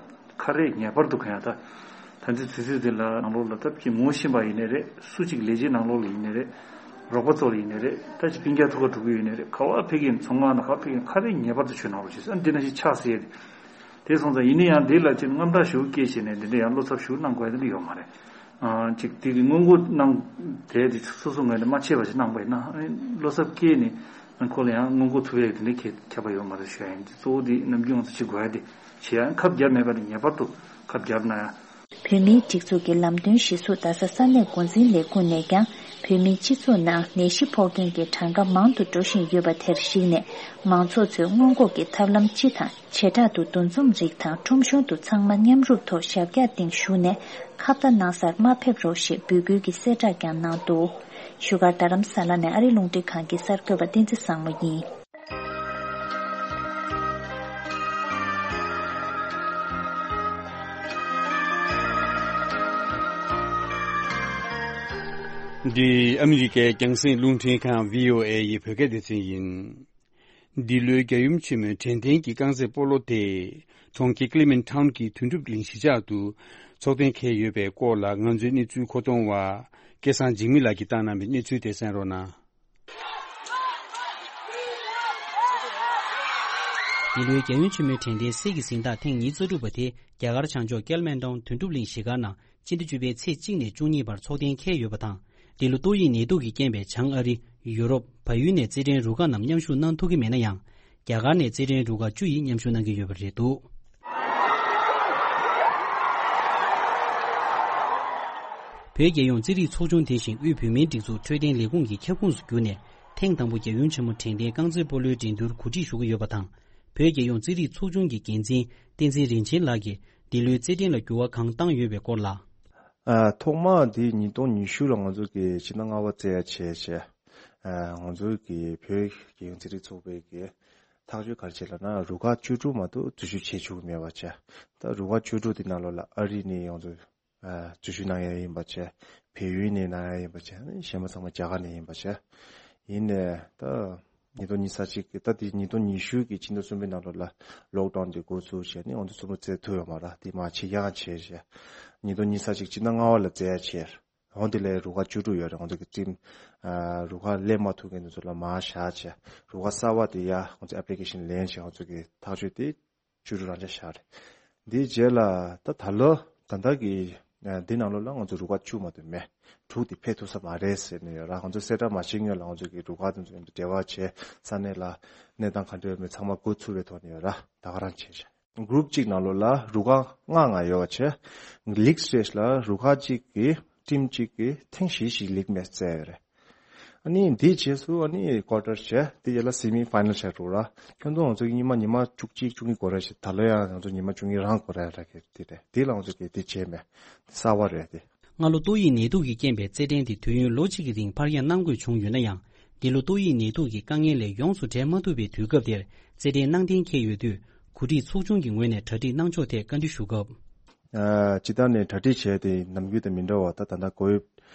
ཁ་རས་ངེས་པར་དུ་གང་ཡང་ད་ད་འདི་དུས་ཚོད་འདི་ལ་ནང་ལོགས་ལ་ད་ཅིག་ངོ་ཤེས་པ་ཡིན་ནའི་རེད། སུ་ཅིག་ལས་བྱེད་ནང་ལོགས་ལ་ཡིན་ནའི་རེད། རོགས་པ་ཚོ་ལ་ཡིན་ནའི་རེད། ད་ཅིག་སྤུན་ཀྱག་ཐུག་ག་འགྲོ་གི་ཡོད་ནའི་རེད། ག་བ་ཕེབས་ཀྱིན་ཚོང་ཁང་ནང་ག་ཕེབས་ཀྱིན་ཁ་རས་ངེས་པར་དུ་གྱོན་གནང་རོགས་བྱེད་ཟེར། ཨ་འདི་ནང་བཞིན་ཕྱག་སེ་ཡས་དེ། དེ་སོང་ཙང་ཡིན་ན་ཡང་འདི་ལ་ཅིག་དངངས་སྐྲག་ཞུ་སྐྱེས་བྱས་ནས་འདི་འདྲ་ཡང་བློ་འཚབ་ཞུ་གནང་དགོས་ཡ་འདི་འདྲ་ཡོད་མ་རེད། ཨ་ཅིག་དེ་གི་སྔོན་འགོག་གནང་དེ་དེ་སོ་སོ་ངོས་ནས་མ་བྱས་པ་ཞིག་གནང་པ་ཡིན་ན་ཨ་བློ་འཚབ་སྐྱེས་ནས་ཁོ་ལ་ཡང་སྔོན་འགོག་ཐུབ་ཡ་དེ་འདྲ་ཁྱད་ཁྱད་པར་ཡོད་མ་རེད་ཞུ་ཡ་ཡིན། དེ་གཙོ་བོ་དེ་ནམ་རྒྱུན་ང་ཚོ་བྱེད་དགོས་ཡ་དེ་བྱེད་ཡ་ཁབ་རྒྱབ་མེད་པ་དེ་ངེས་པར་དུ་ཁབ་རྒྱབ་གནང་ཡ། བོད་མིའི་སྒྲིག་འཛུགས་ཀྱི་ལམ་སྟོན་གཞིར་བཟུང་རྡ་ས་ས་གནས་འགོ་འཛིན་ལས་ཁུངས་ནས་ཀྱང་བོད་མིའི་སྤྱི་ཚོགས་ནང་ནད་གཞི་ཕོག་མཁན་གྱི་གྲངས་ཀ་མང་དུ་འགྲོ་བཞིན་ཡོད་པ་དེར་གཞིགས་ནས་མང་ཚོགས་ཚོས་སྔོན་འགོག་གི་ཐབས་ལམ་སྤྱི་དང་བྱེ་བྲག་ཏུ་འདུ་འཛོམས་རིགས་དང་ཁྲོམ་གཞུང་དུ་ཚང་མ་མཉམ་རུབ་ཐོག་ཞབས་བཀྱག་སྟེང་བཞུགས་ནས་ཁ་བརྡ་གནང་སར་མ་ཕེབས་རོགས་ཞེས་འབོད་སྐུལ་གྱི་གསལ་བསྒྲགས་ཀྱང་གནང་འདུག་བཞུགས་སྒར་རྡ་རམ་ས་ལ་ནས་ཨ་རི་རླུང་འཕྲིན་ཁང་གི་གསར་འགོད་པ་བསྟན་འཛིན་བཟང་མོ་ཡིན། འདི་ཨ་མི་རི་ཀའི་རྒྱང་སྲིང་རླུང་འཕྲིན་ཁང་བྷི་ཨོ་ཨེ་ཡི་བོད་སྐད་སྡེ་ཚན་ཡིན། འདི་ལོའི་རྒྱལ་ཡུམ་ཆེན་མོའི་དྲན་རྟེན་གྱི་རྐང་རྩེད་སྤོ་ལོ་དེ་གྲོང་ཁྱེར་ཀི་ལི་མན་ཊའུན་གྱི་དོན་གྲུབ་གླིང་གཞིས་ཆགས་སུ་ཚོགས་གཏན་འཁེལ་ཡོད་པའི་སྐོར་ལ་ང་ཚོའི་གནས་ཚུལ་མཁོ་གཏོང་བ་སྐལ་བཟང་འཇིགས་མེད་ལགས་ཀྱིས་བཏང་གནང་བའི་གནས་ཚུལ་དེ་གསན་རོགས་གནང་། འདི་ལོའི་རྒྱལ་ཡུམ་ཆེན་མོའི་དྲན་རྟེན་གསེར་གྱི་གཟེངས་རྟགས་ཐེངས་ཉི་ཤུ་རྩ་དྲུག་པ་དེ་རྒྱ་གར་བྱང་ཕྱོགས་ཀལ་མན་ཊོན་དོན་གྲུབ་གླིང་གཞིས་སྒར་ནང་སྤྱི་ཟླ་བཅུ་པའི་ཚེས་གཅིག་ནས་བཅུ་གཉིས་བར་ཚོགས་གཏན་འཁེལ་ཡོད་པ་དང་། འདི་ལོ་ཏོག་དབྱིབས་ནད་དུག་གི་རྐྱེན་པས་བྱང་ཨ་རི། ཡུ་རོབ། བལ་ཡུལ་ནས་རྩེད་འགྲན་རུ་ཁག་རྣམས་མཉམ་ཞུགས་གནང་ཐུབ་ཀྱི་མེད་ན་ཡང་། རྒྱ་གར་ནས་རྩེད་འགྲན་རུ་ཁག་བཅུ་ཡིས་མཉམ་ཞུགས་གནང་གི་ཡོད་པ་རེད་འདུག་བོད་རྒྱལ་ཡོངས་རྩེད་རིགས་ཚོགས་ཆུང་དེ་བཞིན་དབུས་བོད་མིའི་སྒྲིག་འཛུགས་འཕྲོད་བསྟེན་ལས་ཁུངས་ཀྱི་ཁྱབ་ཁོངས་སུ་གྱུར་ནས་ཐེངས་དང་པོ་རྒྱལ་ཡུམ་ཆེན་མོ་དྲན་རྟེན་རྐང་རྩེད་སྤོ་ལོའི་འགྲན་བསྡུར་གོ་སྒྲིག་ཞུ་གི་ཡོད་པ་དང་། བོད་རྒྱལ་ཡོངས་རྩེད་རིགས་ཚོགས་ཆུང་གི་འགན་འཛིན་བསྟན་འཛིན་རིན་ཆེན་ལགས་ཀྱིས་འདི་ལོའི་རྩེད་འགྲན་ལ་འགྱུར་བ་གང་བཏང་ཡོད་པའི་སྐོར་ལ། ཨ། ཐོག་མ་འདི་ཉིས་སྟོང་ཉི་ཤུ་ལ་ང་ཚོ་གི་ཕྱི་ཟླ་ལྔ་པ་རྩེ་ཡ་བྱས་བྱས། ཨ། ང་ཚོ་གི་བོད་རྒྱལ་ཡོངས་རྩེད་རིགས་ཚོགས་པའི་གི་ཐག་གཅོད་ག་རེ་བྱས་ལབ་ན་རུ་ཁག་བཅུ་དྲུག་མ་གཏོགས་འཛུལ་ཞུགས་བྱེད་ཆོག་གི་མེད་པ་བྱས། ད་རུ་ཁག་བཅུ་དྲུག་དེ་ནང་ལོགས་ལ་ཨ་རི་ནས་ང་ཚོ་ཨ། འཛུལ་ཞུགས་གནང་ཡ་ཡིན་པ་བྱས། བལ་ཡུལ་ནས་གནང་ཡ་ཡིན་པ་བྱས། གཞན་པ་ཚང་མ་རྒྱ་གར་ནས་ཡིན་པ་བྱས། ཡིན་ནའི་ད་ཉིས་སྟོང་ཉི་ཤུ་རྩ་གཅིག་གི་ད་དེ་ཉིས་སྟོང་ཉི་ཤུ་གི་ཕྱི་ཟླ་གསུམ་པའི་ནང་ལོགས་ལ་ལོག་ཌའུན་དེ་འགོ་ཚུགས་བྱས་ནས་ང་ཚོ་གསུམ་པོ་རྩེད་ཐུབ་ཡོད་མ་རེད། དེ་མ་ཕྱི་རྒྱལ་ཁ་བྱས་བྱས། ཉིས་སྟོང་ཉི་ཤུ་རྩ་གཅིག་ཕྱི་ཟླ་ལྔ་པ་ལ་རྩེ་ཡ་བྱས། འོ་དེ་ལས་རུ་ཁག་བཅུ་དྲུག་ཡོད་རེད། ང་ཚོ་གི་ཊིམ་ཨ། རུ་ཁག་སླེབས་མ་ཐུབ་མཁན་དེ་ཚོ་ལ་མར་བཞག་བྱས། རུ་ཁག་གསར་པ་དེ་ཡ་ང་ཚོ་ཨེབ་ལི་ཀེ་ཤན་ལེན་བྱས་ང་ཚོ་གི་ཐག་གཅོད་དེ་བཅུ་དྲུག་རང་འཇགས་བཞག་རེད། འདིའི་རྗེས་ལ་ད་ད་ལོ་ད་ལྟ་གི་ཨ། འདི་ནང་ལོགས་ལ་ང་ཚོ་རུ་ཁག་བཅུ་མ་གཏོགས་མེད། དྲུག་དེ་ཕེབས་ཐུབ་ས་མ་རེད་ཟེར་ནས་ཡོད་ར། ང་ཚོ་གསལ་བསྒྲགས་མ་བྱེད་སྔོན་ལ་ང་ཚོ་གི་རུ་ཁག་དེ་ཚོ་འབྲེལ་བ་བྱས། ས་གནས་ལ་གནས་སྟངས་ག་འདྲ་ཡོད་མེད་ཚང་མ་འགོ་ཚུགས་པའི་ཐོག་ནས་ཡོད་ར། ད་ག་རང་བྱས་བྱས། གུ་རུབ་གཅིག་ནང་ལོགས་ལ་རུ་ཁག་ལྔ་ལྔ་ཡོད་པ་བྱས། ལིག་སི་ཊེཇ་ལ་རུ་ཁག་གཅིག་གི་ཊིམ་གཅིག་གི་ཐེངས་བཞི་བཞི་ལིག་མེཆ་རྩེ་ཡོད་རེད། ཨ་ནི་འདིའི་རྗེས་སུ་ཨ་ནི་ཀོ་ཊར་བྱས། དེ་རྗེས་ལ་སེ་མི་ཕའི་ནལ་བྱས་འགྲོ་ར། ཁྱོན་བསྡོམས་ང་ཚོ་གཉིས་མ་ཉི་མ་བཅུ་གཅིག་བཅུ་གཉིས་འགོར་ར་ཞིག་ད་ལོ་ཡང་ང་ཚོ་ཉི་མ་བཅུ་གཉིས་རང་འགོར་ར་ཡ་ར་གི་དེ་རེད། དེ་ལ་ང་ཚོ་གི་དེ་བྱས་མེད། གསར་པ་རེད་དེ། སྔ་ལོ་ཏོག་དབྱིབས་ནད་དུག་གི་རྐྱེན་པས་རྩེད་འགྲན་དེ་དུས་ཡུན་ལོ་གཅིག་གི་རིང་ཕར་འགྱངས་གནང་དགོས་བྱུང་ཡོད་ན་ཡང་། འདི་ལོ་ཏོག་དབྱིབས་ནད་དུག་གི་དཀའ་ངལ་ལས་ཡོངས་སུ་བྲལ་མ་ཐུབ་པའི་དུས་སྐབས་དེར་རྩེད་འགྲན་གནང་གཏན་འཁེལ་ཡོད་དུས། གོ་སྒྲིག་ཚོགས་ཆུང་གི་ངོས་ནས་གྲ་སྒྲིག་གནང་ཕྱོགས་ཐད་བཀའ་འདྲི་ཞུ་སྐབས། ཨ། སྤྱིར་བཏང་ནས་གྲ་སྒྲིག་བྱས་ཏེ་ནམ་རྒྱུན་དང་མི་འདྲ་བ་ད་ད་ལྟ་ཀོ་བིཌ་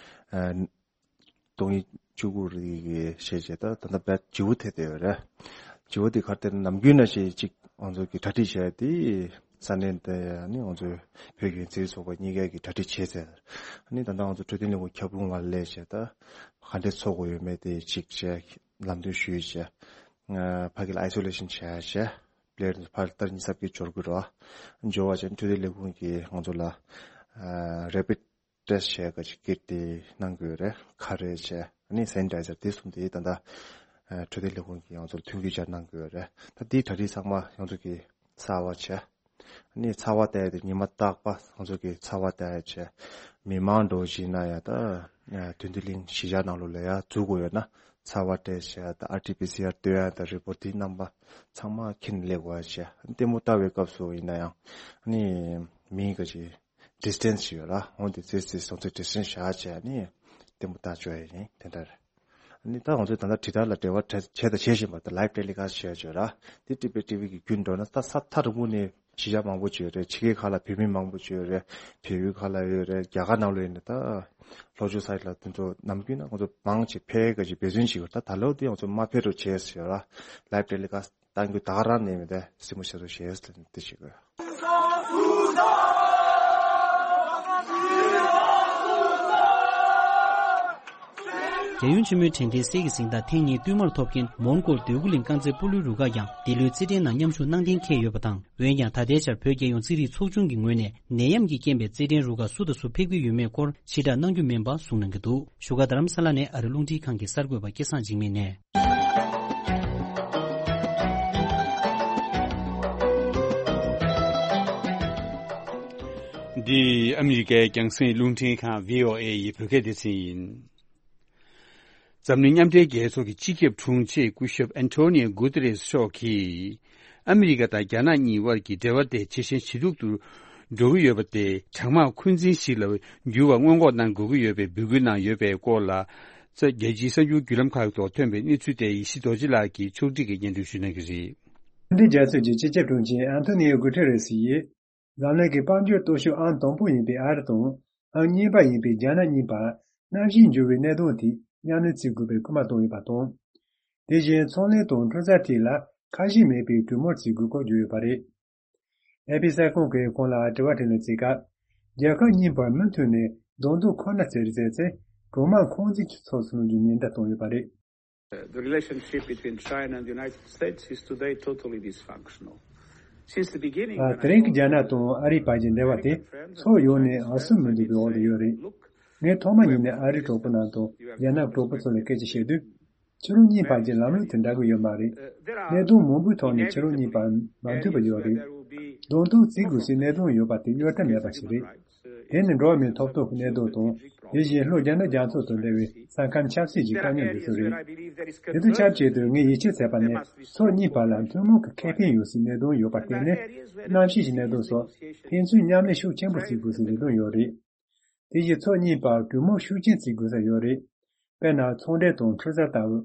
ཨ། སྟོང་ཉིས་བཅུ་དགུ་རིགས་ཀྱི་ཤེས་བྱས་ད་ད་ལྟ་བེད་བརྗེ་པོ་ཐེབས་བསྡད་ཡོད་རེད། བརྗེ་པོ་དེ་ག་རེ་ཟེར་ན་ནམ་རྒྱུན་ནང་བཞིན་གཅིག་ང་ཚོ་གི་གྲ་སྒྲིག་བྱས་ཏེ་ས་གནས་དེ་ནི་ང་ཚོའི་བོད་ཀྱི་རྩེད་རིགས་ཚོགས་པ་གཉིས་ཀ་གི་གྲ་སྒྲིག་བྱས་ཚར། ཨ་ནི་ད་ལྟ་ང་ཚོ་འཕྲོད་བསྟེན་ལས་ཁུངས་ཁྱབ་ཁོངས་ལ་སླེབས་བྱས་ད་ག་འདྲས་ཚོགས་དགོས་ཡོད་མེད་དེ་གཅིག་བྱས་ལམ་སྟོན་ཞུས་བྱས། ཕ་གི་ལ་ཨའི་སོ་ལེ་ཤན་བྱས་བྱས། པི་ལེ་ཡར་ཚོ་ཕར་ལྟར་ཉིན་གསུམ་གྱི་འབྱོར་དགོས་རེད་བ། འབྱོར་བ་བྱས་འཕྲོད་བསྟེན་ལས་ཁུངས་ཀྱིས་ང་ཚོ་ལ་རེ་པིཌ་ཊེ་སི་ཊི་བྱས་ཀ་ཅིག་ཀིཊ་དེ་གནང་དགོས་རེད། ཁ་རས་བྱས་ཨ་ནི་སེ་ནི་ཊའི་ཛར་དེ་གསུམ་དེ་ད་ལྟ་འཕྲོད་བསྟེན་ལས་ཁུངས་ཀྱིས་ང་ཚོར་མཐུན་འགྱུར་སྦྱར་གནང་དགོས་རེད། ད་དེའི་གྲ་སྒྲིག་ཚང་མ་ང་ཚོ་གིས་གསར་པ་བྱས། ཨ་ནི་ཚ་བ་བལྟས་ཏེ་ཉི་མ་རྟག་པ་ང་ཚོ་གིས་ཚ་བ་བལྟས་བྱས། མི་མང་འགྲོ་བཞིན་ན་ཡང་ད་དོན་ལྡན་གླིང་གཞིས་ཆགས་ནང་ལོགས་ལ་ཡང་འཛུལ་དགོས་ཡོད་ན་ཚ་བ་བལྟས་བྱས་ད་ཨར་ཊི་པི་སི་ཨར་སྟོན་ཡ་ད་རི་པོཊ་དེ་རྣམ་པ་ཚང་མ་འཁྱེར་ནས་སླེབས་དགོས་བྱས། ལྟད་མོ་ལྟ་བའི་སྐབས་སུ་ཡིན་ན་ཡང་ཨ་ནི་མི་ག་ཅིག་ཌི་སི་ཊེན་སི་ཞིག་ཡོད་ར། འོན་ཏེ་ཙེ་ཙེ་སོང་ཙེ་ཌི་སི་ཊེན་སི་བཞག་བྱས་ནི་ལྟད་མོ་ལྟ་བཅུག་ཡ་ཡིན་དེ་འདྲ་རེད། ཨ་ནི་ད་ང་ཚོས་ད་ལྟ་དྲིལ་བསྒྲགས་ལ་འབྲེལ་བ་བྱས་དང་བྱེད་བཞིན་པ་དང་ལའིབ་ཊེ་ལི་ཀ་སི་ཊི་བྱས་བྱས་ར། དེ་ཊི་བི་ཊི་བི་གི་བརྒྱུད་འགྲོ་ན་ད་ས་མཐའ་རིང་པོ་ནས་གཞིས་ཆགས་མང་པོ་ཅིག་ཡོད་རེད། ཕྱི་རྒྱལ་ཁག་ལ་བོད་མི་མང་པོ་ཅིག་ཡོད་རེད། བལ་ཡུལ་ཁག་ལ་ཡོད་རེད། རྒྱ་གར་ནང་ལ་ཡོད་ནས་ད་ལྷོ་ཕྱོགས་ས་ཡ་ལ་དེ་ཚོ་ནམ་རྒྱུན་ན་ང་ཚོ་མང་ཆེ་ཕེབས་ག་ཅིག་འབད་བརྩོན་བྱེད་དགོས། ད་ད་ལོ་དེ་ང་ཚོ་མ་ཕེབས་རོགས་བྱས་ཟེར་ར། ལའིབ་ཊེ་ལི་ཀ་སི་ཊི་གཏང་རྒྱུ་ད་ག་རང་ནས་མི་འདའ་སེམས་པ་ཤ་ཚ་བྱས་ཟེར་དེ་བྱེད་དགོས། རྒྱལ་ཡོངས་ཆེན་མོའི་དྲན་རྟེན་གསེར་གྱི་གཟེངས་རྟགས་ཐེངས་གཉིས་བསྟུད་མར་ཐོབ་མཁན་མོན་གྷོ་འདོད་རྒུ་གླིང་རྐང་རྩེད་སྤོ་ལོའི་རུ་ཁག་ཀྱང་འདི་ལོའི་རྩེད་འགྲན་ནང་མཉམ་ཞུགས་གནང་གཏན་འཁེལ་ཡོད་པ་དང་། འོན་ཀྱང་ད་ལྟའི་ཆར་བོད་རྒྱལ་ཡོངས་རྩེད་རིགས་ཚོགས་ཆུང་གི་ངོས་ནས་ནད་ཡམས་ཀྱི་རྐྱེན་པས་རྩེད་འགྲན་རུ་ཁག་སུ་དང་སུ་ཕེབས་ཀྱི་ཡོད་མེད་སྐོར་ཕྱིར་བསྒྲགས་གནང་རྒྱུ་མིན་པ་གསུངས་གནང་གི་འདུག་བཞུགས་སྒར་རྡ་རམ་ས་ལ་ནས་ཨ་རི་རླུང་འཕྲིན་ཁང་གི་གསར་འགོད་པ་སྐལ་བཟང་འཇིགས་མེད་ནས། འདི་ཨ་མི་རི་ཀའི་རྒྱང་སྲིང་རླུང་འཕྲིན་ཁང་བྷི་ཨོ་ཨེ་ཡི་བོད་སྐད་སྡེ་ཚན་ཡིན། འཛམ་གླིང་མཉམ་འབྲེལ་རྒྱལ་ཚོགས་ཀྱི་སྤྱི་ཁྱབ་དྲུང་ཆེ་སྐུ་ཞབས་ཨན་ཐོ་ནིའོ་གུ་ཏེ་རེས་མཆོག་གིས། ཨ་མི་རི་ཀ་དང་རྒྱ་ནག་གཉིས་དབར་གྱི་འབྲེལ་བ་དེ་ཇེ་ཞན་ཇེ་སྡུག་ཏུ་འགྲོ་གི་ཡོད་པ་དེ་གྲང་དམག་འཁོན་འཛིན་ཞིག་ལ་འགྱུར་བ་སྔོན་འགོག་གནང་དགོས་ཀྱི་ཡོད་པའི་འབོད་སྐུལ་གནང་ཡོད་པའི་སྐོར་ལ། རྒྱལ་སྤྱིའི་གསར་འགྱུར་བརྒྱུད་ལམ་ཁག་ཐོག་ཐོན་པའི་གནས་ཚུལ་དེ་ཡེ་ཤེས་རྡོ་རྗེ་ལགས་ཀྱིས་ཕྱོགས་སྒྲིག་གིས་སྙན་སྒྲོན་ཞུ་གནང་གི་རེད། མཉམ་འབྲེལ་རྒྱལ་ཚོགས་ཀྱི་སྤྱི་ཁྱབ་དྲུང་ཆེ་ཨན་ཐོ་ནིའོ་གུ་ཏེ་རེས་ཡིས། འཛམ་གླིང་གི་དཔལ་འབྱོར་སྟོབས་ཤུགས་ཨང་དང་པོ་ཡིན་པའི་ཨ་རི་དང་། ཨང་གཉིས་པ་ཡིན་པའི་རྒྱ་ནག་གཉིས་བར་གནམ་གཤིས་འགྱུར་བའི་གནད་དོན་དེ་མཉམ་ལས་བྱེད་དགོས་པའི་སྐུལ་མ་བཏང་ཡོད་པ་དང་། དེ་བཞིན་ཚོང་ལས་དང་འཕྲུལ་རྩ་ཐད་ལ་ཁ་ཞེ་མེད་པའི་གྲོས་མོལ་བྱེད་དགོས་སྐོར་བརྗོད་ཡོད་པ་རེད། ཨེ་པི་གསར་ཁང་གིས་ཁོང་ལ་དྲི་བ་དྲིས་ལན་བྱེད་སྐབས། རྒྱལ་ཁབ་གཉིས་བར་མུ་མཐུད་ནས་གདོང་ཐུག་ཁོ་ན་བྱེད་རེས་བྱས་ཚེ་གྲོང་དམག་འཁོན་འཛིན་གྱི་ཕྱོགས་སུ་ལྷུང་རྒྱུའི་ཉེན་བརྡ་བཏང་ཡོད་པ་རེད། The relationship between China and the United States is today totally dysfunctional. Since the beginning, ཨ། དེ་རིང་གི་རྒྱ་ནག་དང་ཨ་རིའི་བར་གྱི་འབྲེལ་བ་དེ་ཕྱོགས་ཡོངས་ནས་འོས་ཤོག་མི་འདུག་པའི་འོག་ཏུ་ཡོད་རེད། ངས་ཐོག་མ་ཉིད་ནས་ཨ་རིའི་གྲོགས་པོ་རྣམས་དང་རྒྱ་ནག་གྲོགས་པོ་ཚོ་ལ་སྐད་ཆ་བཤད་དུས། ཁྱེད་རང་གཉིས་བར་གྱི་ལམ་ལུགས་དེ་འདྲ་གི་ཡོད་མ་རེད། གནད་དོན་མང་པོའི་ཐོག་ནས་ཁྱེད་རང་གཉིས་བར་མ་མཐུན་པ་ཡོད་རེད། གདོང་ཐུག་བྱེད་དགོས་སའི་གནད་དོན་ཡོད་པ་དེ་གཡོལ་ཐབས་མེད་པ་ཞིག་རེད། དེ་ནི་འགྲོ་བ་མིའི་ཐོབ་ཐང་གི་གནད་དོན་དང་། དེ་བཞིན་ལྷོ་རྒྱ་ནག་རྒྱ་མཚོ་དང་འབྲེལ་བའི་ས་ཁམས་ཆབ་སྲིད་ཀྱི་དཀའ་རྙོག་འདི་ཚོ་རེད། དེ་ཚོ་ཁྱབ་ཆེད་དུ་ངས་ཡིད་ཆེས་བྱས་པ་ནི་ཕྱོགས་གཉིས་བར་ལ་ཐུན་མོང་གི་ཁེ་ཕན་ཡོད་སའི་གནད་དོན་ཡོད་པར་བརྟེན་ནས། གནམ་གཤིས་ཀྱི་གནད་དོན་སོགས་ཕན་ཚུན་མཉམ་ལས་ཤུགས་ཆེན་པོ་བྱེད་དགོས་སའི་གནད་དོན་ཡོད་རེད། དེ་བཞིན་ཕྱོགས་གཉིས་བར་གྲོས་མོལ་ཤུགས་ཆེན་བྱེད་དགོས་ས་ཡོད་རེད། དཔེར་ན་ཚོང་འབྲེལ་དང་འཕྲུལ་རྩ་ལྟ་བུ།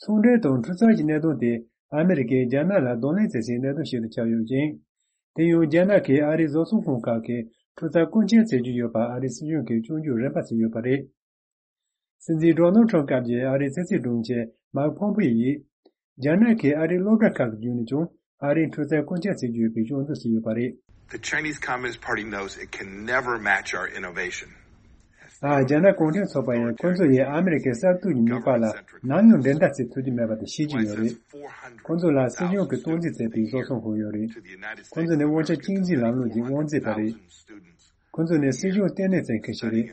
ཚོང་འབྲེལ་དང་འཕྲུལ་རྩ་གྱི་གནད་དོན་དེ་ཨ་མི་རི་ཀས་རྒྱ་ནག་ལ་གདོང་ལེན་བྱེད་སའི་གནད་དོན་ཞིག་ཏུ་ཆགས་ཡོད་ཅིང་། དེ་ཡང་རྒྱ་ནག་གིས་ཨ་རིའི་བཟོ་ཚོང་ཁང་ཁག་གིས་འཕྲུལ་རྩ་བཀོལ་སྤྱོད་བྱེད་ཀྱི་ཡོད་པ་ཨ་རིའི་སྲིད་གཞུང་གིས་སྐྱོན་བརྗོད་རིམ་པ་བྱས་ཡོད་པ་རེད། སྲིད་འཛིན་ཌོ་ནལ་ཁྲམ་སྐབས་ཀྱི་ཨ་རིའི་ཕྱི་སྲིད་དྲུང་ཆེ་མཱིག་ཕོམ་པེ་ཡིས། རྒྱ་ནག་གིས་ཨ་རིའི་སློབ་གྲྭ་ཁག་གི་བརྒྱུད་ནས་ཀྱང་ཨ་རིའི་འཕྲུལ་རྩལ་བཀོལ་སྤྱོད་བྱེད་ཀྱི་ཡོད་པའི་སྐྱོན་འཛུགས་བྱས་ཡོད་པ་རེད། The Chinese Communist Party knows it can never match our innovation. ཨ། རྒྱ་ནག་གུང་ཁྲན་ཚོགས་པ་ཡིས་ཁོ་ཚོ་ཡིས་ཨ་མི་རི་ཀའི་གསར་གཏོད་ཀྱི་ནུས་པ་ལ་ནམ་ཡང་འགྲན་ཟླ་བྱེད་ཐུབ་ཀྱི་མེད་པ་དེ་ཤེས་ཀྱི་ཡོད་རེད། ཁོ་ཚོ་ལ་སྲིད་གཞུང་གིས་སྟངས་འཛིན་བྱས་པའི་བཟོ་ཚོང་ཁང་ཡོད་རེད། ཁོ་ཚོ་ནི་དབང་ཆ་གཅིག་འཛིན་ལམ་ལུགས་ཀྱི་དབང་འཛིན་པ་རེད། ཁོ་ཚོ་ནི་སྲིད་གཞུང་ལྟེ་གནས་ཅན་ཁ་ཤས་རེད།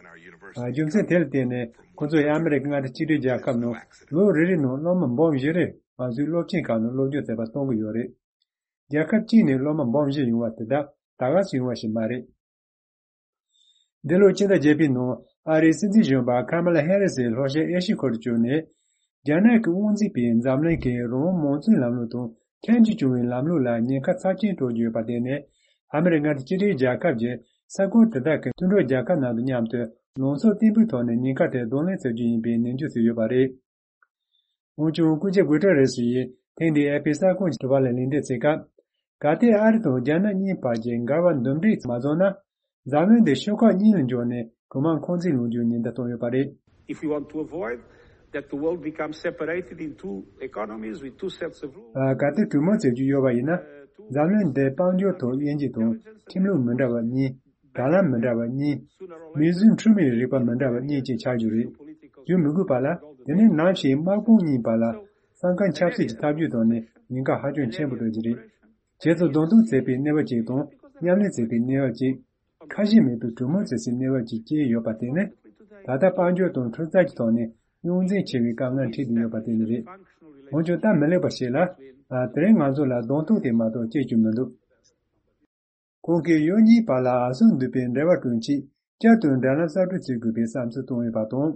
ཨ། རྒྱུ་མཚན་དེ་ལ་བརྟེན་ནས་ཁོ་ཚོས་ཨ་མི་རི་ཀ་མངའ་སྡེ་གཅིག་སྒྲིལ་རྒྱལ་ཁབ་ནང་ལོ་རེ་རེ་ནང་སློབ་མ་འབུམ་བཞི་རེ་ང་ཚོའི་སློབ་ཆེན་ཁག་ནང་སློབ་སྦྱོང་བྱེད་པར་གཏོང་གི་ཡོད་རེད། རྒྱལ་ཁབ་གཅིག་ནས་སློབ་མ་འབུམ་བཞི་ཡོང་བ་དེ་དག་ད་ག་སུ་ཡོང་བ་ཞིག་མ་རེད། འདི་ལོའི་ཕྱི་ཟླ་བརྒྱད་པའི་ནང་ཨ་རིའི་སྲིད་འཛིན་གཞོན་པ་ཁ་མ་ལ་ཧེ་རི་སི་ལྷོ་ཤར་ཨེ་ཤི་ཁུལ་དུ་བསྐྱོད་ནས། རྒྱ་ནག་གི་དབང་འཛིན་པས་འཛམ་གླིང་གི་རང་དབང་མང་གཙོའི་ལམ་ལུགས་དང་ཁྱད་འགྱུར་བྱུང་བའི་ལམ་ལུགས་ལ་ཉེན་ཁ་ཚབས་ཆེན་སྤྲོད་ཀྱི་ཡོད་པར་བརྟེན་ནས། ཨ་མི་རི་ཀ་མངའ་སྡེ་གཅིག་སྒྲིལ་རྒྱལ་ཁབ་ཀྱིས་ས་ཁུལ་དེ་དག་གི་མཐུན་གྲོགས་རྒྱལ་ཁབ་རྣམས་དང་མཉམ་དུ་ལམ་སང་བརྟན་པོའི་ཐོག་ནས་ཉེན་ཁ་དེར་གདོང་ལེན་བྱ་རྒྱུ་ཡིན་པའི་ནན་བརྗོད་བྱས་ཡོད་པ་རེད། འོན་ཀྱང་སྐུ་ཞབས་གུ་ཏེ་རེ་སི་ཡིས་ཐེངས་འདིའི་ཨེ་ཕི་གསར་ཁང་གི་དྲི་བ་ལ་ལན་འདེབས་བྱེད་སྐབས། གལ་ཏེ་ཨ་རི་དང་རྒྱ་ནག་གཉིས་བར་གྱི་འགལ་བ་འདུམ་འགྲིག་མ་བྱུང་ན། འཛམ་གླིང་འདི་ཤོག་ཁག་གཉིས་ལ་འགྱུར་ནས་གྲོང་དམག་འཁོན་འཛིན་ལངས་རྒྱུའི་ཉེན་བརྡ་བཏང་ཡོད་པ་རེད། If we want to avoid that the world becomes separated in two economies with two sets of rules, ཨ། གལ་ཏེ་གྲོས་མོལ་བྱེད་རྒྱུ་ཡོད་པ་ཡིན་ན། འཛམ་གླིང་འདི་དཔལ་འབྱོར་ཐོག་དབྱེ་འབྱེད་དང་ཁྲིམས་ལུགས་མི་འདྲ་བ་གཉིས། དྲ་ལམ་མི་འདྲ་བ་གཉིས། མིའི་གཟུགས་ཁྲོད་མིའི་རིག་པ་མི་འདྲ་བ་གཉིས་བཅས་ཆགས་རྒྱུ་རེད། བརྗོད་མི་དགོས་པ་ལ། དེ་ནི་ནམ་ཞིག་དམག་དཔུང་གཉིས་བར་ལ་ས་ཁམས་ཆབ་སྲིད་ཀྱི་ཐབས་ཇུས་ཐོག་ནས་ཉེན་ཁ་ཧ་ཅང་ཆེན་པོ་འགྲོ་རྒྱུ་རེད། རྗེས་སུ་གདོང་ཐུག་བྱེད་པའི་གནས་བབ་ཅིག་དང་མཉམ་ལས་བྱེད་པའི་གནས་བབ་ཅིག་ཁ་ཞེ་མེད་པའི་གྲོས་མོལ་བྱེད་སའི་གནས་བབ་ཅིག་སྐྱེས་ཡོད་པ་དེ་ནི། ད་ལྟ་དཔལ་འབྱོར་དང་འཕྲུལ་རྩལ་གྱི་ཐོག་ནས་རྙོག་འཛིང་ཆེ་བའི་དཀའ་ངལ་འཕྲད་དུ་ཡོད་པ་དེ་ནི་རེད། འོན་ཀྱང་སྟབས་མི་ལེགས་པ་ཞིག་ལ། ཨ། དེ་རིང་ང་ཚོ་ལ་གདོང་ཐུག་དེ་མ་གཏོགས་སྐྱེས་རྒྱུ་མི་འདུག་ཁོང་གིས་ཡུལ་གཉིས་བར་ལ་འོས་ཤོག་འདུས་པའི་འབྲེལ་བ་བསྐྲུན་ཆེད་བསྐྱར་དུ་འབྲེལ་ལམ་གསར་སྐྲུན་བྱེད་དགོས་པའི་བསམ་ཚུལ་བཏོན་ཡོད་པ་དང་།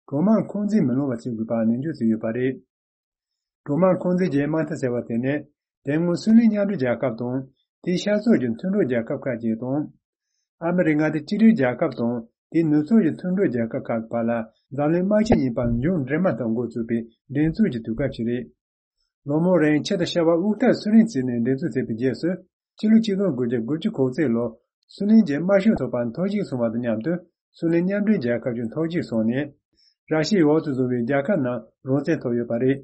གྲོང་དམག་འཁོན་འཛིན་མི་སློང་བ་བྱེད་དགོས་པ་ནན་བརྗོད་བྱས་ཡོད་པ་རེད། གྲོང་དམག་འཁོན་འཛིན་གྱི་དམག་འཐབ་ཟེར་བ་དེ་ནི། དེ་སྔོན་སུའུ་ལེན་མཉམ་འབྲེལ་རྒྱལ་ཁབ་དང་། དེའི་ཤར་ཕྱོགས་ཀྱི་མཐུན་གྲོགས་རྒྱལ་ཁབ་ཁག་ཅིག་དང་། ཨ་མི་རི་ཀ་མངའ་སྡེ་གཅིག་སྒྲིལ་རྒྱལ་ཁབ་དང་། དེའི་ནུབ་ཕྱོགས་ཀྱི་མཐུན་གྲོགས་རྒྱལ་ཁབ་ཁག་གི་བར་ལ་འཛམ་གླིང་དམག་ཆེན་གཉིས་པ་མཇུག་འགྲིལ་མ་ཐག་འགོ་བཙུགས་པའི་འགྲན་རྩོད་ཀྱི་དུས་སྐབས་ཤིག་རེད། ལོ་མང་རིང་ཆེད་དུ་ཤྭ་བ་དབུ་ཐར་སུའུ་ལེན་བརྩིས་ནས་འགྲན་རྩོད་བྱས་པའི་རྗེས་སུ། ཕྱི་ལོ་ཆིག་སྟོང་དགུ་བརྒྱ་དགུ་བཅུ་གོ་གཅིག་ལོར་སུའུ་ལེན་གྱི་དམར་ཤོག་ཚོགས་པ་འཐོར་ཞིག་སོང་བ་དང་མཉམ་དུ། སུའུ་ལེན་མཉམ་འབྲེལ་རྒྱལ་ཁབ་ཀྱང་འཐོར་ཞིག་སོང་ནས། ར་ཤི་ཡའི་འོག་ཏུ་བཟུང་བའི་རྒྱལ་ཁབ་རྣམས་རང་བཙན་ཐོབ་ཡོད་པ་རེད།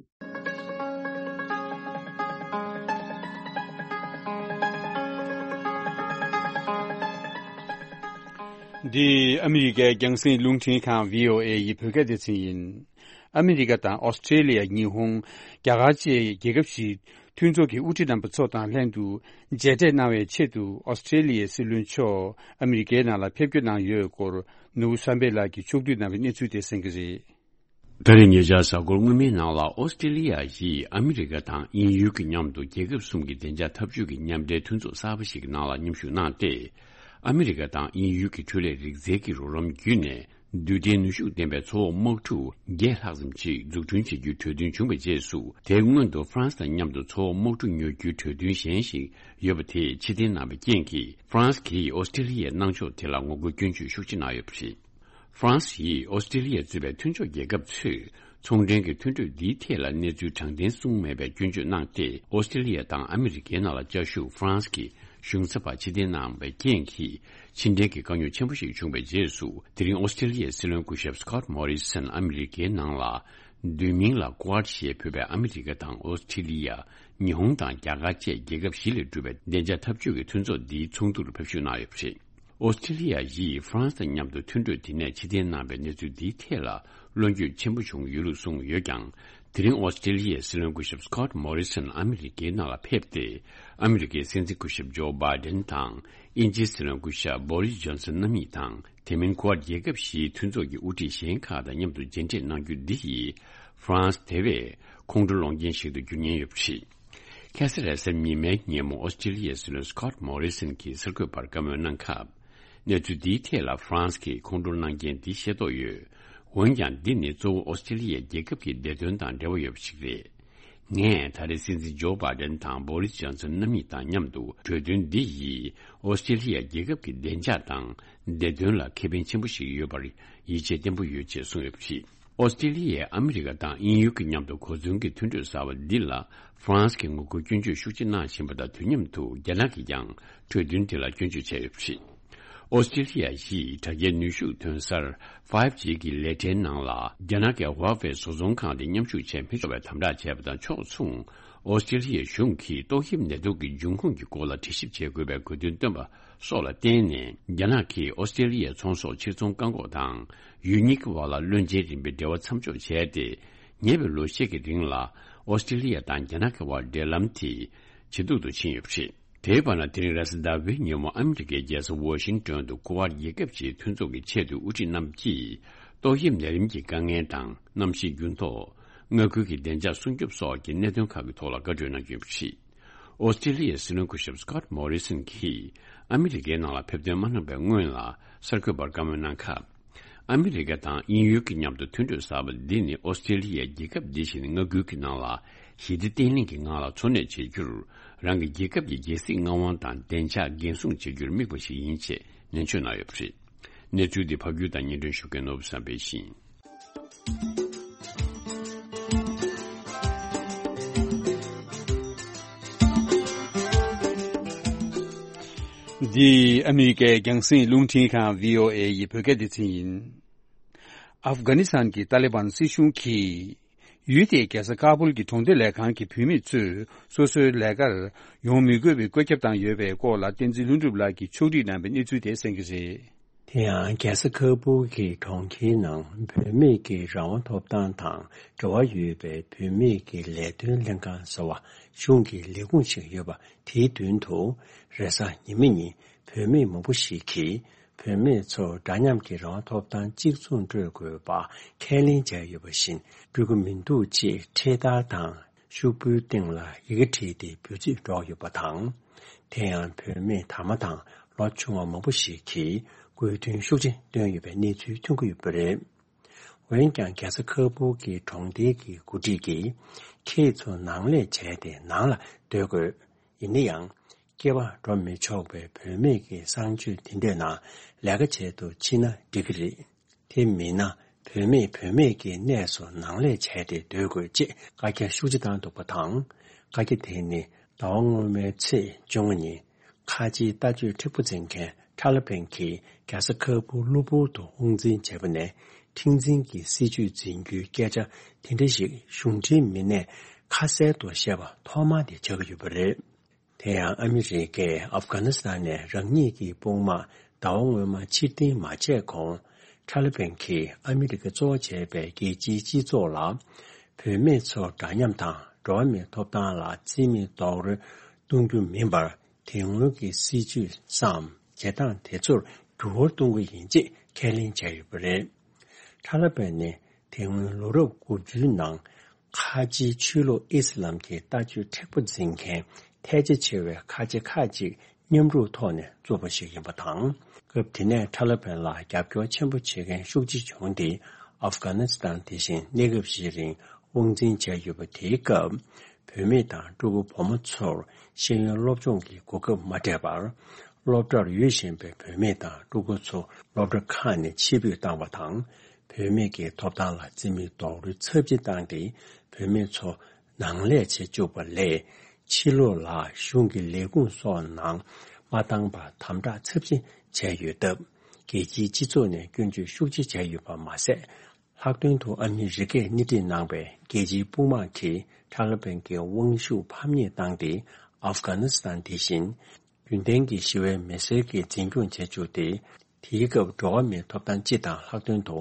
འདི་ཨ་མི་རི་ཀའི་རྒྱང་སྲིང་རླུང་འཕྲིན་ཁང་བྷི་ཨོ་ཨེ་ཡི་བོད་སྐད་སྡེ་ཚན་ཡིན། ཨ་མི་རི་ཀ་དང་ཨོ་སི་ཀྲེ་ལི་ཡ། ཉི་ཧོང་། རྒྱ་གར་བཅས་རྒྱལ་ཁབ་བཞིའི་མཐུན་ཚོགས་ཀྱི་དབུ་ཁྲིད་རྣམ་པ་ཚོ་དང་ལྷན་དུ་མཇལ་འཕྲད་གནང་བའི་ཆེད་དུ་ཨོ་སི་ཀྲེ་ལི་ཡའི་སྲིད་བློན་མཆོག་ཨ་མི་རི་ཀའི་ནང་ལ་ཕེབས་སྐྱོད་གནང་ཡོད་སྐོར་ནོར་བུ་བསམ་འཕེལ་ལགས་ཀྱིས་ཕྱོགས་བསྡུས་གནང་བའི་གནས་ཚུལ་དེ་གསན་གྱི་རེད། ད་རེས་ཉེ་ཆར་གཟའ་འཁོར་སྔོན་མའི་ནང་ལ་ཨོ་སི་ཀྲེ་ལི་ཡ་ཡིས་ཨ་མི་རི་ཀ་དང་དབྱིན་ཡུལ་གྱི་མཉམ་དུ་རྒྱལ་ཁབ་གསུམ་གྱི་བདེ་འཇགས་འཐབ་ཇུས་ཀྱི་མཉམ་འབྲེལ་མཐུན་ཚོགས་གསར་པ་ཞིག་གི་ནང་ལ་མཉམ་ཞུགས་གནང་སྟེ། ཨ་མི་རི་ཀ་དང་དབྱིན་ཡུལ་གྱི་འཕྲུལ་ལས་རིག་རྩལ་གྱི་རོགས་རམ་བརྒྱུད་ནས་རྡུལ་ཕྲན་ནུས་ཤུགས་ལྡན་པའི་མཚོ་འོག་དམག་འཁྲུག་བརྒྱད་ལྷག་ཙམ་ཞིག་འཛུགས་སྐྲུན་བྱེད་རྒྱུའི་གྲོས་མཐུན་བྱུང་བའི་རྗེས་སུ། དེའི་སྔོན་དུ་ཧྥ་རན་སི་དང་མཉམ་དུ་མཚོ་འོག་དམག་འཁྲུག་ཉོ་རྒྱུའི་གྲོས་མཐུན་གཞན་ཞིག་ཡོད་པ་དེ་ཕྱིར་འཐེན་གནང་བའི་རྐྱེན་གྱིས། ཧྥ་རན་སི་གིས་ཨོ་སི་ཀྲེ་ལི་ཡའི་གནང་ཕྱོགས་དེ་ལ་ངོ་རྒོལ་སྐྱོན་བརྗོད་ཤུགས་ཆེ་གནང་ཡོད་པ་རེད། ཧྥ་རན་སི་ཡིས་ཨོ་སི་ཀྲེ་ལི་ཡ་གཙོས་པའི་མཐུན་ཕྱོགས་རྒྱལ་ཁབ་ཚོས་ཚོང་འབྲེལ་གྱི་མཐུན་གྲོས་འདིའི་ཐད་ལ་གནས་ཚུལ་དྲང་བདེན་གསུངས་མེད་པའི་སྐྱོན་བརྗོད་གནང་སྟེ། ཨོ་སི་ཀྲེ་ལི་ཡ་དང་ཨ་མི་རི་ཀའི་ནང་ལ་བཅའ་བཞུགས་ཧྥ་རན་སི་གི་གཞུང་ཚབ་པ་ཕྱིར་འཐེན་གནང་བའི་རྐྱེན་གྱིས། ཕྱི་འབྲེལ་གྱི་དཀའ་རྙོག་ཆེན་པོ་ཞིག་བྱུང་བའི་རྗེས་སུ། དེ་རིང་ཨོ་སི་ཀྲེ་ལི་ཡའི་སྲིད་བློན་སྐུ་ཞབས་སི་ཀོད་མོ་རི་སན་ཨ་མི་རི་ཀའི་ནང་ལ་བསྡུས་མིང་ལ་ཀུ་ཨད་ཞེས་འབོད་པའི་ཨ་མི་རི་ཀ་དང་ཨོ་སི་ཀྲེ་ལི་ཡ། ཉི་ཧོང་དང་རྒྱ་གར་བཅས་རྒྱལ་ཁབ་བཞི་ལས་གྲུབ་པའི་བདེ་འཇགས་འཐབ་ཇུས་ཀྱི་མཐུན་ཚོགས་འདིའི་ཚོགས་འདུར་ཕེབས་བསུ་གནང་ཡོད་པ་རེད། ཨོ་སི་ཀྲེ་ལི་ཡ་ཡིས་ཧྥ་རན་སི་དང་མཉམ་དུ་མཐུན་གྲོས་དེ་ནས་ཕྱིར་འཐེན་གནང་བའི་གནས་ཚུལ་འདིའི་ཐད་ལ་བློ་འགྱོད་ཆེན་པོ་བྱུང་ཡོད་ལུགས་གསུངས་ཡོད་ཀྱང་། དེ་རིང་ཨོ་སི་ཀྲེ་ལི་ཡའི་སྲིད་བློན་སྐུ་ཞབས་སི་ཀོད་མོ་རི་སན་ཨ་མི་རི་ཀའི་ནང་ལ་ཕེབས་ཏེ། ཨ་མི་རི་ཀའི་སྲིད་འཛིན་སྐུ་ཞབས་ཇོ་བྷའི་ཌེན་དང་། དབྱིན་ཇིའི་སྲིད་བློན་སྐུ་ཞབས་བོ་རིས་ཇོན་སན་རྣམ་གཉིས་དང་། དེ་མིན་ཀུ་ཨད་རྒྱལ་ཁབ་བཞིའི་མཐུན་ཚོགས་ཀྱི་དབུ་ཁྲིད་གཞན་ཁག་དང་མཉམ་དུ་མཇལ་འཕྲད་གནང་རྒྱུ་འདི་ཡིས། ཧྥ་རན་སི་དེ་བས་ཁོང་ཁྲོ་སློང་རྐྱེན་ཞིག་ཏུ་འགྱུར་ཉེན་ཡོད་པ་རེད། ཁ་སང་རེས་གཟའ་ཉི་མའི་ཉིན་མོ་ཨོ་སི་ཀྲེ་ལི་ཡའི་སྲིད་བློན་སི་ཀོད་མོ་རི་སན་གྱིས་གསར་འགོད་པར་བཀའ་མོལ་གནང་སྐབས། གནས་ཚུལ་འདིའི་ཐད་ལ་ཧྥ་རན་སི་གིས་ཁོང་ཁྲོ་གནང་རྐྱེན་འདི་ཤེས་རྟོགས་ཡོད། འོན་ཀྱང་འདི་ནི་གཙོ་བོ་ཨོ་སི་ཀྲེ་ལི་ཡའི་རྒྱལ་ཁབ་ཀྱི་བདེ་དོན་དང་འབྲེལ་བ་ཡོད་པ་ཞིག་རེད། ངས་ད་རེས་སྲིད་འཛིན་ཇོ་བྷའི་ཌེན་དང་བོ་རིས་ཇོན་སན་རྣམ་གཉིས་དང་མཉམ་དུ་གྲོས་མཐུན་འདི་ཡིས་ཨོ་སི་ཀྲེ་ལི་ཡའི་རྒྱལ་ཁབ་ཀྱི་བདེ་འཇགས་དང་བདེ་དོན་ལ་ཁེ་ཕན་ཆེན་པོ་ཞིག་ཡོད་པར་ཡིད་ཆེས་བརྟན་པོ་ཡོད་ཅེས་གསུངས་ཡོད་པ་རེད། ཨོ་སི་ཀྲེ་ལི་ཡས་ཨ་མི་རི་ཀ་དང་དབྱིན་ཡུལ་གྱི་མཉམ་དུ་གོ་མཚོན་གྱི་མཐུན་གྲོས་གསར་བ་འདི་ལ་ཧྥ་རན་སི་གིས་ངོ་རྒོལ་སྐྱོན་བརྗོད་ཤུགས་ཆེ་གནང་བཞིན་པ་དང་། དུས་མཉམ་དུ་རྒྱ་ནག་གིས་ཀྱང་གྲོས་མཐུན་དེ་ལ་སྐྱོན་བརྗོད་བྱས་ཡོད་པ་རེད། ཨོ་སི་ཀྲེ་ལི་ཡ་ཡིས་དྲ་རྒྱའི་ནུས་ཤུགས་ཐོན་གསར་ཕའིབ་ཇི་གི་ལས་གྲྭའི་ནང་ལ་རྒྱ་ནག་གི་ཧྭ་ཝེ་བཟོ་ཚོང་ཁང་དེ་མཉམ་ཞུགས་བྱས་མི་ཆོག་པའི་དམ་དྲག་བྱས་པ་དང་ཕྱོགས་མཚུངས། ཨོ་སི་ཀྲེ་ལི་ཡའི་གཞུང་གིས་ཏོག་དབྱིབས་ནད་དུག་གི་འབྱུང་ཁུངས་ཀྱི་སྐོར་ལ་དྲི་ཞིབ་བྱེད་དགོས་པའི་དགོས་འདུན་བཏོན་པ་སོགས་ལ་བརྟེན་ནས། རྒྱ་ནག་གིས་ཨོ་སི་ཀྲེ་ལི་ཡའི་ཚོང་ཟོག་ཕྱིར་ཚོང་བཀག་འགོག་དང་། ཡུལ་གཉིས་ཀྱི་བར་ལ་བློན་ཆེན་རིམ་པའི་འབྲེལ་བ་མཚམས་འཇོག་བྱས་ཏེ། ཉེ་བའི་ལོ་ཤས་ཀྱི་རིང་ལ་ཨོ་སི་ཀྲེ་ལི་ཡ་དང་རྒྱ་ནག་གི་བར་འབྲེལ་ལམ་དེ་ཇེ་སྡུག་ཏུ་ཕྱིན་ཡོད་པ་རེད། དེའི་བར་ན། དེ་རིང་རེས་གཟའ་ཟླ་བའི་ཉིན་མོ་ཨ་མི་རི་ཀའི་རྒྱལ་ས་ཝ་ཤིང་ཏོན་དུ་ཀུ་ཝར་རྒྱལ་ཁབ་ཀྱི་མཐུན་ཚོགས་ཀྱི་ཆེས་མཐོའི་དབུ་ཁྲིད་རྣམས་ཀྱིས་ཏོག་དབྱིབས་ནད་རིམས་ཀྱི་དཀའ་ངལ་དང་གནམ་གཤིས་འགྱུར་ལྡོག། མངའ་ཁུལ་གྱི་བདེ་འཇགས་སྲུང་སྐྱོབ་སོགས་ཀྱི་གནད་དོན་ཁག་གི་ཐོག་ལ་བཀའ་གྲོས་གནང་རྒྱུ་ཡིན་པ་རེད། ཨོ་སི་ཀྲི་ལི་ཡའི་སྲིད་བློན་སྐུ་ཞབས་སི་ཀོཊ་མོ་རི་སན་གྱིས་ཨ་མི་རི་ཀའི་ནང་ལ་ཕེབས་ཐོན་མ་གནང་བའི་སྔོན་ལ་གསར་འགོད་པར་བཀའ་མོལ་གནང་སྐབས། ཨ་མི་རི་ཀ་དང་དབྱིན་ཡུལ་གྱི་མཉམ་དུ་མཐུན་གྲོས་གསར་པ་འདི་ནི་ཨོ་སི་ཀྲི་ལི་ཡའི་རྒྱལ་ཁབ་འདི་བཞིན་མངའ་ཁུལ་གྱི་ནང་ལ་ཞི་བདེ་བརྟན་ལྷིང་གི་ངང་ལ་འཚོ་གནས་བྱེད་རྒྱུར་རང་གི་རྒྱལ་ཁབ་ཀྱི་རྒྱལ་སྲིད་མངའ་དབང་དང་བདེ་འཇགས་འགན་སྲུང་བྱེད་རྒྱུར་དམིགས་པ་ཞིག་ཡིན་ཅེས་ནན་བརྗོད་གནང་ཡོད་པ་རེད། གནས་ཚུལ་འདི་ཕབ་སྒྱུར་དང་སྙན་སྒྲོན་ཞུ་མཁན་ནོར་བུ་བསམ་འཕེལ་ཡིན། འདི་ཨ་མི་རི་ཀའི་རྒྱང་སྲིང་རླུང་འཕྲིན་ཁང་བྷི་ཨོ་ཨེ་ཡི་བོད་སྐད་སྡེ་ཚན་ཡིན། ཨབ་གྷ་ནི་སི་ཐན་གྱི་ཏཱ་ལི་བན་སྲིད་གཞུང་གིས། ཡུལ་དེའི་རྒྱལ་ས་ཀ་བུལ་གྱི་གྲོང་སྡེ་ལས་ཁང་གི་བུད་མེད་ཚོས་སོ་སོའི་ལས་ཀར་ཡོང་མི་དགོས་པའི་བཀོད་ཁྱབ་བཏང་ཡོད་པའི་སྐོར་ལ་བསྟན་འཛིན་ལྷུན་གྲུབ་ལགས་ཀྱིས་ཕྱོགས་སྒྲིག་གནང་བའི་གནས་ཚུལ་དེ་གསན་གྱི་རེད། དེ་ཡང་རྒྱལ་ས་ཁ་བུལ་གྱི་གྲོང་ཁྱེར་ནང་བུད་མེད་ཀྱི་རང་དབང་ཐོབ་ཐང་དང་འབྲེལ་བ་ཡོད་པའི་བུད་མེད་ཀྱི་ལས་དོན་ལྷན་ཁང་ཟེར་བ་གཞུང་གི་ལས་ཁུངས་ཤིག་ཡོད་པ། དེའི་མདུན་དུ་རེས་གཟའ་ཉི་མ་ཉིན་བུད་མེད་མང་པོ་ཞིག་གིས་བུད་མེད་ཚོར་འདྲ་མཉམ་གྱི་རང་དབང་ཐོབ་ཐང་གཅིག་མཚུངས་སྤྲོད་དགོས་པ་ཁས་ལེན་བྱས་ཡོད་པ་བཞིན་སྤྲོད་ཀྱི་མི་འདུག་ཅེས་འཕྲེད་དར་དང་ཤོག་བུའི་སྟེང་ལ་ཡི་གེ་བྲིས་ཏེ་འབོད་ཚིག་སྒྲོག་ཡོད་པ་དང་། དེ་ཡང་བུད་མེད་དར་མ་དང་ལོ་ཆུང་བ་མང་པོ་ཞིག་གིས་དགོས་འདུན་ཤུགས་ཆེ་བཏོན་ཡོད་པའི་གནས་ཚུལ་ཐོན་གྱི་ཡོད་པ་རེད། འོན་ཀྱང་རྒྱལ་ས་ཁ་བུལ་གྱི་གྲོང་སྡེའི་གི་འགོ་ཁྲིད་ཀྱིས་ཁྱེད་ཚོ་ནང་ལས་བྱས་ཏེ་ནང་ལ་སྡོད་དགོས། ཡིན་ན་ཡང་སྐྱེ་བ་འགྲོ་མི་ཆོག་པའི་བུད་མེད་ཀྱི་གསང་སྤྱོད་དེ་འདྲའི་ནང་ལས་ཀ་བྱེད་དུ་ཕྱིན་ན་འགྲིག་གི་རེད། དེ་མིན་ན་བུད་མེད་བུད་མེད་ཀྱི་གནས་སུ་ནང་ལས་བྱས་ཏེ་སྡོད་དགོས་ཅེས་བཀའ་རྒྱ་ཤུགས་ཆེ་བཏང་འདུག་པ་དང་། བཀའ་རྒྱ་དེ་ནི་ཟླ་བ་སྔོན་མའི་ཚེས་བཅོ་ལྔ་ཉིན་ཁ་ཆེའི་ལྟ་སྤྱོད་མཁྲེགས་པོ་འཛིན་མཁན་ཐ་ལི་བན་གྱིས་རྒྱལ་ས་ཁ་བུལ་གློ་བུར་དུ་དབང་འཛིན་བྱས་པ་ནས་མཁྲེགས་འཛིན་གྱི་སྲིད་བྱུས་འཛིན་རྒྱུའི་སྐད་ཆ་དེ་འདྲ་ཞིག་གཞུང་འབྲེལ་མི་སྣས་ཁ་གསལ་དུ་བཤད་པ་ཐོག་མ་དེ་ཆགས་ཀྱི་ཡོད་པ་རེད། དེ་ཡང་ཨ་མི་རི་ཀས་ཨབ་གྷ་ནི་སི་ཐན་ནས་རང་ཉིད་ཀྱི་དཔུང་དམག་ ཟླ་བ་སྔོན་མ་ཕྱིར་འཐེན་མ་བྱས་གོང་། ཐ་ལི་བན་གྱིས་ཨ་མི་རི་ཀ་གཙོ་བོ་བྱས་པའི་རྒྱལ་སྤྱིའི་སྤྱི་ཚོགས་ལ། བུད་མེད་ཚོར་འདྲ་མཉམ་དང་འགྲོ་བ་མིའི་ཐོབ་ཐང་ལ་རྩིས་མེད་རྡོག་རོལ་གཏོང་རྒྱུ་མིན་པར། དེ་སྔོན་གྱི་སྲིད་ཇུས་སམ་བྱེད་སྟངས་དེ་ཚོར་འགྱུར་བ་གཏོང་གི་ཡིན་ཅེས་ཁས་ལེན་བྱས་ཡོད་པ་རེད། ཐ་ལི་བན་ནི་དེ་སྔོན་ལོ་རབས་དགུ་བཅུའི་ནང་། ཁ་ཆེའི་ཆོས་ལུགས་ཨི་སི་ལམ་གྱི་ལྟ་སྤྱོད་མཁྲེགས་པོ་འཛིན་མཁན་ཐལ་ཆ་ཆེ་བའི་ཁ་ཆེ་ཁག་ཅིག་མཉམ་རུབ་ཐོག་ནས་བཙུགས་པ་ཞིག་ཡིན་པ་དང་། སྐབས་དེ་ནས་ཐ་ལི་བན་ལ་རྒྱབ་སྐྱོར་ཆེན་པོ་བྱེད་མཁན་ཤུགས་ཆེ་བྱུང་སྟེ། ཨབ་གྷ་ནི་སི་ཐན་དེ་བཞིན་གནས་སྐབས་ཤིག་རིང་དབང་འཛིན་བྱས་ཡོད་པ། དེའི་སྐབས་བུད་མེད་དང་ཕྲུ་གུ་བུ་མོ་ཚོར་ཤེས་ཡོན་སློབ་སྦྱོང་གི་གོ་སྐབས་མ་སྤྲད་པར། སློབ་གྲྭར་ཡོད་བཞིན་པའི་བུད་མེད་དང་ཕྲུ་གུ་ཚོ་སློབ་གྲྭ་ཁག་ནས་ཕྱིར་འབུད་བཏང་བ་དང་། བུད་མེད་ཀྱི་ཐོབ་ཐང་ལ་རྩིས་མེད་རྡོག་རོལ་ཚབས་ཆེ་བཏང་སྟེ། བུད་མེད་ཚོ་ནང་ལས་བྱེད་བཅུག་པ་ལས། ཕྱི་ལོགས་ལ་གཞུང་གི་ལས་ཁུངས་སོགས་ནང་མ་བཏང་པར་དམ་དྲག་ཚབས་ཆེ་བྱས་ཡོད་སྟབས། རྒྱལ་སྤྱིའི་སྤྱི་ཚོགས་ནས་སྐྱོན་བརྗོད་ཤུགས་ཆེ་བྱས་ཡོད་པ་མ་ཟད། ལྷག་དོན་དུ་ཨ་མི་རི་ཀས་སྣེ་ཁྲིད་གནང་བའི་རྒྱལ་སྤྱིའི་དཔུང་དམག་གིས་ཐ་ལི་བན་གྱི་དབང་ཤུགས་ཕམ་ཉེས་བཏང་སྟེ། ཨབ་གྷ་ནི་སི་ཐན་དེ་བཞིན་རྒྱུན་ལྡན་གྱི་ཞི་བའི་མི་སེར་གྱིས་འཛིན་སྐྱོང་བྱེད་བཅུག་སྟེ། དེའི་སྐབས་འགྲོ་བ་མིའི་ཐོབ་ཐང་སྤྱི་དང་། ལྷག་དོན་དུ་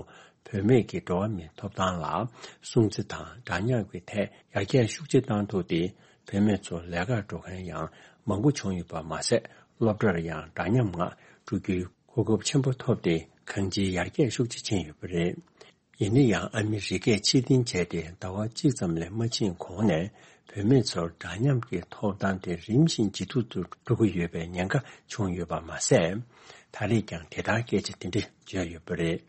བུད་མེད་ཀྱི་འགྲོ་བ་མིའི་ཐོབ་ཐང་ལ་སྲུང་བརྩི་དང་འདྲ་མཉམ་གྱི་ཐད་ཡར་རྒྱས་ཤུགས་ཆེ་བཏང་ཐུབ་སྟེ། བུད་མེད་ཚོ་ལས་ཀར་འགྲོ་མཁན་ཡང་མང་པོ་བྱུང་ཡོད་པ་མ་ཟད། སློབ་གྲྭར་ཡང་འདྲ་མཉམ་ངང་འགྲོ་རྒྱུའི་གོ་སྐབས་ཆེན་པོ་ཐོབ་སྟེ། གང་ཅིའི་ཡར་རྒྱས་ཤུགས་ཆེ་ཕྱིན་ཡོད་པ་རེད། ཡིན་ན་ཡང་། ཨ་མི་རི་ཀས་ཕྱིར་འཐེན་བྱས་ཏེ་ཟླ་བ་གཅིག་ཙམ་ལས་མ་ཕྱིན་གོང་ནས། བུད་མེད་ཚོར་འདྲ་མཉམ་གྱི་ཐོབ་ཐང་དེ་རིམ་བཞིན་ཇེ་སྡུག་ཏུ་འགྲོ་གི་ཡོད་པའི་ཉེན་ཁ་བྱུང་ཡོད་པ་མ་ཟད། ད་རེས་ཀྱང་དེ་ལྟར་སྐད་ཆ་དེ་འདྲ་བརྗོད་ཡོད་པ་རེད།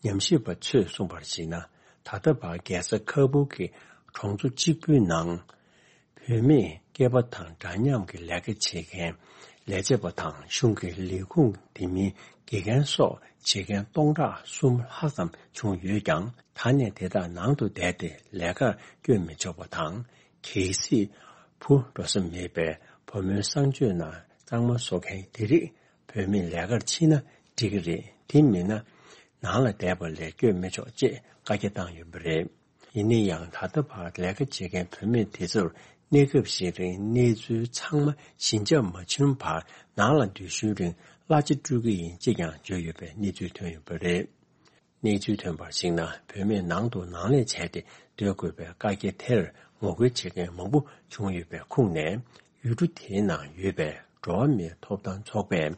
ཉམས་ཞིབ་པ་ཚོས་གསུངས་པར་གཞིགས་ན། ད་ལྟ་བར་རྒྱལ་ས་ཁ་བུ་གི་གྲོང་ཚོ་གཅིག་པུའི་ནང་། བུད་མེད་སྐྱེས་པ་དང་འདྲ་མཉམ་གྱི་ལས་ཀ་བྱེད་མཁན་ལས་བྱེད་པ་དང་། གཞུང་གི་ལས་ཁུངས་དེ་མིན་དགེ་རྒན་སོགས་བྱེད་མཁན་སྟོང་ཕྲག་གསུམ་ལྷག་ཙམ་བྱུང་ཡོད་ཀྱང་། ད་ནས་དེ་དག་ནང་དུ་བསྡད་དེ་ལས་ཀར་བསྐྱོད་མི་ཆོག་པ་དང་། གལ་སྲིད་བུ་འགྲོ་ས་མེད་པའི་བུ་མོའི་གསང་སྤྱོད་ནང་གཙང་མ་བཟོ་མཁན་དེ་རིགས་བུད་མེད་ལས་ཀར་ཕྱིན་ན་འགྲིག་གི་རེད། དེ་མིན་ན་ནང་ལ་བསྡད་པ་ལས་བསྐྱོད་མི་ཆོག་ཅེས་བཀའ་རྒྱ་བཏང་ཡོད་པ་རེད། ཡིན་ན་ཡང་། ད་ལྟ་བར་ལས་ཀ་བྱེད་མཁན་བུད་མེད་དེ་ཚོར་གནས་སྐབས་ཤིག་རིང་གནས་ཚུལ་ཚང་མ་ཞི་འཇགས་མ་བྱུང་བར། ནང་ལ་སྡོད་ཤུལ་རིང་གླ་ཆ་སྤྲོད་ཀྱི་ཡིན་ཅེས་ཀྱང་བརྗོད་ཡོད་པའི་གནས་ཚུལ་ཐོན་ཡོད་པ་རེད། གནས་ཚུལ་ཐོན་པར་གཞིགས་ན། བུད་མེད་ནང་དུ་ནང་ལས་བྱས་ཏེ་སྡོད་དགོས་པའི་བཀའ་རྒྱ་དེར་ངོ་རྒོལ་བྱེད་མཁན་མང་པོ་བྱུང་ཡོད་པའི་ཁུངས་ནས། ཡུལ་གྲུ་དེའི་ནང་ཡོད་པའི་འགྲོ་བ་མིའི་ཐོབ་ཐང་ཚོགས་པས།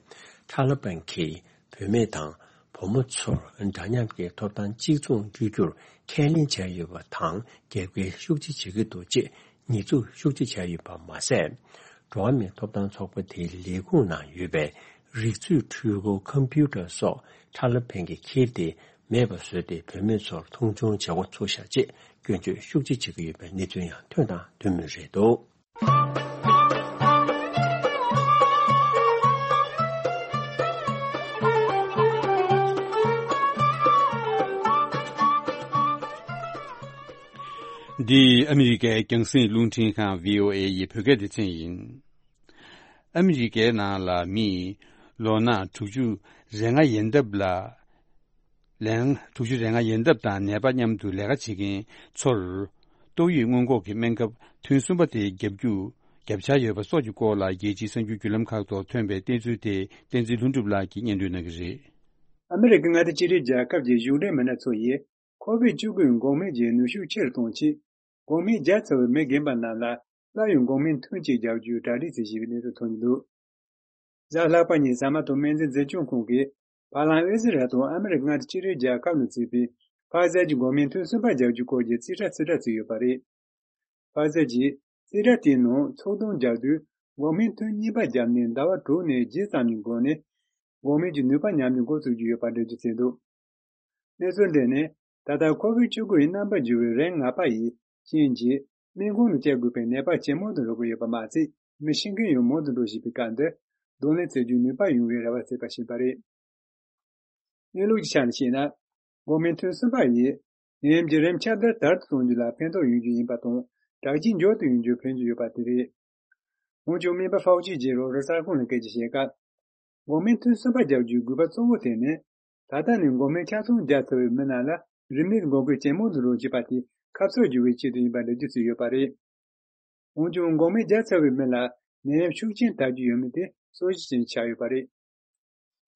ཐ་ལི་བན་གྱིས་བུད་མེད་དང་བུ་མོ་ཚོར་འདྲ་མཉམ་གྱི་ཐོབ་ཐང་གཅིག་མཚུངས་སྤྲོད་རྒྱུར་ཁས་ལེན་བྱས་ཡོད་པ་དང་། རྒྱབ་འགལ་ཤུགས་ཆེ་བྱེད་ཀྱི་འདུག་ཅེས་ཉེས་འཛུགས་ཤུགས་ཆེ་བྱས་ཡོད་པ་མ་ཟད། འགྲོ་བ་མིའི་ཐོབ་ཐང་ཚོགས་པ་དེའི་ལས་ཁུངས་ནང་ཡོད་པའི་རིག་མཛོད་འཕྲུལ་འཁོར་ཁམ་པུ་ཊར་སོགས་ཐ་ལི་བན་གྱིས་ཁྱེར་ཏེ་མེད་པ་བཟོས་ཏེ། བུད་མེད་ཚོར་མཐོང་ཆུང་བྱེད་འགོ་ཚུགས་ཤག་ཅེས་སྐྱོན་བརྗོད་ཤུགས་ཆེ་བྱེད་ཀྱི་ཡོད་པའི་གནས་ཚུལ་ཡང་ཐོན་དང་ཐོན་མུས་རེད་འདུག། འདི་ཨ་མི་རི་ཀའི་རྒྱང་སྲིང་རླུང་འཕྲིན་ཁང་བྷི་ཨོ་ཨེ་ཡི་བོད་སྐད་སྡེ་ཚན་ཡིན། ཨ་མི་རི་ཀའི་ནང་ལ་མིས་ལོ་ན་དྲུག་ཅུ་རེ་ལྔ་ཡན་འདབ་ལ། ལན། དྲུག་ཅུ་རེ་ལྔ་ཡན་འདབ་དང་ནད་པ་མཉམ་དུ་ལས་ཀ་བྱེད་མཁན་ཚོར། ཏོག་དབྱིབས་སྔོན་འགོག་གི་སྨན་ཁབ་ཐུན་གསུམ་པ་དེ་བརྒྱབ་རྒྱུ། བརྒྱབ་འཆར་ཡོད་པ་སོགས་ཀྱི་སྐོར་ལ། རྒྱལ་སྤྱིའི་གསར་འགྱུར་བརྒྱུད་ལམ་ཁག་ཐོག་ཐོན་པའི་གནས་ཚུལ་དེ། བསྟན་འཛིན་ལྷུན་གྲུབ་ལགས་ཀྱིས་སྙན་སྒྲོན་གནང་གི་རེད། ཨ་མི་རི་ཀའི་མངའ་སྡེ་ཅི་རིགས་རྒྱལ་ཁབ་ཀྱི་གཞུང་འབྲེལ་མི་སྣ་ཚོ་ཡིས། ཁོ་བིད་བཅུ་དགུ་འགོག་སྨན་གྱི་ནུས་ཤུགས་ཆེ་རུ་གཏོང་ཆེད། འགོག་སྨན་བརྒྱབ་ཚར་བའི་མི་རྒན་པ་རྣམས་ལ། སླར་ཡང་འགོག་སྨན་ཐུན་གཅིག་རྒྱག་རྒྱུའི་གྲ་སྒྲིག་བྱེད་བཞིན་པའི་གནས་ཚུལ་ཐོན་གྱི་འདུག། གཟའ་ལྷག་པ་ཉིན་ཟ་མ་ཏོག་སྨན་རྫས་འཛིན་སྐྱོང་ཁང་གིས། བར་ལམ་ཨི་ཟི་རལ་དང་ཨ་མི་རི་ཀ་མངའ་སྡེ་ཅི་རིགས་རྒྱལ་ཁབ་ནས་བཙུགས་པའི་ཕ་ཛར་གྱི་འགོག་སྨན་ཐུན་གསུམ་པ་རྒྱག་རྒྱུའི་སྐོར་གྱི་རྩིས་ཁྲ་རྩིས་ཁྲ་བརྩིས་ཡོད་པ་རེད། ཕ་ཛར་གྱིས་རྩིས་ཁྲ་དེའི་ནང་ཚོགས་འདུ་རྒྱག་དུས། འགོག་སྨན་ཐུན་གཉིས་པ་བརྒྱབ་ནས་ཟླ་བ་དྲུག་ནས་བརྒྱད་ཙམ་གྱི་འགོར་ནས། འགོག་སྨན་གྱི་ནུས་པ་ཉམས་ནས་འགོ་བཙུགས་ཀྱི་ཡོད་པ་འགྲེལ་བརྗོད་བྱས་འདུག། གནས་ཚུལ་འདི་ནི། ད་ལྟ་ཁོ་བིད་བཅུ་དགུ་ཡི་རྣམ་པར་འགྱུར་བའི་རིམས་ནད་པ་ཡི་རྐྱེན་གྱིས། སྨན་ཁང་དུ་བསྐྱལ་དགོས་པའི་ནད་པ་ཇེ་མང་དུ་འགྲོ་གི་ཡོད་པ་མ་ཚད། མི་ཤི་མཁན་ཡང་མང་དུ་འགྲོ་བཞིན་པའི་སྐབས་འདིར། གདོང་ལེན་བྱེད་རྒྱུའི་ནུས་པ་ཡོང་བའི་རེ་བ་བྱེད་པ་ཞིག་པ་རེད། གནས་ལུགས་ཀྱི་ཆ་ནས་བཤད་ན། འགོག་སྨན་ཐུན་གསུམ་པ་ཡིས། ནད་ཡམས་ཀྱི་རིམས་ཁྱབ་གདལ་དལ་དུ་གཏོང་རྒྱུ་ལ་ཕན་ཐོགས་ཡོང་རྒྱུ་ཡིན་པ་དང་། དྲག་སྐྱེད་མགྱོགས་དུ་ཡོང་རྒྱུར་ཕན་གྱི་ཡོད་པ་དེ་རེད། འོན་ཀྱང་། སྨན་པ་ཧྥའོ་ཅི་གིས་རོའི་ཊར་གསར་ཁང་ལ་སྐད་ཆ་བཤད་སྐབས། འགོག་སྨན་ཐུན་གསུམ་པ་རྒྱག་རྒྱུའི་དགོས་པ་གཙོ་བོ་དེ་ནི། ད་ལྟ་ནས་འགོག་སྨན་ཆ་ཚང་བརྒྱབ་ཚར་བའི་མི་རྣམས་ལ་རིམས་ནད་འགོག་རྒོལ་ཇེ་མང་དུ་འགྲོ་བྱེད་པ་དེ་ཁ་གསབ་བྱེད་པའི་ཆེད་དུ་ཡིན་པ་འགྲེལ་བརྗོད་བྱས་ཡོད་པ་རེད། འོན་ཀྱང་། འགོག་སྨན་བརྒྱབ་ཚར་བའི་མི་ལ་ནད་ཡམས་ཤུགས་ཆེན་དར་རྒྱུ་ཡོད་མེད་དེ་སྲོག་ཤིང་ཅན་ཆགས་ཡོད་པ་རེད།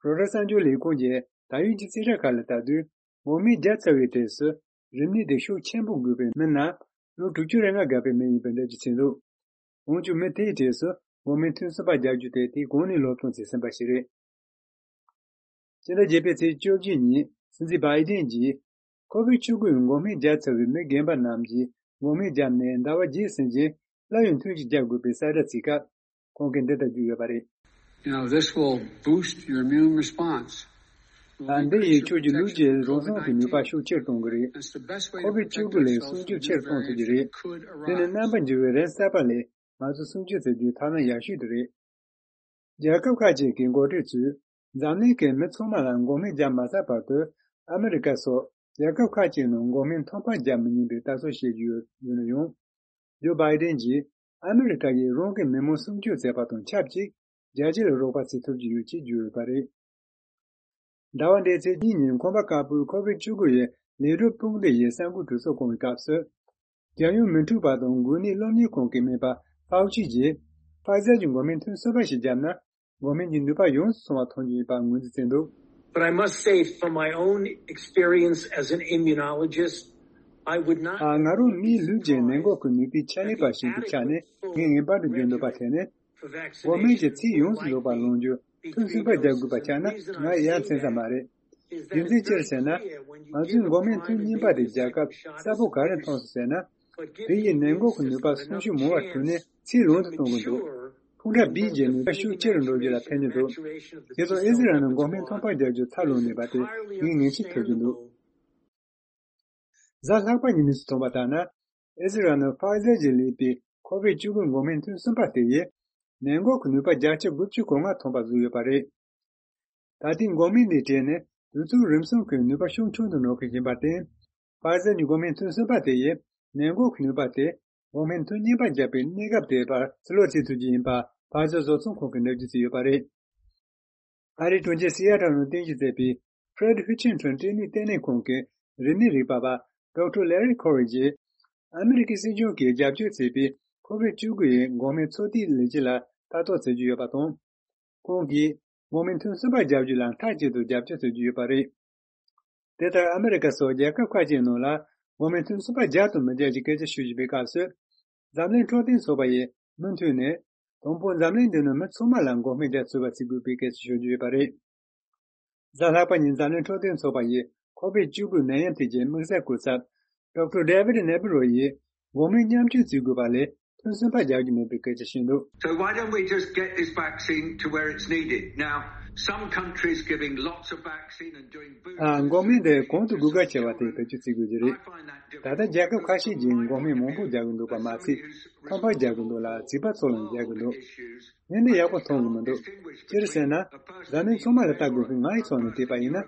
རོའི་ཊར་གསར་འགྱུར་ལས་ཁུངས་ཀྱིས་ད་ཡོད་ཀྱི་རྩིས་ཁྲ་ཁག་ལ་ལྟ་དུས། འགོག་སྨན་བརྒྱབ་ཚར་བའི་གྲས་སུ་རིམས་ནད་དེ་ཤུགས་ཆེན་པོ་འགོས་པའི་མི་རྣམས་ལོ་དྲུག་ཅུ་རེ་ལྔ་བརྒལ་བའི་མི་ཡིན་པའི་འགྲེལ་བརྗོད་བྱས་འདུག་འོན་ཀྱང་མི་དེའི་གྲས་སུ་འགོག་སྨན་ཐུན་གསུམ་པ་རྒྱག་རྒྱུ་དེ་དེའི་གོང་ནས་སློབ་སྦྱོང་བྱས་ཟིན་པ་ཞིག་རེད། སྤྱི་ཟླ་བརྒྱད་པའི་ཚེས་བཅོ་བརྒྱད་ཉིན་སྲིད་འཛིན་བྷའི་ཌེན་གྱིས། ཁོ་བིད་བཅུ་དགུ་འགོག་སྨན་བརྒྱབ་ཚར་བའི་མི་རྒན་པ་རྣམས་ཀྱིས་འགོག་སྨན་བརྒྱབ་ནས་ཟླ་བ་བརྒྱད་ཟིན་རྗེས་སླར་ཡང་ཐུན་གཅིག་བརྒྱབ་དགོས་པའི་གསལ་བསྒྲགས་བྱེད་སྐབས། ཁོང་གིས་འདི་ལྟར་བརྗོད་ཡོད་པ་རེད། You know, this will boost your immune response. ད་འདི་ཡིས་ཁྱོད་ཀྱི་ལུས་ཀྱི་རང་སྲུང་གི་ནུས་པ་ཤུགས་ཆེར་གཏོང་གི་རེད། ཁོ་བིད་བཅུ་དགུ་ལས་སྲུང་སྐྱོབ་ཆེར་གཏོང་ཐུབ་ཀྱི་རེད། དེ་ནི་རྣམ་པ་འགྱུར་བའི་རིམས་གསར་པ་ལས་ང་ཚོ་སྲུང་སྐྱོབ་བྱེད་རྒྱུའི་ཐབས་ལམ་ཡག་ཤོས་དེ་རེད། རྒྱལ་ཁབ་ཁག་ཅིག་གི་འགོ་ཁྲིད་ཚོས་འཛམ་གླིང་གི་མི་ཚང་མ་ལ་འགོག་སྨན་བརྒྱབ་མ་ཚར་བར་དུ། ཨ་མི་རི་ཀ་སོགས་རྒྱལ་ཁབ་ཁག་ཅིག་ནང་འགོག་སྨན་ཐོབ་པ་བརྒྱབ་མི་ཉན་པའི་ལྟ་ཚུལ་བཤད་ཀྱི་ཡོད་ཡོད་ན་ཡང་། ཇོ་བྷའི་ཌེན་གྱིས་ཨ་མི་རི་ཀ་ཡིས་རང་གི་མི་མང་སྲུང་སྐྱོབ་བྱས་པ་དང་ཆབས་ཅིག་རྒྱལ་སྤྱི་ལ་རོགས་པ་བྱེད་ཐུབ་ཀྱི་ཡོད་ཅེས་བརྗོད་ཡོད་པ་རེད། ཟླ་བ་འདིའི་ཚེས་གཉིས་ཉིན་ཁང་པ་དཀར་པོའི་ཁོ་བིད་བཅུ་དགུ་ཡི་ལས་སྒྲུབ་དཔུང་སྡེ་ཡིས་གསར་འགོད་གྲོས་ཚོགས་བསྐོང་བའི་སྐབས་སུ། རྒྱལ་ཡོངས་མི་འཁྲུག་པ་དང་འགོས་ནད་སློབ་གཉེར་ཁང་གི་སྨན་པ་ཕའོ་ཆི་ཡིས། ཕ་ཟར་གྱི་འགོག་སྨན་ཐུན་གསུམ་པ་ཞིག་བརྒྱབ་ན། འགོག་སྨན་གྱི་ནུས་པ་ཡོངས་སུ་སོང་བ་མཐོང་རྒྱུ་ཡིན་པར་ངོས་འཛིན་བྱས་འདུག But I must say, from my own experience as an immunologist, I would not ཨ། ང་རང་མིའི་ལུས་ཀྱི་ནད་འགོག་གི་ནུས་པའི་ཆེད་ལས་པ་ཞིག་གི་ཆ་ནས་ངས་ངེས་པར་དུ་བརྗོད་འདོད་པ་དེ་ནི། འགོག་སྨན་གྱི་ཚད་ཡོངས་སུ་རྫོགས་པ་ལོངས་རྒྱུ་ཐུན་གསུམ་པ་རྒྱག་དགོས་པ་ཆགས་ན་ང་ཡ་མཚན་ཙམ་མ་རེད། རྒྱུ་མཚན་ཅི་རེད་ཟེར་ན། ང་ཚོས་འགོག་སྨན་ཐུན་གཉིས་པ་དེ་རྒྱག་སྐབས་གསལ་པོ་ག་རེ་མཐོང་སོང་ཟེར་ན། དེ་ཡིས་ནད་འགོག་གི་ནུས་པ་སུམ་ཅུ་མང་བ་བསྐྲུན་ནས་ཚད་རུང་དུ་གཏོང་གི་འདུག་ཕུང་ཁྲག་བིའི་རྗེས་ནུས་པ་ཤུགས་ཆེ་རུ་འགྲོ་རྒྱུ་ལ་ཕན་གྱི་འདུག་དེ་དང་ཨི་ཟི་རལ་ནང་འགོག་སྨན་ཐོབ་པ་རྒྱག་རྒྱུ་ཚར་ལོངས་ནུས་པ་དེ་ངས་ངེས་ཤེས་ཐོབ་ཀྱི་འདུག་གཟའ་ལྷག་པ་ཉིན་གནས་ཚུལ་ཐོན་པ་ལྟར་ན། ཨི་ཟི་རལ་ནང་ཕ་ཟར་གྱིས་ལས་པའི་ཁོ་བིད་བཅུ་དགུ་འགོག་སྨན་ཐུན་གསུམ་པ་དེ་ཡིས་ནད་འགོག་གི་ནུས་པ་བརྒྱ་ཆ་དགུ་བཅུ་གོ་ལྔ་ཐོན་པ་བཟོས་ཡོད་པ་རེད། ད་ལྟའི་འགོག་སྨན་འདིའི་གྲས་ནི་དུས་ཚོད་རིམ་གསུམ་གྱི་ནུས་པ་ཤུགས་ཆུང་དུ་འགྲོ་གི་ཡིན་པར་བརྟེན། ཕ་ཟར་གྱི་འགོག་སྨན་ཐུན་གསུམ་པ་དེ་ཡིས་ནད་འགོག་གི་ནུས་པ་དེ་འགོག་སྨན་ཐུན་གཉིས་པ་བརྒྱབ་པའི་གནས་སྐབས་དེའི་བར་ཕྱིར་ལོག་བྱེད་ཐུབ་ཀྱི་ཡིན་པ་ཕ་ཟར་བཟོ་ཚོང་ཁང་གིས་ནན་བརྗོད་བྱས་ཡོད་པ་རེད། ཨ་རིའི་གྲོང་ཁྱེར་སི་ཨེ་ཏལ་ནང་རྟེན་གཞི་བྱས་པའི་Fred Hutchinson་སྐྲན་ནད་ལྟེ་གནས་ཁང་གི་རིམས་ནད་རིག་པ་བ་Doctor Larry Corey་ཡིས། ཨ་མི་རི་ཀའི་སྲིད་གཞུང་གིས་རྒྱབ་སྐྱོར་བྱས་པའི་ཁོ་བིད་བཅུ་དགུ་ཡི་འགོག་སྨན་ཚོད་ལྟའི་ལས་གཞི་ལ་ལྟ་རྟོག་བྱེད་ཀྱི་ཡོད་པ་དང་། ཁོང་གིས་འགོག་སྨན་ཐུན་གསུམ་པ་རྒྱག་རྒྱུ་ལ་མཐའ་གཅིག་ཏུ་རྒྱབ་སྐྱོར་བྱེད་ཀྱི་ཡོད་པ་རེད། དེ་ལྟར་ཨ་མི་རི་ཀ་སོགས་རྒྱལ་ཁབ་ཁག་ཅིག་ནང་ལ་འགོག་སྨན་ཐུན་གསུམ་པ་རྒྱག་དང་མི་རྒྱག་གི་སྐད་ཆ་ཤོད་བཞིན་པའི་སྐབས་སུ། འཛམ་གླིང་འཕྲོད་བསྟེན་ཚོགས་པ་ཡིས་མུ་མཐུད་ནས། དང་པོ་འཛམ་གླིང་འདི་ནང་མི་ཚང་མ་ལ་འགོག་སྨན་རྒྱག་ཚུགས་པ་བྱེད་དགོས་པའི་སྐད་ཆ་ཤོད་ཀྱི་ཡོད་པ་རེད། གཟའ་ལྷག་པ་ཉིན་འཛམ་གླིང་འཕྲོད་བསྟེན་ཚོགས་པ་ཡིས་ཁོ་བིད་བཅུ་དགུ་ནད་ཡམས་ཐད་ཀྱི་དམིགས་བསལ་སྐུ་ཚབ་Doctor David Nabarro་ཡིས་འགོག་སྨན་མཉམ་སྤྱོད་བྱེད་དགོས་པ་ལས་ཐུན་གསུམ་པ་རྒྱག་རྒྱུ་མེད་པའི་སྐད་ཆ་བཤད་འདུག So why don't we just get this vaccine to where it's needed? Now, some countries giving lots of vaccine and doing ཨ། འགོག་སྨན་དེ་གོང་དུ་དགོས་གལ་ཆེ་བ་དེ་བེད་སྤྱོད་བྱེད་དགོས་ཀྱི་རེད། ད་ལྟ་རྒྱལ་ཁབ་ཁ་ཤས་ཀྱིས་འགོག་སྨན་མང་པོ་རྒྱག་གི་འདུག་པ་མ་ཚད། ཐོབ་པ་རྒྱག་གི་འདུག་ལ་བྱིས་པ་ཚོ་ལ་རྒྱག་གི་འདུག་ངས་འདི་ཡག་པོ་མཐོང་གི་མི་འདུག་ཅི་རེད་ཟེར་ན། འཛམ་གླིང་ཚང་མ་ལ་ལྟ་དགོས་ཀྱི་ང་ཡི་ཕྱོགས་ནས་བལྟས་པ་ཡིན་ན།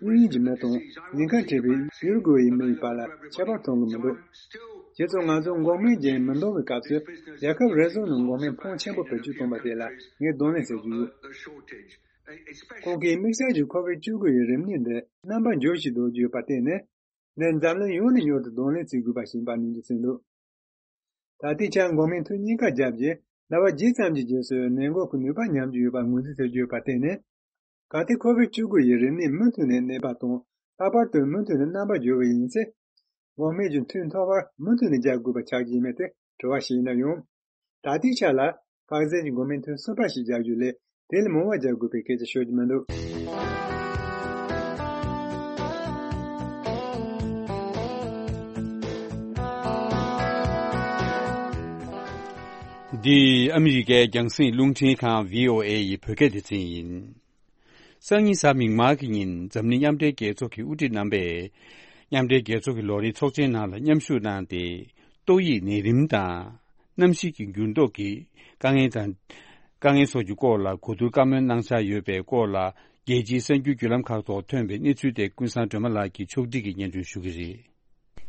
དབྱིན་ཡུལ་གྱི་མི་དང་ཉེན་ཁ་འཕྲད་པའི་ཡུ་རུ་ཀུའེ་ཡི་མི་ཡི་བར་ལ་ཁྱད་པར་མཐོང་གི་མི་འདུག་ཁྱེད་ཚོ་ང་ཚོ་འགོག་སྨན་རྒྱག་མི་འདང་བའི་སྐབས་སུ་རྒྱལ་ཁབ་རེ་ཟུང་ནས་འགོག་སྨན་ཕོན་ཆེན་པོ་བེད་སྤྱོད་གཏོང་པ་དེ་ལ་ངས་གདོང་ལེན་བྱེད་ཀྱི་ཡོད། ཁོང་གིས་དམིགས་བསལ་གྱི་ཁོ་བིད་བཅུ་དགུ་ཡི་རིམས་ནད་འདི་རྣམ་པ་འགྱུར་བཞིན་འགྲོ་གི་ཡོད་པར་བརྟེན་ནས། འདི་འཛམ་གླིང་ཡོངས་ནས་མྱུར་དུ་གདོང་ལེན་བྱེད་དགོས་པ་ཞིག་ཡིན་པར་ནན་གྱིས་གསུངས་འདུག་ད་ལྟའི་ཆར་འགོག་སྨན་ཐུན་གཉིས་ཀ་བརྒྱབ་རྗེས་ཟླ་བ་བརྒྱད་ཙམ་གྱི་རྗེས་སུ་ནད་འགོག་གི་ནུས་པ་ཉམས་ཀྱི་ཡོད་པར་ངོས་འཛིན་བྱེད་ཀྱི་ཡོད་པར་བརྟེན་ནས། གལ་ཏེ་ཁོ་བིད་བཅུ་དགུ་ཡི་རིམས་ནད་མུ་མཐུད་ནས་གནས་པ་དང་ལྷག་པར་དུ་མུ་མཐུད་ནས་རྣམ་པ་འགྱུར་བ་ཡིན་ཚེ། འགོག་སྨན་གྱི་ཐུན་ཐོག་བར་མུ་མཐུད་ནས་རྒྱག་དགོས་པ་ཆགས་ཀྱི་ཡིན་མིན་དེ་དྲི་བ་ཞིག་ཡིན་ན་ཡང་། ད་ལྟའི་ཆ་ལ་ཕ་ཟར་གྱི་འགོག་སྨན་ཐུན་གསུམ་པ་ཞིག་རྒྱག་རྒྱུ་ལས་དེ་ལས་མང་བ་རྒྱག་དགོས་པའི་སྐད་ཆ་ཤོད་ཀྱི་མི་འདུག་འདི་ཨ་མི་རི་ཀའི་རྒྱང་སྲིང་རླུང་འཕྲིན་ཁང་བྷི་ཨོ་ཨེ་ཡི་བོད་སྐད་སྡེ་ཚན་ཡིན། སང་ཉིན་གཟའ་མིག་དམར་གྱི་ཉིན་འཛམ་གླིང་མཉམ་འབྲེལ་རྒྱལ་ཚོགས་ཀྱི་དབུ་ཁྲིད་རྣམ་པས། མཉམ་འབྲེལ་རྒྱལ་ཚོགས་ཀྱི་ལོ་རེའི་ཚོགས་ཆེན་ནང་ལ་མཉམ་ཞུགས་གནང་སྟེ། ཏོག་དབྱིབས་ནད་རིམས་དང་། གནམ་གཤིས་ཀྱི་འགྱུར་ལྡོག་གི་དཀའ་ངལ་དང་། དཀའ་ངལ་སོགས་ཀྱི་སྐོར་ལ་གོ་བསྡུར་བཀའ་མོལ་གནང་འཆར་ཡོད་པའི་སྐོར་ལ། རྒྱལ་སྤྱིའི་གསར་འགྱུར་བརྒྱུད་ལམ་ཁག་ཐོག་ཐོན་པའི་གནས་ཚུལ་དེ་ཀུན་བཟང་སྒྲོལ་མ་ལགས་ཀྱིས་ཕྱོགས་སྒྲིག་གིས་སྙན་སྒྲོན་ཞུ་གི་རེད།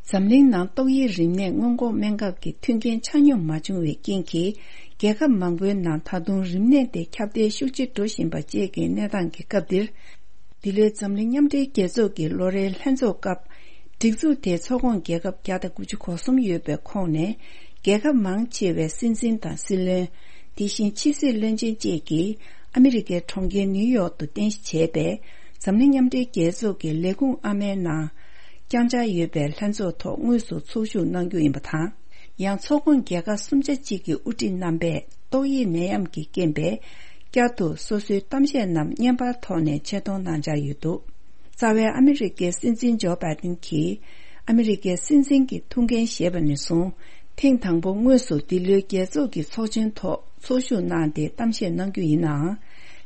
འཛམ་གླིང་ནང་ཏོག་དབྱིབས་རིམས་ནད་སྔོན་འགོག་སྨན་ཁབ་ཀྱི་མཐུན་རྐྱེན་ཆ་སྙོམས་མ་བྱུང་བའི་རྐྱེན་གྱིས། རྒྱལ་ཁབ་མང་པོའི་ནང་ད་དུང་རིམས་ནད་དེ་ཁྱབ་གདལ་ཤུགས་ཆེ་འགྲོ་བཞིན་པ་བཅས་ཀྱི་གནས་སྟངས་ཀྱི་སྐབས་འདིར། འདི་ལོའི་འཛམ་གླིང་མཉམ་འབྲེལ་རྒྱལ་ཚོགས་ཀྱི་ལོ་རེའི་ལྷན་ཚོགས་སྐབས། སྒྲིག་འཛུགས་དེའི་ཚོགས་ཁོངས་རྒྱལ་ཁབ་བརྒྱ་དང་དགུ་བཅུ་གོ་གསུམ་ཡོད་པའི་ཁོངས་ནས། རྒྱལ་ཁབ་མང་ཆེ་བའི་སྲིད་འཛིན་དང་སྲིད་བློན། དེ་བཞིན་ཕྱི་སྲིད་བློན་ཆེན་བཅས་ཀྱིས། ཨ་མི་རི་ཀའི་གྲོང་ཁྱེར་ནིའུ་ཡོག་ཏུ་རྟེན་གཞི་བྱས་པའི་འཛམ་གླིང་མཉམ་འབྲེལ་རྒྱལ་ཚོགས་ཀྱི་ལས་ཁུངས་ཨ་མའི་ནང་བསྐྱངས་འཆར་ཡོད་པའི་ལྷན་ཚོགས་ཐོག་དངོས་སུ་ཚོགས་ཞུགས་གནང་རྒྱུ་ཡིན་པ་དང་། ཡང་ཚོགས་ཁོངས་རྒྱལ་ཁབ་སུམ་ཆ་གཅིག་གི་དབུ་ཁྲིད་རྣམ་པས་ཏོག་དབྱིབས་ནད་ཡམས་ཀྱི་རྐྱེན་པས་བསྐྱར་དུ་སོ་སོའི་གཏམ་བཤད་རྣམས་བརྙན་པར་ཐོག་ནས་ཆེད་གཏོང་གནང་འཆར་ཡོད་འདུག་རྩ་བའི་ཨ་མི་རི་ཀའི་སྲིད་འཛིན་ཇོ་བྷའི་ཏིན་གྱིས་ཨ་མི་རི་ཀའི་སྲིད་འཛིན་གྱི་ཐུགས་འགན་བཞེས་པ་ནས་བཟུང་། ཐེངས་དང་པོ་དངོས་སུ་འདི་ལོའི་རྒྱལ་ཚོགས་ཀྱི་ཚོགས་ཆེན་ཐོག་ཚོགས་ཞུགས་གནང་སྟེ་གཏམ་བཤད་གནང་རྒྱུ་ཡིན་ནའང་།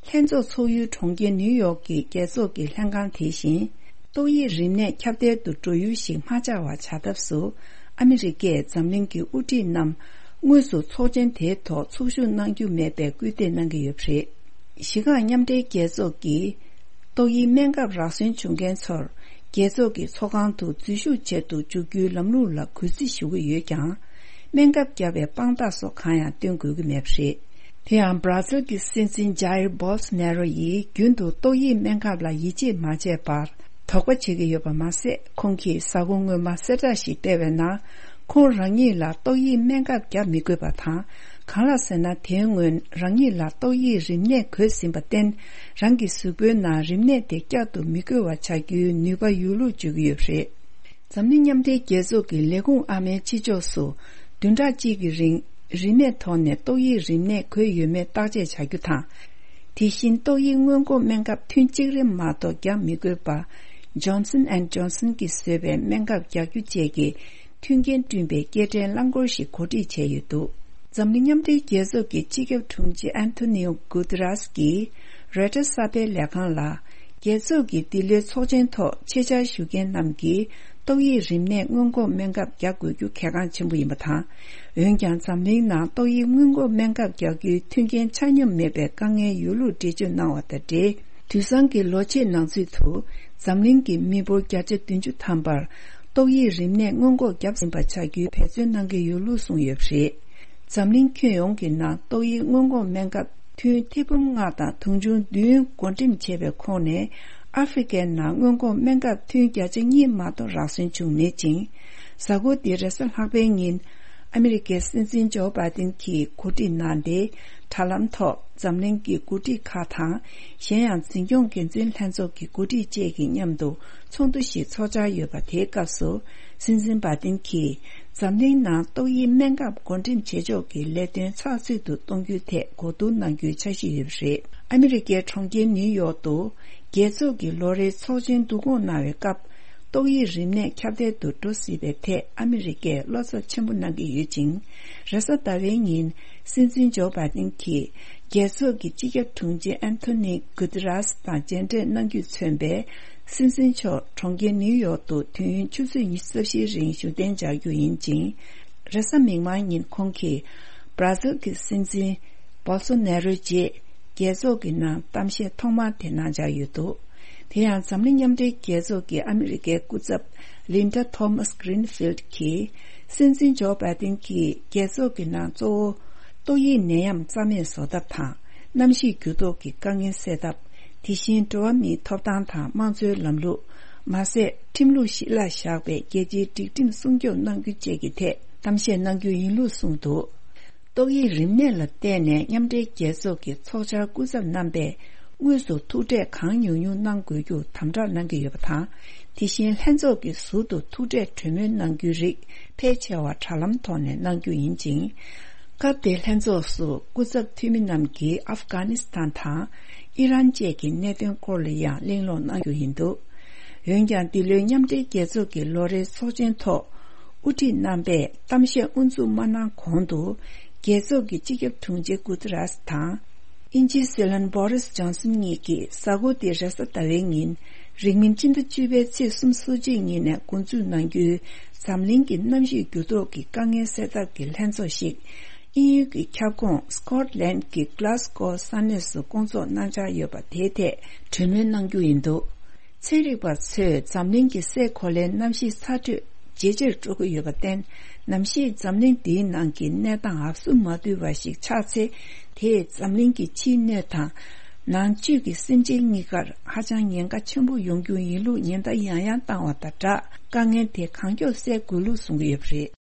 ལྷན་ཚོགས་ཚོགས་ཡུལ་གྲོང་ཁྱེར་ནིའུ་ཡོག་གི་རྒྱལ་ཚོགས་ཀྱི་ལྷན་ཁང་དེ་བཞིན། ཏོག་དབྱིབས་རིམས་ནད་ཁྱབ་གདལ་དུ་འགྲོ་ཡུལ་ཞིག་མ་ཆགས་པ་བྱ་ཐབས་སུ། ཨ་མི་རི་ཀས་འཛམ་གླིང་གི་དབུ་ཁྲིད་རྣམས་དངོས་སུ་ཚོགས་ཆེན་དེའི་ཐོག་ཚོགས་ཞུགས་གནང་རྒྱུ་མེད་པའི་སྐུལ་འདེད་གནང་གི་ཡོད་པ་རེད། གཞི་རྐང་མཉམ་འབྲེལ་རྒྱལ་ཚོགས་ཀྱིས། ཏོག་དབྱིབས་སྨན་ཁབ་རག་སོན་བྱུང་མཁན་ཚོར། རྒྱལ་ཚོགས་ཀྱི་ཚོགས་ཁང་དུ་འཛུལ་ཞུགས་བྱེད་དུ་འཇུག་རྒྱུའི་ལམ་ལུགས་ལ་གུས་བརྩི་ཞུ་གི་ཡོད་ཀྱང་། སྨན་ཁབ་བརྒྱབ་པའི་དཔང་རྟགས་སོགས་གང་ཡང་སྟོན་དགོས་ཀྱི་མེད་པ་རེད། དེ་ཡང་། བྷ་ར་ཟིལ་གྱི་སྲིད་འཛིན་ཇཱ་ཡིར་བྷོལ་སོ་ནེ་རོ་ཡིས་རྒྱུན་དུ་ཏོག་དབྱིབས་སྨན་ཁབ་ལ་ཡིད་ཆེས་མ་བྱས་པར། དོགས་པ་བྱེད་ཀྱི་ཡོད་པ་མ་ཟད། ཁོང་གིས་གཟའ་འཁོར་སྔོན་མ་གསལ་བསྒྲགས་ཤིག་སྤེལ་བའི་ནང་། ཁོང་རང་ཉིད་ལ་ཏོག་དབྱིབས་སྨན་ཁབ་བརྒྱབ་མི་དགོས་པ་དང་། གང་ལགས་ཟེར་ན། དེའི་སྔོན་རང་ཉིད་ལ་ཏོག་དབྱིབས་རིམས་ནད་འགོས་ཟིན་པར་བརྟེན། རང་གི་གཟུགས་པོའི་ནང་རིམས་ནད་དེ་བསྐྱར་དུ་མི་འགོས་པ་བྱ་རྒྱུའི་ནུས་པ་ཡོད་ལུགས་བརྗོད་ཀྱི་ཡོད་པ་རེད། འཛམ་གླིང་མཉམ་འབྲེལ་རྒྱལ་ཚོགས་ཀྱི་ལས་ཁུངས་ཨ་མའི་ཕྱི་ཕྱོགས་སུ། བདུན་ཕྲག་གཅིག་གི་རིང་། རིན་མེད་ཐོག་ནས་ཏོག་དབྱིབས་རིམས་ནད་འགོས་ཡོད་མེད་བརྟག་དཔྱད་བྱ་རྒྱུ་དང་། དེ་བཞིན་ཏོག་དབྱིབས་སྔོན་འགོག་སྨན་ཁབ་ཐུན་གཅིག་རེ་མ་གཏོགས་བརྒྱབ་མི་དགོས་པ། Johnson and Johnson གྱིས་བཟོས་པའི་སྨན་ཁབ་རྒྱག་རྒྱུ་བཅས་ཀྱི་མཐུན་རྐྱེན་བསྐྲུན་པའི་སྐྱེལ་འདྲེན་རླངས་འཁོར་ཞིག་གོ་སྒྲིག་བྱས་ཡོད་འདུག་འཛམ་གླིང་མཉམ་འབྲེལ་རྒྱལ་ཚོགས་ཀྱི་སྤྱི་ཁྱབ་དྲུང་ཆེ་ཨན་ཐོ་ནིའོ་གུ་ཏི་རཱས་ཀྱིས་རོའི་ཊར་གསར་སྤེལ་ལས་ཁང་ལ། རྒྱལ་ཚོགས་ཀྱི་འདི་ལོའི་ཚོགས་ཆེན་ཐོག་ཆེད་བཅར་ཞུ་མཁན་རྣམས་ཀྱིས་ཏོག་དབྱིབས་རིམས་ནད་སྔོན་འགོག་སྨན་ཁབ་རྒྱག་དགོས་རྒྱུ་གལ་འགངས་ཆེན་པོ་ཡིན་པ་དང་། འོན་ཀྱང་། འཛམ་གླིང་ནང་ཏོག་དབྱིབས་སྔོན་འགོག་སྨན་ཁབ་རྒྱག་རྒྱུའི་མཐུན་རྐྱེན་ཆ་སྙོམས་མེད་པའི་དཀའ་ངལ་ཡོད་ལུགས་འགྲེལ་བརྗོད་གནང་བ་དང་འབྲེལ། དུས་སང་གི་ལོ་ཕྱེད་ནང་ཚུད་དུ། འཛམ་གླིང་གི་མི་འབོར་བརྒྱ་ཆ་བདུན་ཅུ་ཐམ་པར། ཏོག་དབྱིབས་རིམས་ནད་སྔོན་འགོག་བརྒྱབ་ཟིན་པ་བྱ་རྒྱུའི་འབད་བརྩོན་གནང་གི་ཡོད་ལུགས་གསུངས་ཡོད་པ་རེད། འཛམ་གླིང་ཁྱོན་ཡོངས་ཀྱི་ནང་ཏོག་དབྱིབས་སྔོན་འགོག་སྨན་ཁབ་ཐུན་ཐེར་འབུམ་ལྔ་དང་དུང་ཕྱུར་བདུན་བགོ་འགྲེམས་བྱས་པའི་ཁོངས་ནས། ཨ་ཧྥེ་རི་ཁའི་ནང་སྔོན་འགོག་སྨན་ཁབ་ཐུན་བརྒྱ་ཆ་གཉིས་མ་གཏོགས་རག་སོན་བྱུང་མེད་ཅིང་། གཟའ་འཁོར་འདིའི་རེས་གཟའ་ལྷག་པའི་ཉིན། ཨ་མི་རི་ཀའི་སྲིད་འཛིན་ཇོ་བྷའི་ཏིན་གྱིས་གོ་སྒྲིག་གནང་སྟེ། དྲ་ལམ་ཐོག་འཛམ་གླིང་གི་འགོ་ཁྲིད་ཁག་དང་། གཞན་ཡང་། འཛིན་སྐྱོང་འགན་འཛིན་ལྷན་ཚོགས་ཀྱི་འགོ་ཁྲིད་བཅས་ཀྱིས་མཉམ་དུ་ཚོགས་འདུ་ཞིག་ཚོགས་འཆར་ཡོད་པ། དེའི་སྐབས་སུ། སྲིད་འཛིན་བྷའི་ཏིན་གྱིས། འཛམ་གླིང་ནང་ཏོག་དབྱིབས་སྨན་ཁབ་བགོ་འགྲེམས་བྱེད་ཕྱོགས་ཀྱི་ལས་དོན་ཚགས་ཚུད་དུ་གཏོང་རྒྱུའི་ཐད་གོ་བསྡུར་གནང་རྒྱུའི་འཆར་གཞི་ཡོད་པ་རེད། ཨ་མི་རི་ཀའི་གྲོང་ཁྱེར་ནིའུ་ཡོག་ཏུ། རྒྱལ་ཚོགས་ཀྱི་ལོ་རེའི་ཚོགས་ཆེན་བསྡུ་སྐོང་གནང་བའི་སྐབས། ཏོག་དབྱིབས་རིམས་ནད་ཁྱབ་གདལ་དུ་འགྲོ་སྲིད་པའི་ཐད་ཨ་མི་རི་ཀས་བློ་འཚབ་ཆེན་པོ་གནང་གི་ཡོད་ཅིང་། རེས་གཟའ་ཟླ་བའི་ཉིན། སྲིད་འཛིན་ཇོ་བྷའི་ཏིན་གྱིས། རྒྱལ་ཚོགས་ཀྱི་སྤྱི་ཁྱབ་དྲུང་ཆེ་ཨན་ཐོ་ནི་གུ་ཏི་རཱས་དང་མཇལ་འཕྲད་གནང་རྒྱུས་མཚོན་པའི། སྲིད་འཛིན་མཆོག་གྲོང་ཁྱེར་ནིའུ་ཡོག་ཏུ་དུས་ཡུན་ཆུ་ཚོད་ཉི་ཤུ་རྩ་བཞིའི་རིང་བཞུགས་གདན་འཇགས་རྒྱུ་ཡིན་ཅིང་། རེས་གཟའ་མིག་དམར་ཉིན་ཁོང་གིས། བྷ་ར་ཟིལ་གྱི་སྲིད་འཛིན། བོལ་སོ་ནེ་རོའི་རྗེས། རྒྱལ་ཚོགས་ཀྱི་ནང་གཏམ་བཤད་ཐོག་མ་དེ་གནང་འཆར་ཡོད་འདུག་དེ་ཡང་། འཛམ་གླིང་མཉམ་འབྲེལ་རྒྱལ་ཚོགས་ཀྱི་ཨ་མི་རི་ཀའི་སྐུ་ཚབ། ལིན་ཌ་ཐོ་མཱས་གྷི་རིན་ཕིལ་ཌི་གིས། སྲིད་འཛིན་ཇོ་བྷའི་ཏིན་གྱིས། རྒྱལ་ཚོགས་ཀྱི་ནང་གཙོ་བོ། ཏོག་དབྱིབས་ནད་ཡམས་རྩ་མེད་བཟོ་ཐབས་དང་། གནམ་གཤིས་འགྱུར་ལྡོག་གི་དཀའ་ངལ་སེལ་ཐབས། དེ་བཞིན། འགྲོ་བ་མིའི་ཐོབ་ཐང་དང་། དམངས་གཙོའི་ལམ་ལུགས། མ་ཟད། ཁྲིམས་ལུགས་གཞི་ལ་བཞག་པའི་རྒྱལ་སྤྱིའི་སྒྲིག་ཁྲིམས་སྲུང་སྐྱོབ་གནང་རྒྱུ་བཅས་ཀྱི་ཐད་གཏམ་བཤད་གནང་རྒྱུ་ཡིན་ལུགས་གསུངས་འདུག་ཏོག་དབྱིབས་རིམས་ནད་ལ་བརྟེན་ནས་མཉམ་འབྲེལ་རྒྱལ་ཚོགས་ཀྱི་ཚོགས་བཅར་སྐུ་ཚབ་རྣམ་པས་དངོས་སུ་ཐུག་འཕྲད་གང་ཉུང་ཉུང་གནང་དགོས་རྒྱུ་དམ་དྲག་གནང་གི་ཡོད་པ་དང་། དེ་བཞིན་ལྷན་ཚོགས་ཀྱི་ཟུར་དུ་ཐུག་འཕྲད་གྲོས་མོལ་གནང་རྒྱུའི་རིགས་ཕལ་ཆེ་བ་དྲ་ལམ་ཐོག་ནས་གནང་རྒྱུ་ཡིན་ཅིང་། སྐབས་དེའི་ལྷན་ཚོགས་སུ་སྐུ་ཚབ་འཐུས་མི་རྣམས་ཀྱིས་ཨབ་གྷ་ནི་སི་ཐན་དང་ཨི་རན་བཅས་ཀྱི་གནད་དོན་སྐོར་ལ་ཡང་གླེང་སློང་གནང་རྒྱུ་ཡིན་འདུག་འོན་ཀྱང་། འདི་ལོའི་མཉམ་འབྲེལ་རྒྱལ་ཚོགས་ཀྱི་ལོ་རེའི་ཚོགས་ཆེན་ཐོག་དབུ་ཁྲིད་རྣམ་པས་གཏམ་བཤད་དབུ་འཛུགས་མ་གནང་གོང་དུ། རྒྱལ་ཚོགས་ཀྱི་སྤྱི་ཁྱབ་དྲུང་ཆེ་གུ་ཏི་རཱས་དང་། དབྱིན་ཇིའི་སྲིད་བློན་བྷོ་རིས་ཇོན་སན་གཉིས་ཀྱིས་གཟའ་འཁོར་འདིའི་རེས་གཟའ་ཟླ་བའི་ཉིན། རིང་མིན་སྤྱི་ཟླ་བཅུ་པའི་ཚེས་གསུམ་སོ་གཅིག་ཉིན་ནས་འགོ་འཛུགས་གནང་རྒྱུའི་འཛམ་གླིང་གི་གནམ་གཤིས་འགྱུར་ལྡོག་གི་དཀའ་ངལ་སེལ་ཐབས་ཀྱི་ལྷན་ཚོགས་ཤིག་དབྱིན་ཡུལ་གྱི་ཁྱབ་ཁོངས་སི་ཀོཊ་ལན་གྱི་གྷི་ལཱ་སི་ཀོ་ས་གནས་སུ་སྐོང་ཚོགས་གནང་འཆར་ཡོད་པ་དེའི་ཐད་གྲོས་མོལ་གནང་རྒྱུ་ཡིན་འདུག་ཚན་རིག་པ་ཚོས་འཛམ་གླིང་གི་སའི་གོ་ལའི་གནམ་གཤིས་ཚ་དྲོད་ཇེ་ཆེར་འགྲོ་གི་ཡོད་པར་བརྟེན། གནམ་གཤིས་འཛམ་གླིང་འདིའི་ནང་གི་གནས་སྟངས་ཨབ་སུ་མ་བསྡུས་པ་ཞིག་ཆགས་ཚེ། དེས་འཛམ་གླིང་གི་ཕྱིའི་སྣོད་དང་། ནང་བཅུད་ཀྱི་སེམས་ཅན་གཉིས་ཀར་ཧ་ཅང་ཉེན་ཁ་ཆེན་པོ་ཡོང་རྒྱུ་ཡིན་ལུགས་ཉེན་བརྡ་ཡང་ཡང་བཏང་བ་དང་སྦྲགས། དཀའ་ངལ་དེ་གང་མགྱོགས་སེལ་དགོས་ལུགས་གསུང་གི་ཡོད་པ་རེད།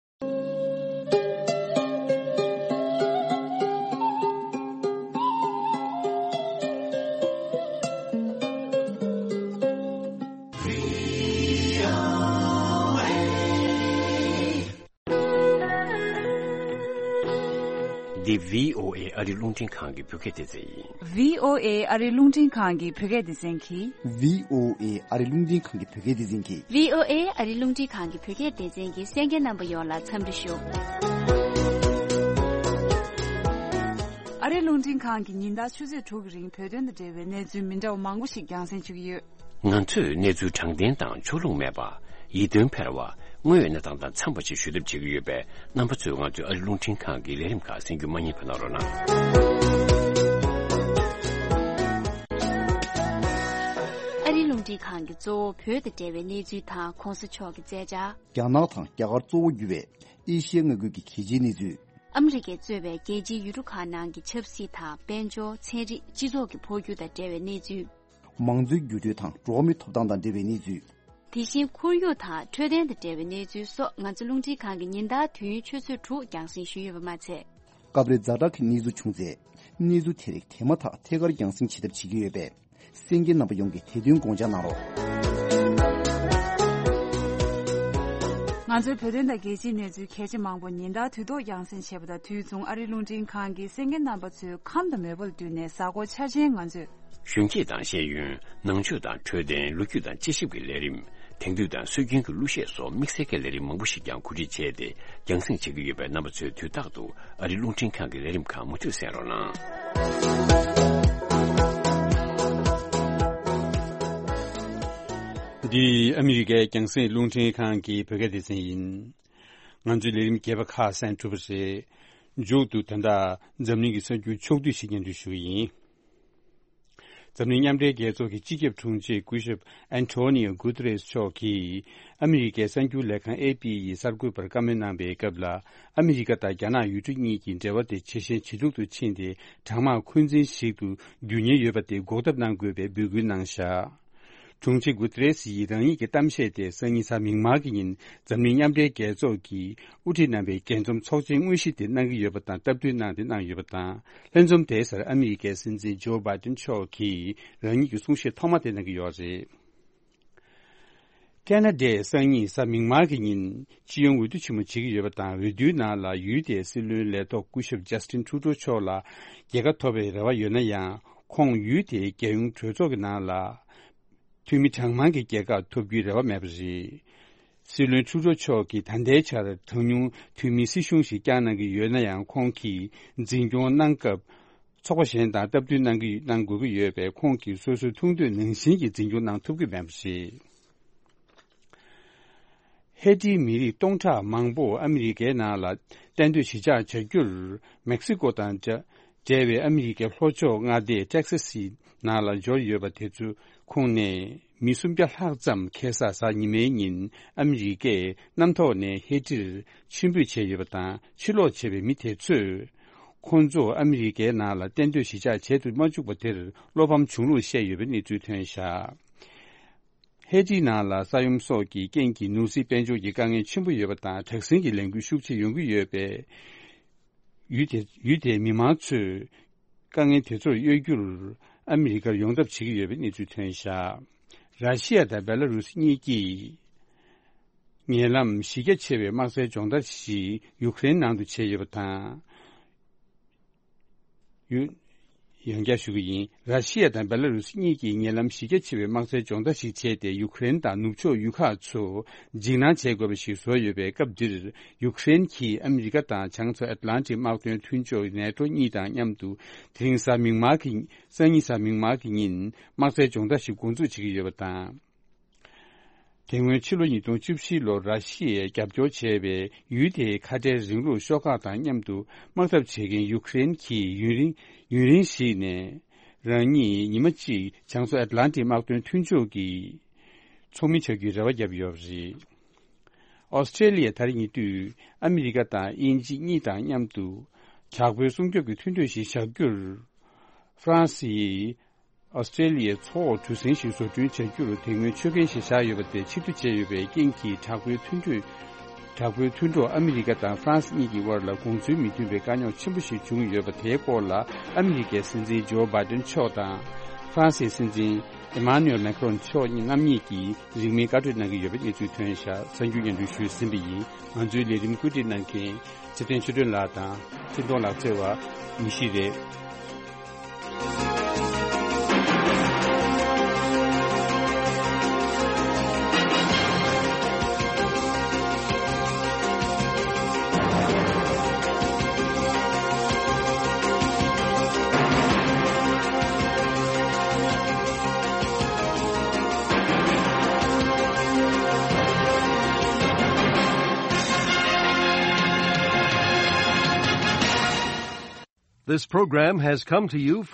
འདི་བྷི་ཨོ་ཨེ་ཨ་རིའི་རླུང་འཕྲིན་ཁང་གི་བོད་སྐད་སྡེ་ཚན་ཡིན། བྷི་ཨོ་ཨེ་ཨ་རིའི་རླུང་འཕྲིན་ཁང་གི་བོད་སྐད་སྡེ་ཚན་གྱིས། བྷི་ཨོ་ཨེ་ཨ་རིའི་རླུང་འཕྲིན་ཁང་གི་བོད་སྐད་སྡེ་ཚན་གྱིས། བྷི་ཨོ་ཨེ་ཨ་རིའི་རླུང་འཕྲིན་ཁང་གི་བོད་སྐད་སྡེ་ཚན་གྱི་གསན་མཁན་རྣམ་པ་ཡོངས་ལ་འཚམས་འདྲི་ཞུ། ཨ་རིའི་རླུང་འཕྲིན་ཁང་གིས་ཉིན་ལྟར་ཆུ་ཚོད་དྲུག་གི་རིང་བོད་དོན་དང་འབྲེལ་བའི་གནས་ཚུལ་མི་འདྲ་བ་མང་པོ་ཞིག་རྒྱང་སྲིང་ཞུ་གི་ཡོད། ང་ཚོས་གནས་ཚུལ་དྲང་བདེན་དང་ཕྱོགས་ལྷུང་མེད་པ། ཡིད་རྟོན་འཕེར་བ། དངོས་ཡོད་གནས་སྟངས་དང་འཚམས་པ་ཞིག་ཞུ་ཐབས་བྱེད་ཀྱི་ཡོད་པས། རྣམ་པ་ཚོས་ང་ཚོའི་ཨ་རིའི་རླུང་འཕྲིན་ཁང་གི་ལས་རིམ་ཁག་གསན་རྒྱུ་མ་བསྙེལ་བ་གནང་རོགས་གནང་། ཨ་རིའི་རླུང་འཕྲིན་ཁང་གི་གཙོ་བོ་བོད་དང་འབྲེལ་བའི་གནས་ཚུལ་དང་གོང་ས་མཆོག་གི་མཛད་འཆར། རྒྱ་ནག་དང་རྒྱ་གར་གཙོ་བོ་གྱུར་བའི་ཨེ་ཤི་ཡའི་མངའ་ཁུལ་གྱི་གལ་ཆེའི་གནས་ཚུལ། ཨ་མི་རི་ཀས་གཙོས་པའི་རྒྱལ་སྤྱིའི་ཡུལ་གྲུ་ཁག་ནང་གི་ཆབ་སྲིད་དང་དཔལ་འབྱོར། ཚན་རིག་སྤྱི་ཚོགས་ཀྱི་འཕོ་འགྱུར་དང་འབྲེལ་བའི་གནས་ཚུལ། མང་གཙོའི་འགྱུར་འགྲོས་དང་འགྲོ་བ་མིའི་ཐོབ་ཐང་དང་འབྲེལ་བའི་གནས་ཚུལ། དེ་བཞིན་ཁོར་ཡུག་དང་འཕྲོད་བསྟེན་དང་འབྲེལ་བའི་གནས་ཚུལ་སོགས་ང་ཚོ་རླུང་འཕྲིན་ཁང་གིས་ཉིན་ལྟར་དུས་ཡུན་ཆུ་ཚོད་དྲུག་རྒྱང་སྲིང་ཞུས་ཡོད་པ་མ་ཚད། སྐབས་རེ་ཛ་དྲག་གི་གནས་ཚུལ་བྱུང་ཚེ། གནས་ཚུལ་དེ་རིགས་དེ་མ་ཐག་ཐད་ཀར་རྒྱང་སྲིང་བྱེད་ཐབས་བྱེད་ཀྱི་ཡོད་པས། གསན་མཁན་རྣམ་པ་ཡོངས་ཀྱིས་དེ་དོན་དགོངས་འཇགས་གནང་རོགས། ང་ཚོའི་བོད་དོན་དང་རྒྱལ་སྤྱིའི་གནས་ཚུལ་གལ་ཆེ་མང་པོ་ཉིན་ལྟར་དུས་ཐོག་རྒྱང་སྲིང་བྱེད་པ་དང་དུས་མཚུངས་ཨ་རིའི་རླུང་འཕྲིན་ཁང་གིས་གསན་མཁན་རྣམ་པ་ཚོའི་ཁམས་དང་མོས་པ་ལ་བསྟུན་ནས་གཟའ་འཁོར་འཆར་ཅན་ང་ཚོས། གཞོན་སྐྱེས་དང་ཤེས་ཡོན། ནང་ཆོས་དང་འཕྲོད་བསྟེན། ལོ་རྒྱུས་དང་དཔྱད་ཞིབ་ཀྱི་ལས་རིམ། དེང་དུས་དང་སྲོལ་རྒྱུན་གྱི་གླུ་གཞས་སོགས་དམིགས་བསལ་གྱི་ལས་རིམ་མང་པོ་ཞིག་ཀྱང་གོ་སྒྲིག་བྱས་ཏེ་རྒྱང་སྲིང་བྱེད་ཀྱི་ཡོད་པས། རྣམ་པ་ཚོས་དུས་རྟག་ཏུ་ཨ་རིའི་རླུང་འཕྲིན་ཁང་གི་ལས་རིམ་ཁག་མུ་མཐུད་གསན་རོགས་གནང་། འདི་ཨ་མི་རི་ཀའི་རྒྱང་སྲིང་རླུང་འཕྲིན་ཁང་གི་བོད་སྐད་སྡེ་ཚན་ཡིན། ང་ཚོའི་ལས་རིམ་རྒྱས་པ་ཁག་གསན་གྲུབ་པ་རེད། མཇུག་ཏུ་ད་ལྟ་འཛམ་གླིང་གི་གསར་འགྱུར་ཕྱོགས་བསྡུས་ཤིག་སྙན་སྒྲོན་ཞུ་གི་ཡིན། འཛམ་གླིང་མཉམ་འབྲེལ་རྒྱལ་ཚོགས་ཀྱི་སྤྱི་ཁྱབ་དྲུང་ཆེ་སྐུ་ཞབས་ཨན་ཐོ་ནིའོ་གུ་ཏེ་རེས་མཆོག་གིས་ཨ་མི་རི་ཀའི་གསར་འགྱུར་ལས་ཁང་ཨེ་པི་ཡི་གསར་འགོད་པར་བཀའ་མོལ་གནང་བའི་སྐབས་ལ། ཨ་མི་རི་ཀ་དང་རྒྱ་ནག་ཡུལ་གྲུ་གཉིས་ཀྱི་འབྲེལ་བ་དེ་ཇེ་ཞན་ཇེ་སྡུག་ཏུ་ཕྱིན་ཏེ། གྲང་དམག་འཁོན་འཛིན་ཞིག་ཏུ་འགྱུར་ཉེན་ཡོད་པ་དེ་འགོག་ཐབས་གནང་དགོས་པའི་འབོད་སྐུལ་གནང་བཞག་དྲུང་ཆེ་གུ་ཏེ་རེས་ཡིས་རང་ཉིད་ཀྱི་གཏམ་བཤད་དེ་སང་ཉིན་གཟའ་མིག་དམར་གྱི་ཉིན་འཛམ་གླིང་མཉམ་འབྲེལ་རྒྱལ་ཚོགས་ཀྱིས་དབུ་ཁྲིད་གནང་བའི་རྒྱས་འཛོམས་ཚོགས་ཆེན་དངོས་གཞི་དེ་གནང་གི་ཡོད་པ་དང་སྟབས་བསྟུན་གནང་སྟེ་གནང་ཡོད་པ་དང་། ལྷན་འཛོམས་དེའི་སར་ཨ་མི་རི་ཀའི་སྲིད་འཛིན་ཇོ་བྷའི་ཏིན་མཆོག་གིས་རང་ཉིད་ཀྱི་གསུང་བཤད་ཐོག་མ་དེ་གནང་གི་ཡོད་རེད། ཁ་ན་ཌའི་སང་ཉིན་གཟའ་མིག་དམར་གྱི་ཉིན་སྤྱི་ཡོངས་འོས་བསྡུ་ཆེན་མོ་བྱེད་ཀྱི་ཡོད་པ་དང་། འོས་བསྡུའི་ནང་ལ་ཡུལ་དེའི་སྲིད་བློན་ལས་ཐོག་སྐུ་ཞབས་ཇ་སི་ཊིན་ཁྲུ་ཌོ་མཆོག་ལ་རྒྱལ་ཁ་ཐོབ་པའི་རེ་བ་ཡོད་ན་ཡང་། ཁོང་ཡུལ་དེའི་རྒྱལ་ཡོངས་གྲོས་ཚོགས་ཀྱི་ནང་ལ་འཐུས་མི་གྲངས་མང་གི་རྒྱལ་ཁ་ཐོབ་རྒྱུའི་རེ་བ་མེད་པ་རེད། སྲིད་བློན་ཁྲུ་ཌོ་མཆོག་གིས་ད་ལྟའི་ཆར་གྲངས་ཉུང་འཐུས་མིའི་སྲིད་གཞུང་ཞིག་བསྐྱངས་གནང་གི་ཡོད་ན་ཡང་། ཁོང་གིས་འཛིན་སྐྱོང་གནང་སྐབས་ཚོགས་པ་གཞན་དང་སྟབས་བསྟུན་གནང་གི་གནང་དགོས་ཀྱི་ཡོད་པས། ཁོང་གིས་སོ་སོའི་ཐུགས་འདོད་ནང་བཞིན་གྱི་འཛིན་སྐྱོང་གནང་ཐུབ་ཀྱི་མེད་པ་རེད། ཧེ་ཏིའི་མི་རིགས་སྟོང་ཕྲག་མང་པོ་ཨ་མི་རི་ཀའི་ནང་ལ་གཏན་སྡོད་གཞིས་ཆགས་བྱ་རྒྱུར་མེག་སི་ཀོ་དང་འབྲེལ་བའི་ཨ་མི་རི་ཀའི་ལྷོ་ཕྱོགས་མངའ་སྡེ་ཊེག་སཱ་སི་ནང་ལ་འབྱོར་ཡོད་པ་དེ་ཚོའི་ཁོངས་ནས་མི་སུམ་བརྒྱ་ལྷག་ཙམ་ཁ་སང་གཟའ་ཉི་མའི་ཉིན་ཨ་མི་རི་ཀའི་གནམ་ཐོག་ནས་ཧེ་ཏིར་ཕྱིར་འབུད་བྱས་ཡོད་པ་དང་། ཕྱིར་ལོག་བྱས་པའི་མི་དེ་ཚོས་ཁོང་ཚོ་ཨ་མི་རི་ཀའི་ནང་ལ་གཏན་སྡོད་གཞིས་ཆགས་བྱེད་དུ་མ་བཅུག་པ་དེར་བློ་ཕམ་བྱུང་ལུགས་བཤད་ཡོད་པའི་གནས་ཚུལ་ཐོན་བཞག་ཧེ་ཏི་ནང་ལ་ས་ཡོམ་སོགས་ཀྱི་རྐྱེན་གྱིས་ནོར་སྲིད་དཔལ་འབྱོར་གྱི་དཀའ་ངལ་ཆེན་པོ་ཡོད་པ་དང་། དྲག་ཟིང་གི་ལས་འགུལ་ཤུགས་ཆེ་ཡོང་གི་ཡོད་པས། ཡུལ་དེ་ཡུལ་དེའི་མི་མང་ཚོས་དཀའ་ངལ་དེ་ཚོར་གཡོལ་རྒྱུར་ཨ་མི་རི་ཀར་ཡོང་ཐབས་བྱེད་ཀྱི་ཡོད་པའི་གནས་ཚུལ་ཐོན་བཞག་ར་ཤི་ཡ་དང་བེ་ལ་རུ་སི་གཉིས་ཀྱིས་ཉེ་ལམ་གཞི་རྒྱ་ཆེ་བའི་དམག་རྩལ་སྦྱོང་བརྡར་ཞིག་ཡུ་ཀེ་རེན་ནང་དུ་བྱས་ཡོད་པ་དང་། ཡུ། ཡང་བསྐྱར་ཞུ་གི་ཡིན། ར་ཤི་ཡ་དང་བེ་ལ་རུ་སི་གཉིས་ཀྱིས་ཉེ་ལམ་གཞི་རྒྱ་ཆེ་བའི་དམག་རྩལ་སྦྱོང་བརྡར་ཞིག་བྱས་ཏེ། ཡུ་ཀེ་རེན་དང་ནུབ་ཕྱོགས་ཡུལ་ཁག་ཚོ་འཇིགས་སྣང་བྱེད་དགོས་པ་ཞིག་བཟོས་ཡོད་པའི་སྐབས་འདིར། ཡུ་ཀེ་རེན་གྱིས་ཨ་མི་རི་ཀ་དང་བྱང་མཚོ་ཨེཊ་ལན་ཊིག་དམག་དོན་མཐུན་ཕྱོགས་ནེ་ཊོ་གཉིས་དང་མཉམ་དུ། དེ་རིང་གཟའ་མིག་དམར་གྱི། སང་ཉིན་གཟའ་མིག་དམར་གྱི་ཉིན་དམག་རྩལ་སྦྱོང་བརྡར་ཞིག་འགོ་འཛུགས་བྱེད་ཀྱི་ཡོད་པ་དང་། དེ་སྔོན་ཕྱི་ལོ་ཉིས་སྟོང་བཅུ་བཞི་ལོར་ར་ཤི་ཡས་རྒྱབ་སྐྱོར་བྱས་པའི་ཡུལ་དེའི་ཁ་བྲལ་རིང་ལུགས་ཤོག་ཁག་དང་མཉམ་དུ་དམག་འཐབ་བྱེད་མཁན་ཡུ་ཀེ་རེན་གྱིས་ཡུན་རིང་ཡུན་རིང་ཞིག་ནས་རང་ཉིད་ཉི་མ་གཅིག་བྱང་མཚོ་ཨེཊ་ལན་ཊིག་དམག་དོན་མཐུན་ཕྱོགས་ཀྱི་ཚོགས་མི་ཆགས་རྒྱུའི་རེ་བ་བརྒྱབ་ཡོད་པ་རེད། ཨོ་སི་ཀྲེ་ལི་ཡས་ད་རེས་ཉེ་དུས་ཨ་མི་རི་ཀ་དང་དབྱིན་ཇི་གཉིས་དང་མཉམ་དུ་དྲག་པོའི་སྲུང་སྐྱོབ་ཀྱི་མཐུན་གྲོས་ཤིག་བཞག་རྒྱུར་ཧྥ་རན་སི་ཡིས། ཨོ་སི་ཀྲེ་ལི་ཡའི་མཚོ་འོག་གྲུ་གཟིངས་ཤིག་བཟོ་སྐྲུན་བྱ་རྒྱུར་དེ་སྔོན་ཆོད་གན་ཞིག་བཞག་ཡོད་པ་དེ་ཕྱིར་བསྡུ་བྱས་ཡོད་པའི་རྐྱེན་གྱིས། དྲག་པོའི་མཐུན་གྲོས། དྲག་པོའི་མཐུན་གྲོགས་ཨ་མི་རི་ཀ་དང་ཧྥ་རན་སི་གཉིས་ཀྱི་དབར་ལ་དགོངས་ཚུལ་མི་མཐུན་པའི་དཀའ་རྙོག་ཆེན་པོ་ཞིག་བྱུང་ཡོད་པ་དེའི་སྐོར་ལ། ཨ་མི་རི་ཀའི་སྲིད་འཛིན་ཇོ་བྷའི་ཏིན་མཆོག་དང་ཧྥ་རན་སིའི་སྲིད་འཛིན་ ཨེ་མཱ་ནུ་ཨེལ་མེག་རོན་མཆོག་རྣམ་གཉིས་ཀྱིས་རིང་མིན་བཀའ་གྲོས་གནང་གི་ཡོད་པའི་གནས་ཚུལ་ཐོན་ཤག། གསར་འགྱུར་སྙན་སྒྲོན་ཞུས་ཟིན་པ་ཡིན། ང་ཚོའི་ལས་རིམ་བཀོད་སྒྲིག་གནང་མཁན་ཚེ་བརྟན་ཆོས་སྒྲོན་ལགས་དང་ཚེ་མདོང་ལགས་བརྩེ་བ་ཡེ་ཤེས་རེད། This program has come to you